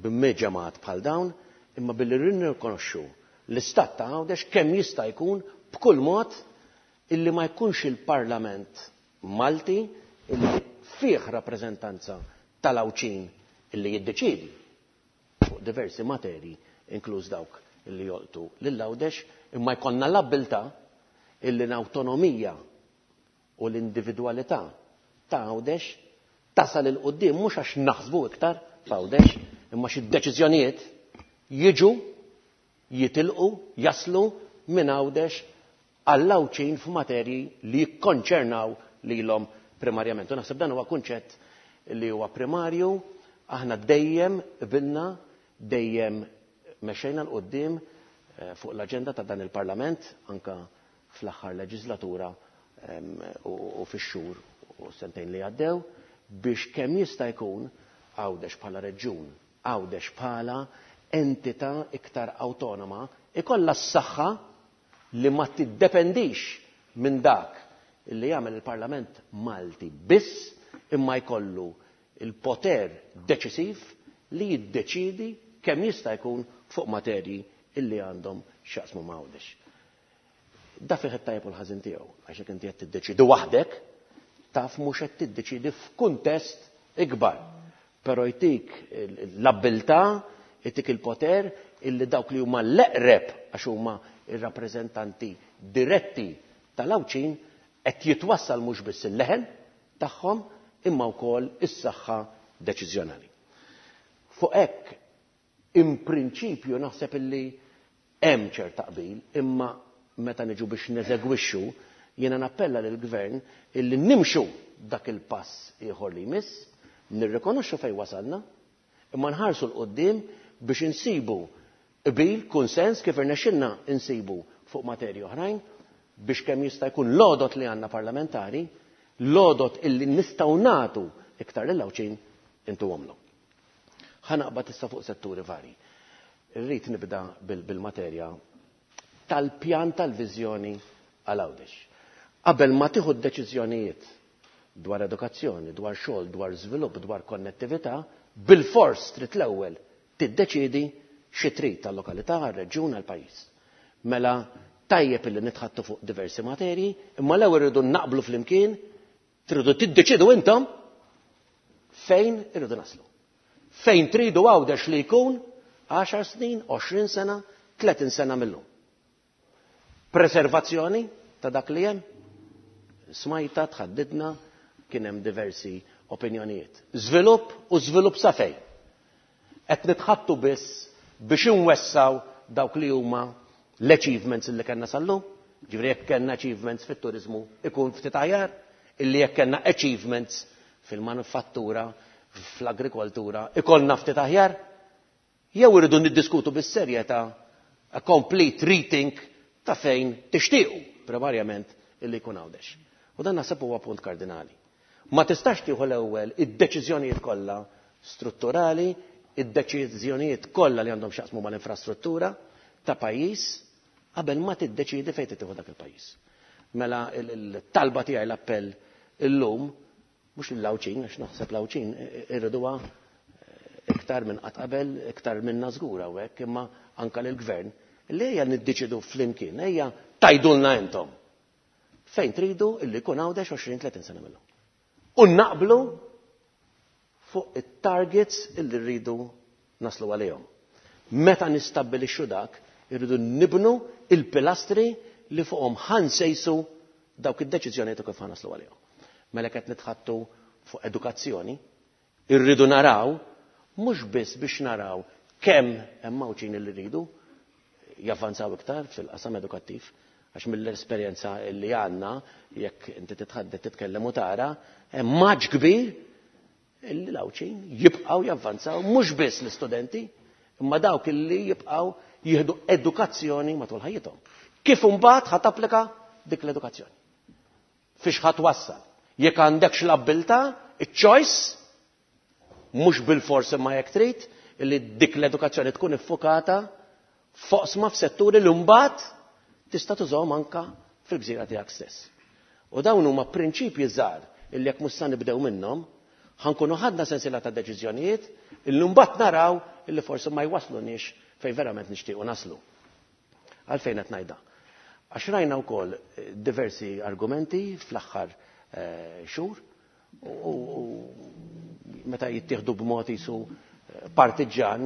b'meġemat bħal dawn, imma billi nirrikonoxxu l-istat ta' Għawdex kemm jista' jkun b'kull mod illi ma jkunx il-Parlament Malti illi fih rappreżentanza tal-Għawdxin illi jiddeċiedi fuq diversi materji inkluż dawk illi jolqtu lil Għawdex, imma jkollna l-abbiltà illi l-awtonomija u l-individwalità ta' Għawdex tasal 'il quddiem mhux għax naħsbu iktar f'Għawdex, imma xi deċiżjonijiet jiġu jitilqu jaslu minn Għawdex għall-Għawdxin f'materji li jikkonċernaw lilhom primarjament. U naħseb dan huwa kunċett li huwa primarju, aħna dejjem qbilna, dejjem mexxejna 'l quddiem fuq l-aġenda ta' dan il-Parlament, anka fl-aħħar leġislatura u fix-xhur u sentejn li għaddew, biex kemm jista' jkun Għawdex bħala reġjun, Għawdex bħala entità iktar awtonoma, ikollha s-saħħa li ma tiddependix minn dak li jagħmel il-Parlament Malti biss, imma jkollu il-poter deċisiv li jiddeċiedi kemm jista' jkun fuq materji illi għandhom x'jaqsmu ma' Għawdex. Da fih it-tajjeb u l-ħażin tiegħu, għax jekk inti qed tiddeċiedi waħdek, taf mhux qed tiddeċiedi f'kuntest ikbar. Però jtik l-abbiltà, jtik il-poter illi dawk li huma l-eqreb għax huma ir-rappreżentanti diretti tal-Għawdxin qed jitwassal mhux biss il-leħen tagħhom imma wkoll is-saħħa deċiżjonali. Fuq hekk in prinċipju naħseb illi hemm ċerta qbil, imma meta niġu biex neżegwixxu jiena nappella lill-Gvern illi nimxu dak il-pass ieħor li jmiss, nirrikonoxxu fejn wasalna, imma nħarsu 'l quddiem biex insibu qbil, kunsens kif irnexxilna nsibu fuq materji oħrajn biex kemm jista' jkun l-għodod li għandna parlamentari, l-għodod illi nistgħu nagħtu iktar lill-Għawdxin intuhomlhom. Ħa naqbad issa fuq setturi varji. Irrid nibda bil-materja tal-pjan tal-viżjoni għal Għawdex. Qabel ma tieħu d-deċiżjonijiet dwar edukazzjoni, dwar xogħol, dwar żvilupp, dwar konnettività, bilfors trid l-ewwel tiddeċiedi xi trid għal-lokalità, għar-reġjun, għall-pajjiż. Mela tajjeb illi nitħaddtu fuq diversi materji, imma l-ewwel irridu naqblu flimkien, tridu tiddeċidu intom fejn irridu naslu. Fejn tridu Għawdex li jkun 10 snin, 20 sena, 30 sena mill-lum. Preservazzjoni ta' dak li hemm, smajta, tħaddidna, kien hemm diversi opinjonijiet. Żvilupp u żvilupp sa fejn? Qed nitħattu biss biex inwessaw dawk li huma l-achievements li kellna sal-lum? Ġifieri jekk kellna achievements fit-turiżmu ikun ftit aħjar illi jekk kellna achievements fil-manufattura, fl-agrikoltura, ikollna ftit aħjar? Jew irridu niddiskutu bis-serjetà a complete rethink ta' fejn tixtiequ primarjament illi jkun Għawdex. U dan naħseb huwa punt kardinali. Ma tistax tieħu l-ewwel id-deċiżjonijiet kollha strutturali, id-deċiżjonijiet kollha li għandhom x'jaqsmu mal-infrastruttura ta' pajjiż qabel ma tiddeċiedi fejn tieħu dak il-pajjiż. Mela l-talba tiegħi l-appell illum mhux lill-Għawdxin għax naħseb l-Għawdxin irriduha iktar minn qatt qabel, iktar minna żgur hawnhekk, imma anke lill-Gvern, li ejja niddeċidu flimkien, ejja tgħidulna intom fejn tridu illi jkun Għawdex 20-30 sena minnhom. U naqblu fuq it-targets illi rridu naslu għalihom. Meta nistabbilixxu dak, irridu nibnu il-pilastri li fuqhom ħansejsu dawk id-deċiżjonijiet u kif ħanaslu għalihom. Mela qed nitħattu fuq edukazzjoni, irridu naraw mhux biss biex naraw kemm hemm Għawdxin li rridu javvanzaw iktar fil-qasam edukattiv, għax mill-esperjenza li għandna jekk inti titħaddet titkellem u tara, hemm maġ kbir illi l-Għawdxin jibqgħu javvanzaw mhux biss l-istudenti, imma dawk illi jibqgħu jieħdu edukazzjoni matul ħajjithom. Kif imbagħad ħa tapplika dik l-edukazzjoni? Fiex ħa twassal? Jekk għandekx l-abbiltà, iċ-choice, mhux bilfors imma jekk trid, illi dik l-edukazzjoni tkun iffukata f'oqsma f'setturi li mbagħad tista' tużahom anka fil-gżira tiegħek stess. U dawn huma prinċipji żgħar illi jekk mhux sa nibdew minnhom, ħankunu ħadna sensiela ta' deċiżjonijiet illi mbagħad naraw illi forsi ma jwasluniex fejn verament nixtiequ naslu. Għalfejn qed ngħidha? Għax rajna wkoll diversi argumenti fl-aħħar xhur u meta jittieħdu b'mod isu partiġġan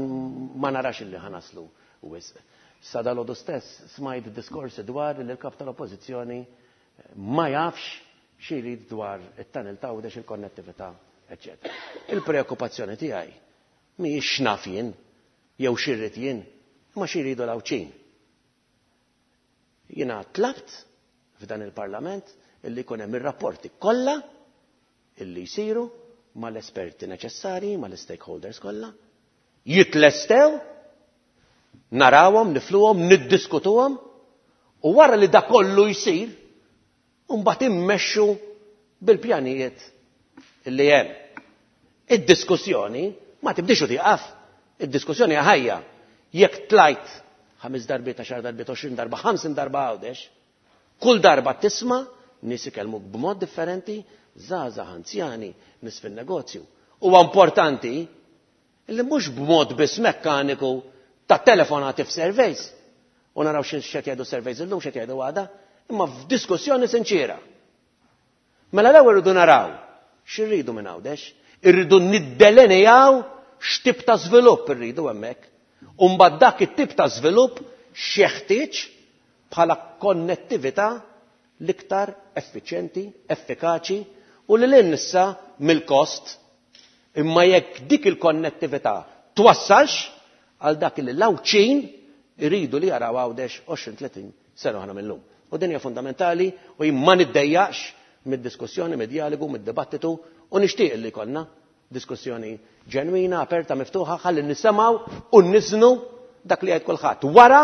ma narax illi ħanaslu wisq. Sa dalgħodu stess smajt diskorsi dwar li l-kap tal-Oppożizzjoni ma jafx xi jrid dwar it-tunnel ta' Għawdex, il-konnettività, eċċetera. Il-preokkupazzjoni tiegħi mhijiex x'naf jien jew xi rrid jien, imma xi jridu l-Għawdxin. Jiena tlabt f'dan il-Parlament illi jkun hemm ir-rapporti kollha illi jsiru mal-esperti neċessarji, mal-stakeholders kollha, jitlestew, narawhom, nifluhom, niddiskutuhom, u wara li da kollu jsir, mbagħad immexxu bil-pjanijiet li hemm. Id-diskussjoni ma tibdix u tieqaf. Id-diskussjoni ħajja. Jekk tlajt 5 darbiet, 10 darbiet, 20 darba, 50 darba Għawdex, kull darba tisma' nies ikellmuk b'mod differenti, żgħażagħ, anzjani, nies fin-negozju. Huwa importanti li mhux b'mod biss mekkaniku ta' telefonati f'surveys. U naraw x'qed jgħidu surveys illum, x'qed jgħidu għada, imma f'diskussjoni sinċiera. Mela l-ewwel irridu naraw x'irridu minn Għawdex, irridu niddelinejaw x'tip ta' żvilupp irridu hemmhekk. U mbagħad dak it-tip ta' żvilupp x'jeħtieġ bħala konnettività l-iktar effiċjenti, effikaċi u lil hinn issa mill-kost, imma jekk dik il-konnettività twassalx għal dak li l-Għawdxin iridu li jaraw Għawdex 20-30 sena oħra minn lum. U din hija fundamentali u jien ma niddejjaqx mid-diskussjoni, mid-djalogu, mid-dibattitu u nixtieq li jkollna diskussjoni ġenwina, aperta, miftuħa, ħalli nisimgħu u niżnu dak li jgħid kulħadd. Wara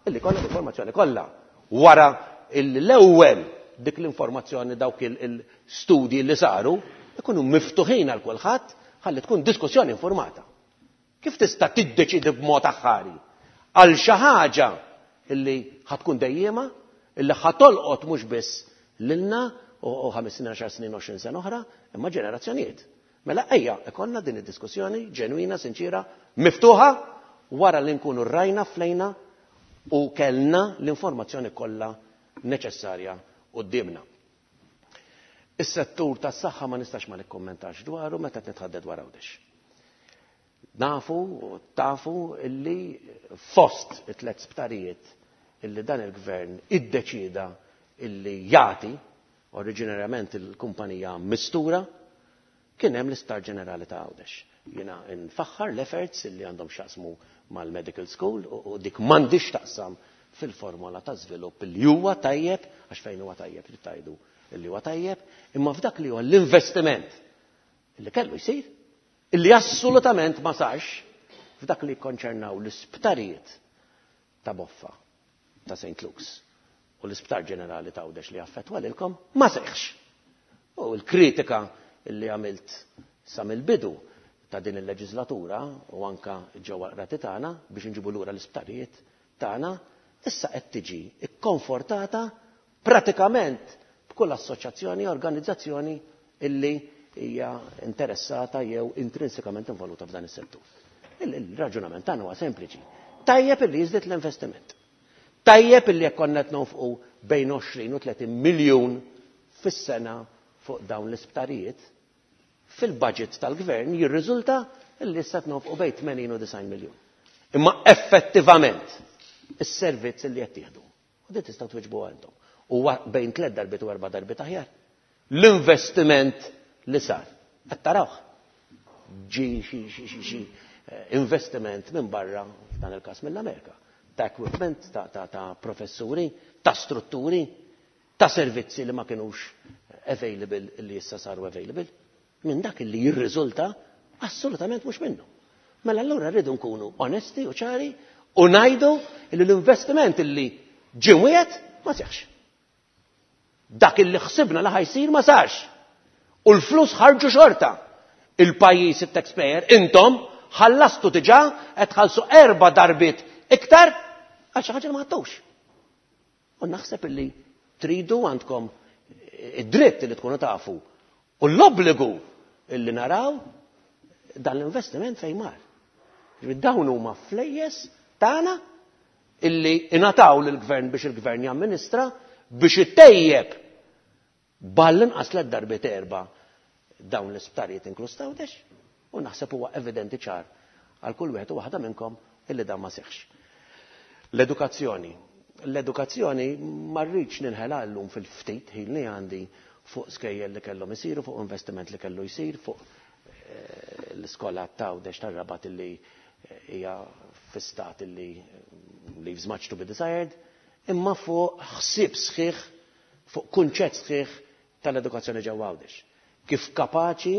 illi kollha l-informazzjoni kollha. Wara illi l-ewwel dik l-informazzjoni dawk il-studji li saru ikunu miftuħin għal kulħadd ħalli tkun diskussjoni informata. Kif tista' tiddeċidi b'mod aħħari għal xi ħaġa illi ħa tkun dejjiema, illi ħa tolqot mhux biss lilna u 5 snin, 10 snin, 20 sena oħra, imma ġenerazzjonijiet. Mela ejja ikollna din id-diskussjoni ġenwina, sinċira, miftuħa wara li nkunu rajna flejna u kellna l-informazzjoni kollha neċessarja quddiemna. Is-settur tas-saħħa ma nistax ma nikkummentax dwaru meta qed nitħadded dwar Għawdex. Nafu u tafu illi fost it-tlet sptarijiet illi dan il-gvern iddeċieda illi jagħti oriġinarjament il-kumpanija mistura kien hemm l-Isptar Ġenerali ta' Għawdex. Jiena nfaħħar l-efforts illi għandhom x'jaqsmu mal-medical school u dik m'għandix taqsam fil-formola ta' żvilupp li huwa tajjeb, għax fejn huwa tajjeb trid tgħidu illi huwa tajjeb, imma f'dak li huwa l-investiment illi kellu jsir, illi assolutament ma sarx f'dak li jikkonċernaw l-isptarijiet ta' Boffa, ta' St. Luke's u l-Isptar Ġenerali ta' Għawdex li affettwa lilkom, ma seħħx. U l-kritika li għamilt sa mill-bidu ta' din il-leġislatura u anka ġewwa l-qrati tagħna biex inġibu lura l-isptarijiet tagħna, issa qed tiġi kkonfortata pratikament b'kull assoċjazzjoni, organizzazzjoni illi hija interessata jew intrinsikament involuta f'dan is-settur. Il-raġunament tagħna huwa sempliċi. Tajjeb illi jiżdied l-investiment. Tajjeb illi jekk konna qed nonfqu bejn 20 u 30 miljun fis-sena fuq dawn l-isptarijiet, fil-budget tal-gvern jirriżulta illi issa qed nonfqu bejn 80 u 90 miljun. Imma effettivament is-servizz illi qed tieħdu. U din tistgħu twiġbuha intom. Huwa bejn tliet darbiet u erba' darbiet aħjar. L-investiment li sar. Qed tarawh. Ġi xi investiment minn barra, f'dan il-każ mill-Amerika, ta' equipment, ta' professuri, ta' strutturi, ta' servizzi li ma kinux available li issa saru available. Minn dak li jirriżulta assolutament mhux minnu. Mela allura rridu nkunu onesti u ċari u ngħidu li l-investiment li ġie mwiegħed ma seħħx. Dak illi ħsibna li ħajsir ma sarx. U l-flus ħarġu xorta. Il-pajjiż, it-taxpayer, intom ħallastu diġà qed tħallsu 4 darbiet iktar għal xi ħaġa li ma ħadtux. U naħseb illi tridu għandkom id-dritt li tkunu tafu u l-obbligu illi naraw dan l-investiment fejn mar. Ġifieri dawn huma flejjes tagħna illi ingħataw lill-gvern biex il-gvern jamministra biex ittejjeb ball-inqas tliet darbiet erba' dawn l-isptarijiet inkluż t'Għawdex u naħseb huwa evidenti ċar għal kull wieħed u waħda minnkom illi dan ma seħħx. L-edukazzjoni. L-edukazzjoni ma rridx ninħela llum fil-ftit ħin li għandi fuq skejjel li kellhom isiru, fuq investiment li kellu jsir, fuq l-iskola t'Għawdex tar-Rabat illi hija fi stat illi leaves much to be desired, imma fuq ħsieb sħiħ, fuq kunċett sħiħ tal-edukazzjoni ġewwa Għawdex. Kif kapaċi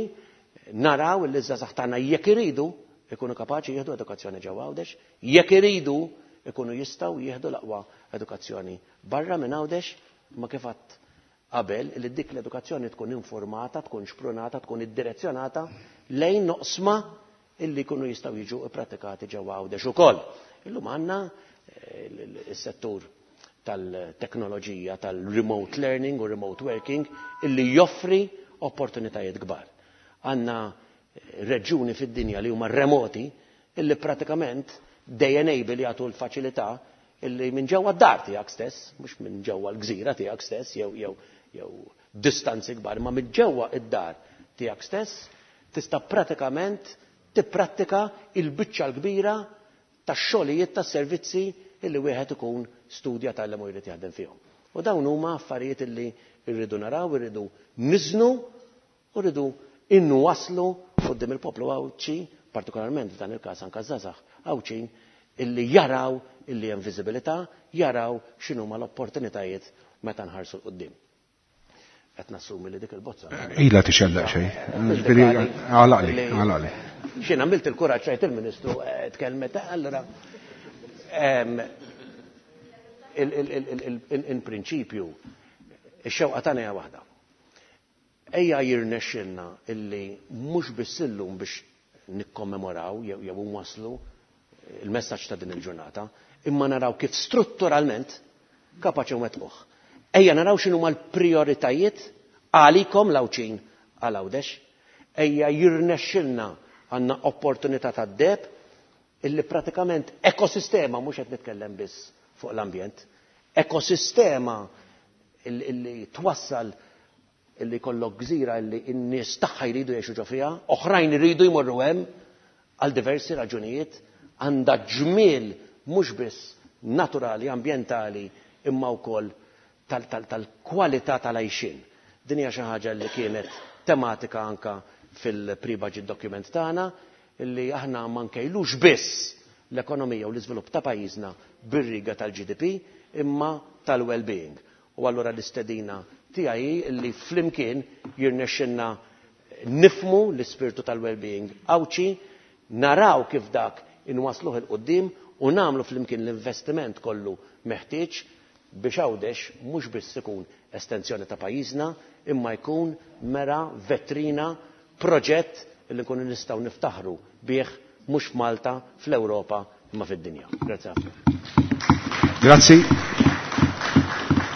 naraw li ż-żgħażagħ tagħna jekk iridu ikunu kapaċi jieħdu edukazzjoni ġewwa Għawdex, jekk iridu ikunu jistgħu jieħdu l-aqwa edukazzjoni barra minn Għawdex, imma kif għadt qabel li dik l-edukazzjoni tkun informata, tkun xprunata, tkun iddirezzjonata lejn noqsma illi jkunu jistgħu jiġu ppratikati ġewwa Għawdex ukoll. Illum għandna is-settur tal-teknoloġija tal-remote learning u remote working illi joffri opportunitajiet kbar. Għandna reġjuni fid-dinja li huma remoti illi pratikament they enable jagħtu l-faċilità illi minn ġewwa d-dar tiegħek stess, mhux minn ġewwa l-gżira tiegħek stess jew jew jew distanzi kbar, ma minn ġewwa id-dar tiegħek stess tista' pratikament tipprattika il-biċċa l-kbira tax-xogħlijiet tas-servizzi illi wieħed ikun studja tgħallem u jrid jaħdem fihom. U dawn huma affarijiet illi rridu naraw, irridu niżnu u rridu inwasslu quddiem il-poplu Għawdxi, partikolarment f'dan il-każ anke żgħażagħ Għawdxin, illi jaraw illi hemm viżibilità, jaraw x'inhuma l-opportunitajiet meta nħarsu 'l quddiem. Qed nassumi li dik il-bozza. Ila tixellaq xejn. Ġifieri għalaqli, għalaqli. X'in għamilt il-kuraġġ rajt il-Ministru eh, tkellmet, eh, allura in prinċipju ix-xewqa tagħna hija waħda. Ejja jirnexxilna illi mhux biss illum biex nikkommemoraw jew jew nwasslu il-messaġġ ta' din il-ġurnata, imma naraw kif strutturalment kapaċi nwettquh. Ejja naraw x'inhuma l-prijoritajiet għalikom l-Għawdxin għal Għawdex. Ejja jirnexxilna għandna opportunità tad-deheb illi pratikament ekosistema, mhux qed nitkellem biss fuq l-ambjent, ekosistema illi twassal illi jkollok gżira illi n-nies tagħha jridu jgħixu ġo fiha, oħrajn iridu jmorru hemm għal diversi raġunijiet, għandha ġmiel mhux biss naturali, ambjentali, imma wkoll tal-kwalità tal-għajxien. Din hija xi ħaġa li kienet tematika anka fil-pre-budget document tagħna, illi aħna ma nkejlux biss l-ekonomija u l-iżvilupp ta' pajjiżna bir-riga tal-GDP imma tal-well-being. U allura l-istedina tiegħi hi li flimkien jirnexxilna nifhmu l-ispirtu tal-well-being Għawdxi, naraw kif dak inwassluh 'il quddiem u nagħmlu flimkien l-investiment kollu meħtieġ biex Għawdex mhux biss ikun estensjoni ta' pajjiżna imma jkun mera, vetrina, proġett li nkunu nistgħu niftaħru bih mhux f'Malta, fl-Ewropa imma fid-dinja. Grazzi ħafna. Grazzi.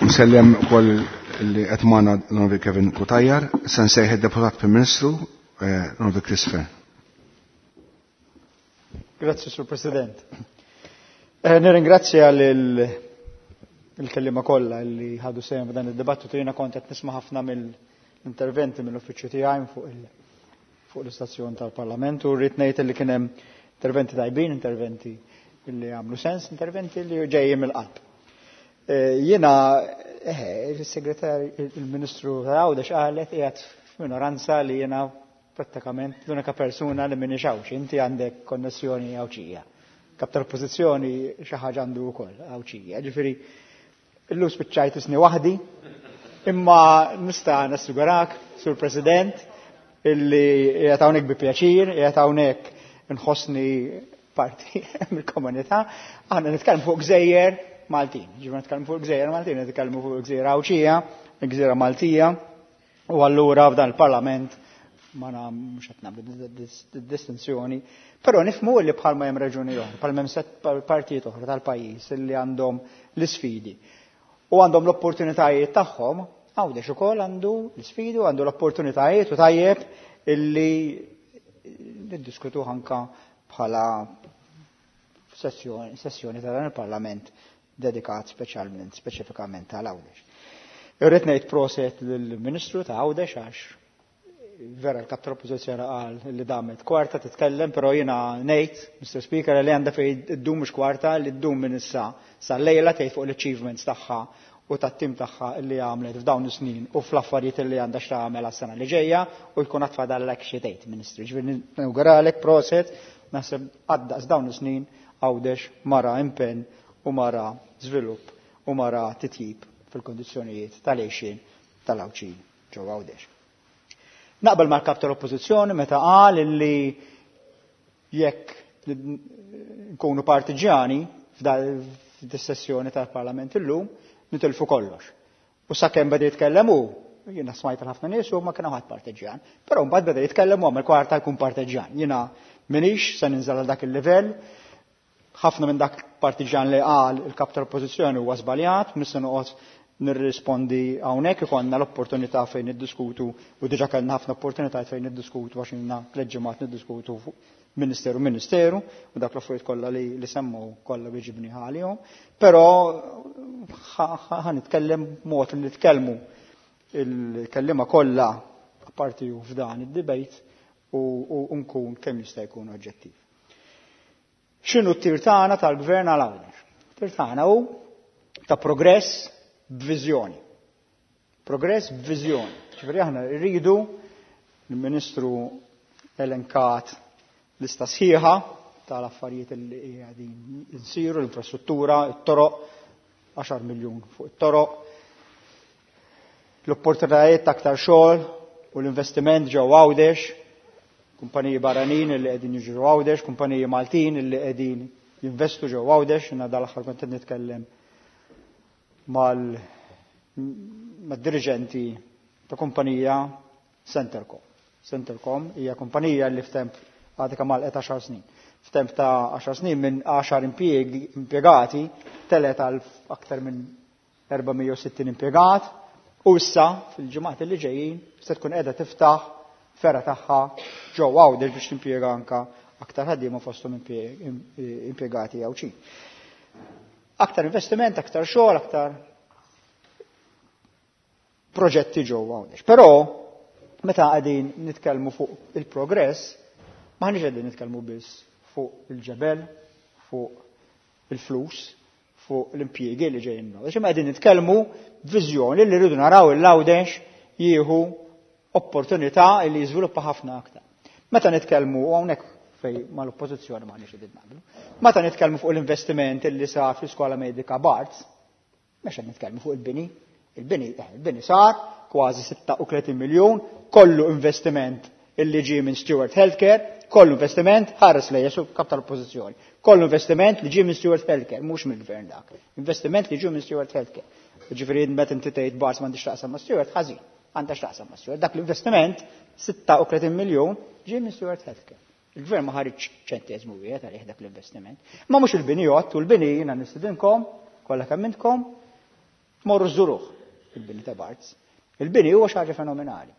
Nsellem ukoll li qed magħna l-Onorevoli Kevin Cutajar, se nsejħ id-Deputat Prim Ministru eh, l-Onorevoli Chris Fearne. Grazzi, Sur President. Eh, nirringrazzja lil il-kellima kollha li ħadu sehem f'dan id-dibattitu jiena kont qed nisma' ħafna mill-interventi mill-uffiċċju tiegħi fuq il fuq l-istazzjon tal-Parlament u rrid ngħid li kien hemm interventi tajbin, interventi li għamlu sens, interventi li ġejjin mill-qalb. Eh, jiena eh, il-segretar il-Ministru Għawdex qalet qiegħed f'minoranza li jiena prattikament l-unika persuna li minni xawx, inti għandek konnessjoni Għawdxija. Kap tal-oppożizzjoni xi ħaġa għandu wkoll Għawdxija. Ġifieri illum spiċċajt isni waħdi, imma nista' nassigurak, Sur President, illi qiegħed hawnhekk bi pjaċir, qiegħed hawnhekk nħossni parti mill-komunità. Aħna nitkellmu fuq gżejjer Maltin. Ġifieri nitkellmu fuq gżejjer Maltin, nitkellmu fuq gżejjer Għawdxija, gżira Maltija. U allura f'dan il-Parlament ma mhux qed nagħmlu distinzjoni, però nifhmu li bħalma hemm reġuni oħra, bħalma hemm set partijiet oħra tal-pajjiż li għandhom l-isfidi u għandhom l-opportunitajiet tagħhom, Għawdex ukoll għandu l-isfidi u għandu l-opportunitajiet u tajjeb illi niddiskutu anka bħala sessjoni, sessjoni ta' dan il-Parlament dedikat speċjalment, speċifikament għal Għawdex. Irrid ngħid proset lill-Ministru ta' Għawdex għax vera l-kap tal-oppożizzjoni qal li damet kwarta titkellem, però jiena ngħid, Mr. Speaker, li għandha fejn iddum mhux kwarta li ddum minn issa sal-lejla tgħid fuq l-achievements tagħha u tat-tim tagħha li għamlet f'dawn is-snin u fl-affarijiet li għandha x'tagħmel għas-sena li ġejja u jkun għad fadallek xi tgħid, Ministru. Ġifieri nawguralek proset, naħseb għaddaqs dawn is-snin Għawdex mara impenn u mara żvilupp u mara titjib fil-kondizzjonijiet tal-għixien tal-Għawdxin ġewwa Għawdex. Naqbel mal-kap tal-Oppożizzjoni meta qal illi jekk nkunu partiġjani f'dis-sessjoni tal-Parlament illum nitilfu kollox. U sakemm beda jitkellem hu, jiena smajt ħafna nies u ma kien ħadd partiġjan. Però mbagħad beda jitkellem u għamel kwarta jkun partiġjan. Jiena minix se ninżel għal dak il-livell, ħafna minn dak partiġjan li qal il-kap tal-oppożizzjoni huwa żbaljat, mhux se noqgħod nirrispondi hawnhekk ikollna l-opportunità fejn niddiskutu u diġà kellna ħafna opportunitajiet fejn niddiskutu għax ilna tliet ġimgħat niddiskutu fuq ministeru ministeru u dak l-affarijiet kollha li semmu kollha biġibni għalihom, però ħa nitkellem mod li nitkellmu il-kellima kollha apparti u f'dan id-debate u nkun kemm jista' jkun oġġettiv. X'inhu t-tir tagħna tal-gvern għal Għawdex? Tir tagħna hu ta' progress b'viżjoni. Progress b'viżjoni. Ġifieri aħna rridu l-Ministru elenkat lista sħiħa tal-affarijiet li qegħdin insiru, l-infrastruttura, it-toroq, 10 miljun fuq it-toroq, l-opportunitajiet ta' aktar xogħol u l-investiment ġew Għawdex, kumpaniji barranin li qegħdin jiġu Għawdex, kumpaniji Maltin li qegħdin jinvestu ġew Għawdex, jiena dal-aħħar kont qed nitkellem mal-dirigenti ta' kumpanija Centercom. Centercom hija kumpanija li f'temp għadha kemm għalqet 10 snin. F'temp ta' 10 snin minn 10 impjegati telet għal aktar minn 460 impjegat u issa fil-ġimgħat li ġejjin se tkun qiegħda tiftaħ fergħa tagħha ġewwa Għawdex biex timpjega anka aktar ħaddiema fosthom impjegati Għawdxin. Aktar investiment, aktar xogħol, aktar proġetti ġewwa Għawdex. Però meta qegħdin nitkellmu fuq il-progress, m'aħniex qegħdin nitkellmu biss fuq il-ġebel, fuq il-flus, fuq l-impjiegi li ġejjin. Għax imma qegħdin nitkellmu b'viżjoni li rridu naraw il-Għawdex jieħu opportunità li jiżviluppa ħafna aktar. Meta nitkellmu hawnhekk fej mal-oppożizzjoni m'aħniex qegħdin naqblu. Meta nitkellmu fuq l-investiment li sar fl-iskola medika Barts, mhux qed nitkellmu fuq il-bini. Il-bini sar kważi 36 miljun, kollu investiment illi ġie minn Steward Healthcare, kollu investiment ħares lejja su kap tal-oppożizzjoni. Kollu investiment li ġie minn Steward Healthcare, mhux mill-gvern dak. Investiment li ġie minn Steward Healthcare. Ġifieri meta inti tgħid Barts m'għandix taqsam ma' Steward, ħażin, għandha x'taqsam ma' Steward. Dak l-investiment 36 miljun ġie minn Steward Healthcare. Il-gvern ma ħareġ ċenteżmu wieħed għalih dak l-investiment. Ma mhux il-bini jgħod u l-bini jiena nistidinkom, kollha kemm intkom, tmorru żuruh il-bini ta' Barts. Il-bini huwa xi ħaġa fenomenali.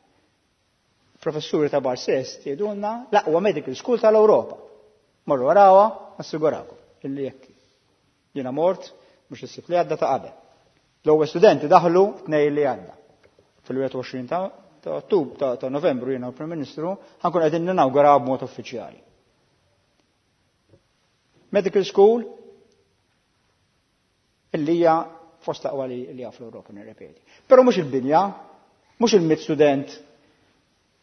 Professuri ta' Barts stess jgħidulna l-aqwa medical school tal-Ewropa. Morru warawha, assigurakom illi jekk. Jiena mort mhux is-sibt li għadda ta' qabel. L-ewwel studenti daħlu tnejn li għadda. Fil-21 ta' Ottubru ta' Novembru jiena u Prim Ministru ħankun qegħdin ninawguraw b'mod uffiċjali. Medical school illi hija fost l-aqwa li hija fl-Ewropa nirrepeti. Però mhux il-binja, mhux il-mit student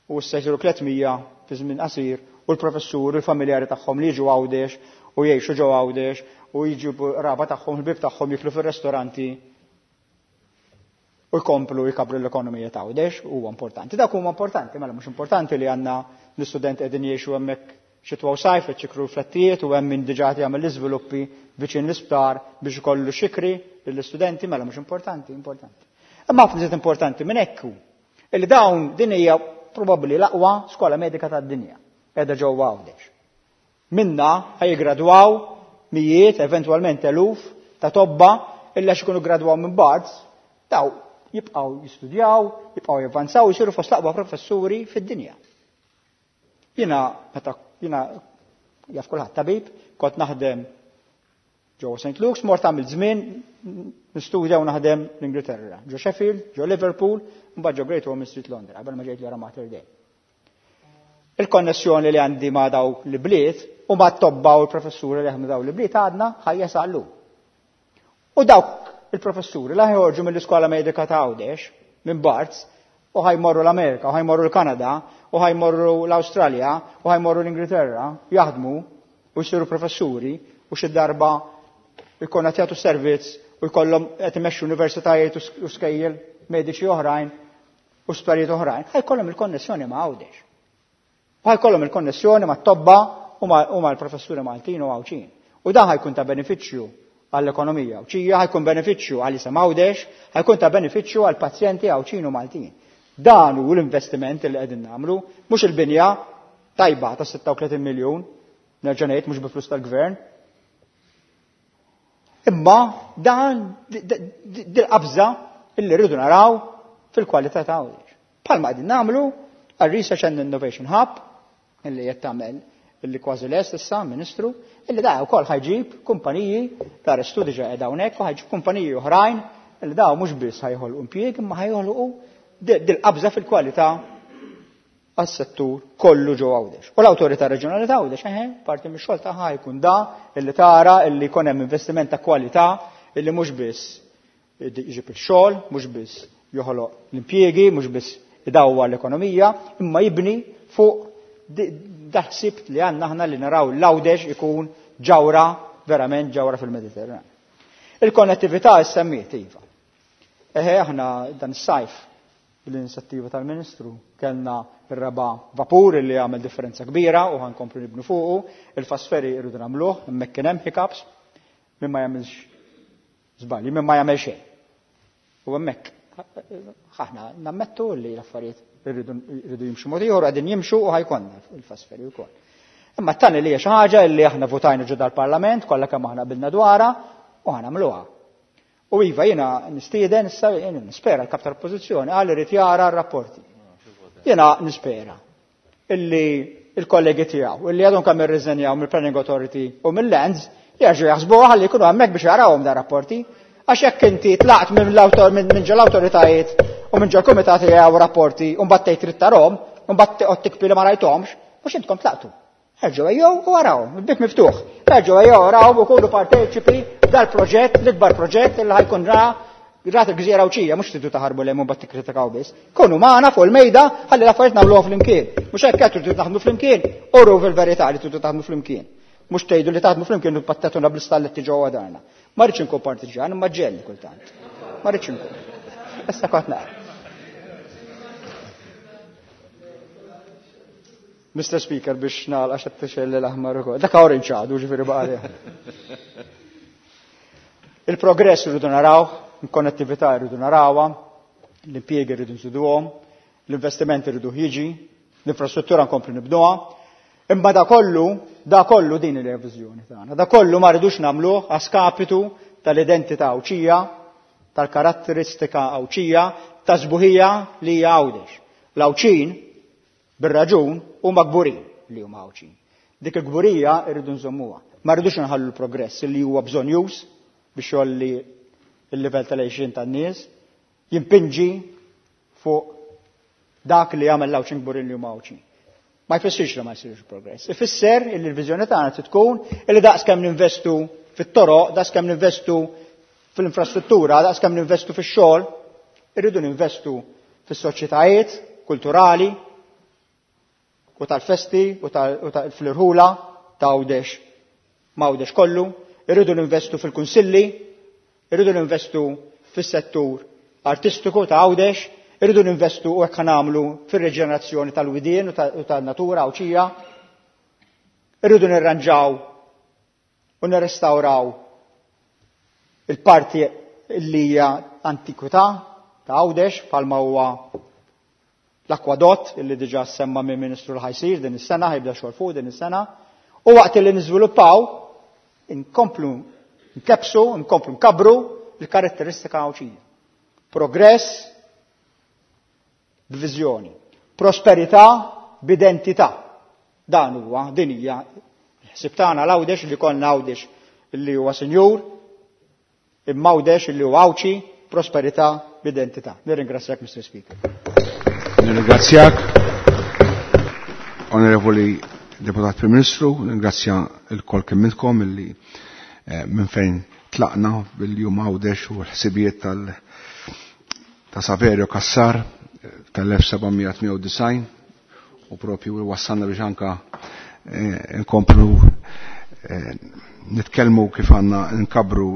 u issa jsiru 300 fi żmien qasir u l-professur u l-familjari tagħhom li jiġu Għawdex u jgħixu ġew Għawdex u jiġu raba tagħhom, il-bib tagħhom jiklu fir-restoranti u jkomplu jkabru l-ekonomija ta' Għawdex huwa importanti. Dak huma importanti, mela mhux importanti li għandna l-istudent qegħdin jgħixu hemmhekk xitwa u sajf qed xikru flettijiet u hemm min diġà qed jagħmel l-iżviluppi viċin l-isptar biex ikollu xikri lill-istudenti, mela mhux importanti, importanti. Imma ħafna iżjed importanti minn hekk hu illi dawn din hija probabbli l-aqwa skola medika tad-dinja qiegħda ġewwa Għawdex. Minna ħajgradwaw mijiet, eventwalment eluf ta' tobba illi għax ikunu gradwaw minn Barts, daw jibqgħu jistudjaw, jibqgħu javvanzaw, jsiru fost l-aqwa professuri fid-dinja. Jiena meta jiena jaf kulħadd tabib, kont naħdem ġewwa St. Luke's, mort għamil żmien nistudja u naħdem l-Ingilterra, ġo Sheffield, ġo Liverpool, mbagħad ġo Great Ormond Street Londra, qabel ma ġejt l Mater Dei. Il-konnessjoni li għandi ma' dawk li bliet u ma' tobba u l-professuri li jaħdmu dawk li bliet għadna ħajja sal-lum. U dawk il-professuri la ħorġu mill-iskola medika ta' Għawdex, minn Barts, u ħajmorru l-Amerika, u ħajmorru l-Kanada, u ħajmorru l-Awstralja, u ħajmorru l-Ingilterra, jaħdmu u jsiru professuri u xi darba jkun qed jagħtu servizz u jkollhom qed imexxu universitajiet u skejjel mediċi oħrajn u sptarijiet oħrajn, ħajkollhom il-konnessjoni ma' Għawdex. U ħajkollhom il-konnessjoni ma' tobba u mal-professuri Maltin u Għawdxin. U dan ħajkun ta' benefiċċju għall-ekonomija Għawdxija, ħajkun benefiċċju għal isem Għawdex, ħajkun ta' benefiċċju għall pazjenti Għawdxin u Maltin. Dan hu l-investiment li qegħdin nagħmlu, mhux il-binja tajba ta' 36 miljun, nerġa' ngħid mhux bi flus tal-gvern. Imma dan dil-qabża illi rridu naraw fil-kwalità ta' Għawdex. Bħalma qegħdin nagħmlu għal Research and Innovation Hub illi qed tagħmel illi kważi lest issa, Ministru, illi da wkoll ħajġib kumpaniji ta' restu diġà qiegħda hawnhekk u ħajġib kumpaniji oħrajn illi daw mhux biss ħajħolqu impjieg imma ħajħolqu dil-qabża fil-kwalità għas-settur kollu ġo Għawdex. U l-Awtorità Reġjonali ta' Għawdex, eħe, parti mix-xogħol tagħha jkun da illi tara illi jkun hemm investiment ta' kwalità illi mhux biss jġib il-xogħol, mhux biss joħloq l-impjiegi, mhux biss idawwar l-ekonomija, imma jibni fuq daħsib li għandna aħna li naraw l-Għawdex ikun ġawra, verament ġawra fil-Mediterran. Il-konnettività issemmiet, iva. Eħe, aħna dan is-sajf bl-inizjattiva tal-Ministru kellna ir-raba' vapur li għamel differenza kbira u ħankomplu nibnu fuqu, il-fast ferry irridu nagħmluh, hemmhekk kien hemm hiccups, min ma jagħmilx żbalji, min ma jagħmel xejn. U hemmhekk aħna nammettu li l-affarijiet irridu jimxu mod ieħor, qegħdin jimxu u ħajkonna il-fast ferry wkoll. Imma t-tani li hija xi ħaġa li aħna votajna ġo dal-Parlament, kollha kemm aħna qbilna dwarha u ħanamluha. U iva jiena nistieden issa jiena nispera l-kap tal-Oppożizzjoni qal irid jara r-rapporti. Jiena nispera illi il-kollegi tiegħu illi għadhom kemm irriżenjaw mill-Planning Authority u mill-Lands jerġgħu jaħsbuha ħalli jkunu hemmhekk biex jarawhom da rapporti. Għax jekk inti tlaqt minn minn ġol awtoritajiet u minn ġol kumitati jaraw rapporti u mbagħad tgħid trid tarahom, u mbagħad toqgħod tikpi li ma rajthomx, mhux intkom tlaqtu. Erġgħu ejjew u arawhom, il-bieb miftuħ. Erġgħu ejjew arawhom u kunu parteċipi dal-proġett, l-ikbar proġett li ħajkun ra rat il-gżira Għawdxija, mhux tridu taħarbu lejn u mbagħad tikkritikaw biss. Kunu magħna fuq il-mejda ħalli l-affarijiet nagħmluha flimkien. Mhux hekk qed tridu taħdmu flimkien, uru fil-verità li tridu taħdmu flimkien. Mhux tgħidu li taħdmu flimkien u pattatuna bl-istalletti ġewwa darna. Ma rridx inkun partiġjan, imma ġelli kultant. Ma rridx inkun. Issa kont naqra. Mr. Speaker, biex nagħlaq għax qed tixgħel l-aħmar ukoll. Dak orange għadu, ġifieri baqa' Il-progress irridu naraw, il-konnettività irridu narawha, l-impjiegi irridu nżiduhom, l-investiment irridu jiġi, l-infrastruttura nkomplu nibnuha. Imma da kollu, da kollu din il-viżjoni tagħna. Da kollu ma rridux nagħmluh a skapitu tal-identità Għawdxija, tal-karatteristika Għawdxija, ta' sbuħija li hija Għawdex. L-Għawdxin bir-raġun huma kburin li huma Għawdxin. Dik il-kburija rridu nżommuha. Ma rridux nħallu l-progress li huwa bżonjuż biex jolli il-livell tal-għixien tan-nies, jimpinġi fuq dak li jagħmel l-Għawdxin kburin li huma Għawdxin. Ma jfissirx li ma jsirx progress. Ifisser li l-viżjoni tagħna trid tkun li daqs kemm ninvestu fit-toroq, daqs kemm ninvestu fil-infrastruttura, daqs kemm ninvestu fix-xogħol, irridu ninvestu fis-soċjetajiet kulturali u tal-festi u fl-irħula ta' Għawdex m'Għawdex kollu, irridu ninvestu fil-kunsilli, irridu ninvestu fis-settur artistiku ta' Għawdex, irridu ninvestu u hekk nagħmlu fir-reġenerazzjoni tal-widien u tan-natura Għawdxija, irridu nirranġaw u nirrestawraw il-parti li hija antikwità ta' Għawdex bħalma huwa l-akwadott illi diġà semma minn Ministru l ħajsir din is-sena, ħajbda xogħol fuq din is-sena, u waqt li niżviluppaw inkomplu nkebsu, nkomplu nkabru l-karatteristika Għawdxija. Progress b'viżjoni, prosperità b'identità. Dan huwa din hija ħsib tagħna l-Għawdex li konna Għawdex li huwa sinjur, imma Għawdex li huwa Għawdxi, prosperità b'identità. Nirringrazzjak, Mr. Speaker. Nirringrazzjak, Onorevoli Deputat Prim Ministru, nirringrazzja l-kol kemm intkom illi minn fejn tlaqna bil-jum Għawdex u l-ħsibijiet tal ta' Saverio Cassar tal-1798 u propju wassalna biex anka nkomplu nitkellmu kif għandna nkabru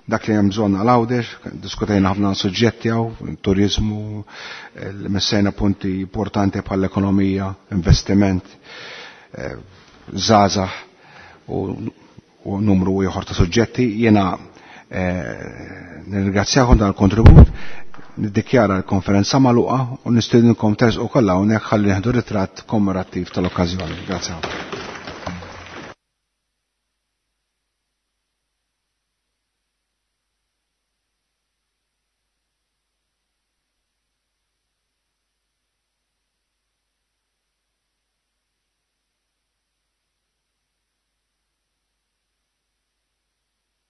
dak li hemm bżonn għal Għawdex, diskutejna ħafna suġġetti hawn, turizmu, messejna punti importanti bħall-ekonomija, investiment, żgħażagħ u numru ieħor ta' suġġetti. Jiena nirringrazzjakom dan il-kontribut, niddikjara l-konferenza magħluqa u nistedinkom tersqu kollha hawnhekk ħalli nieħdu ritratt kommemorattiv tal-okkażjoni. Grazie.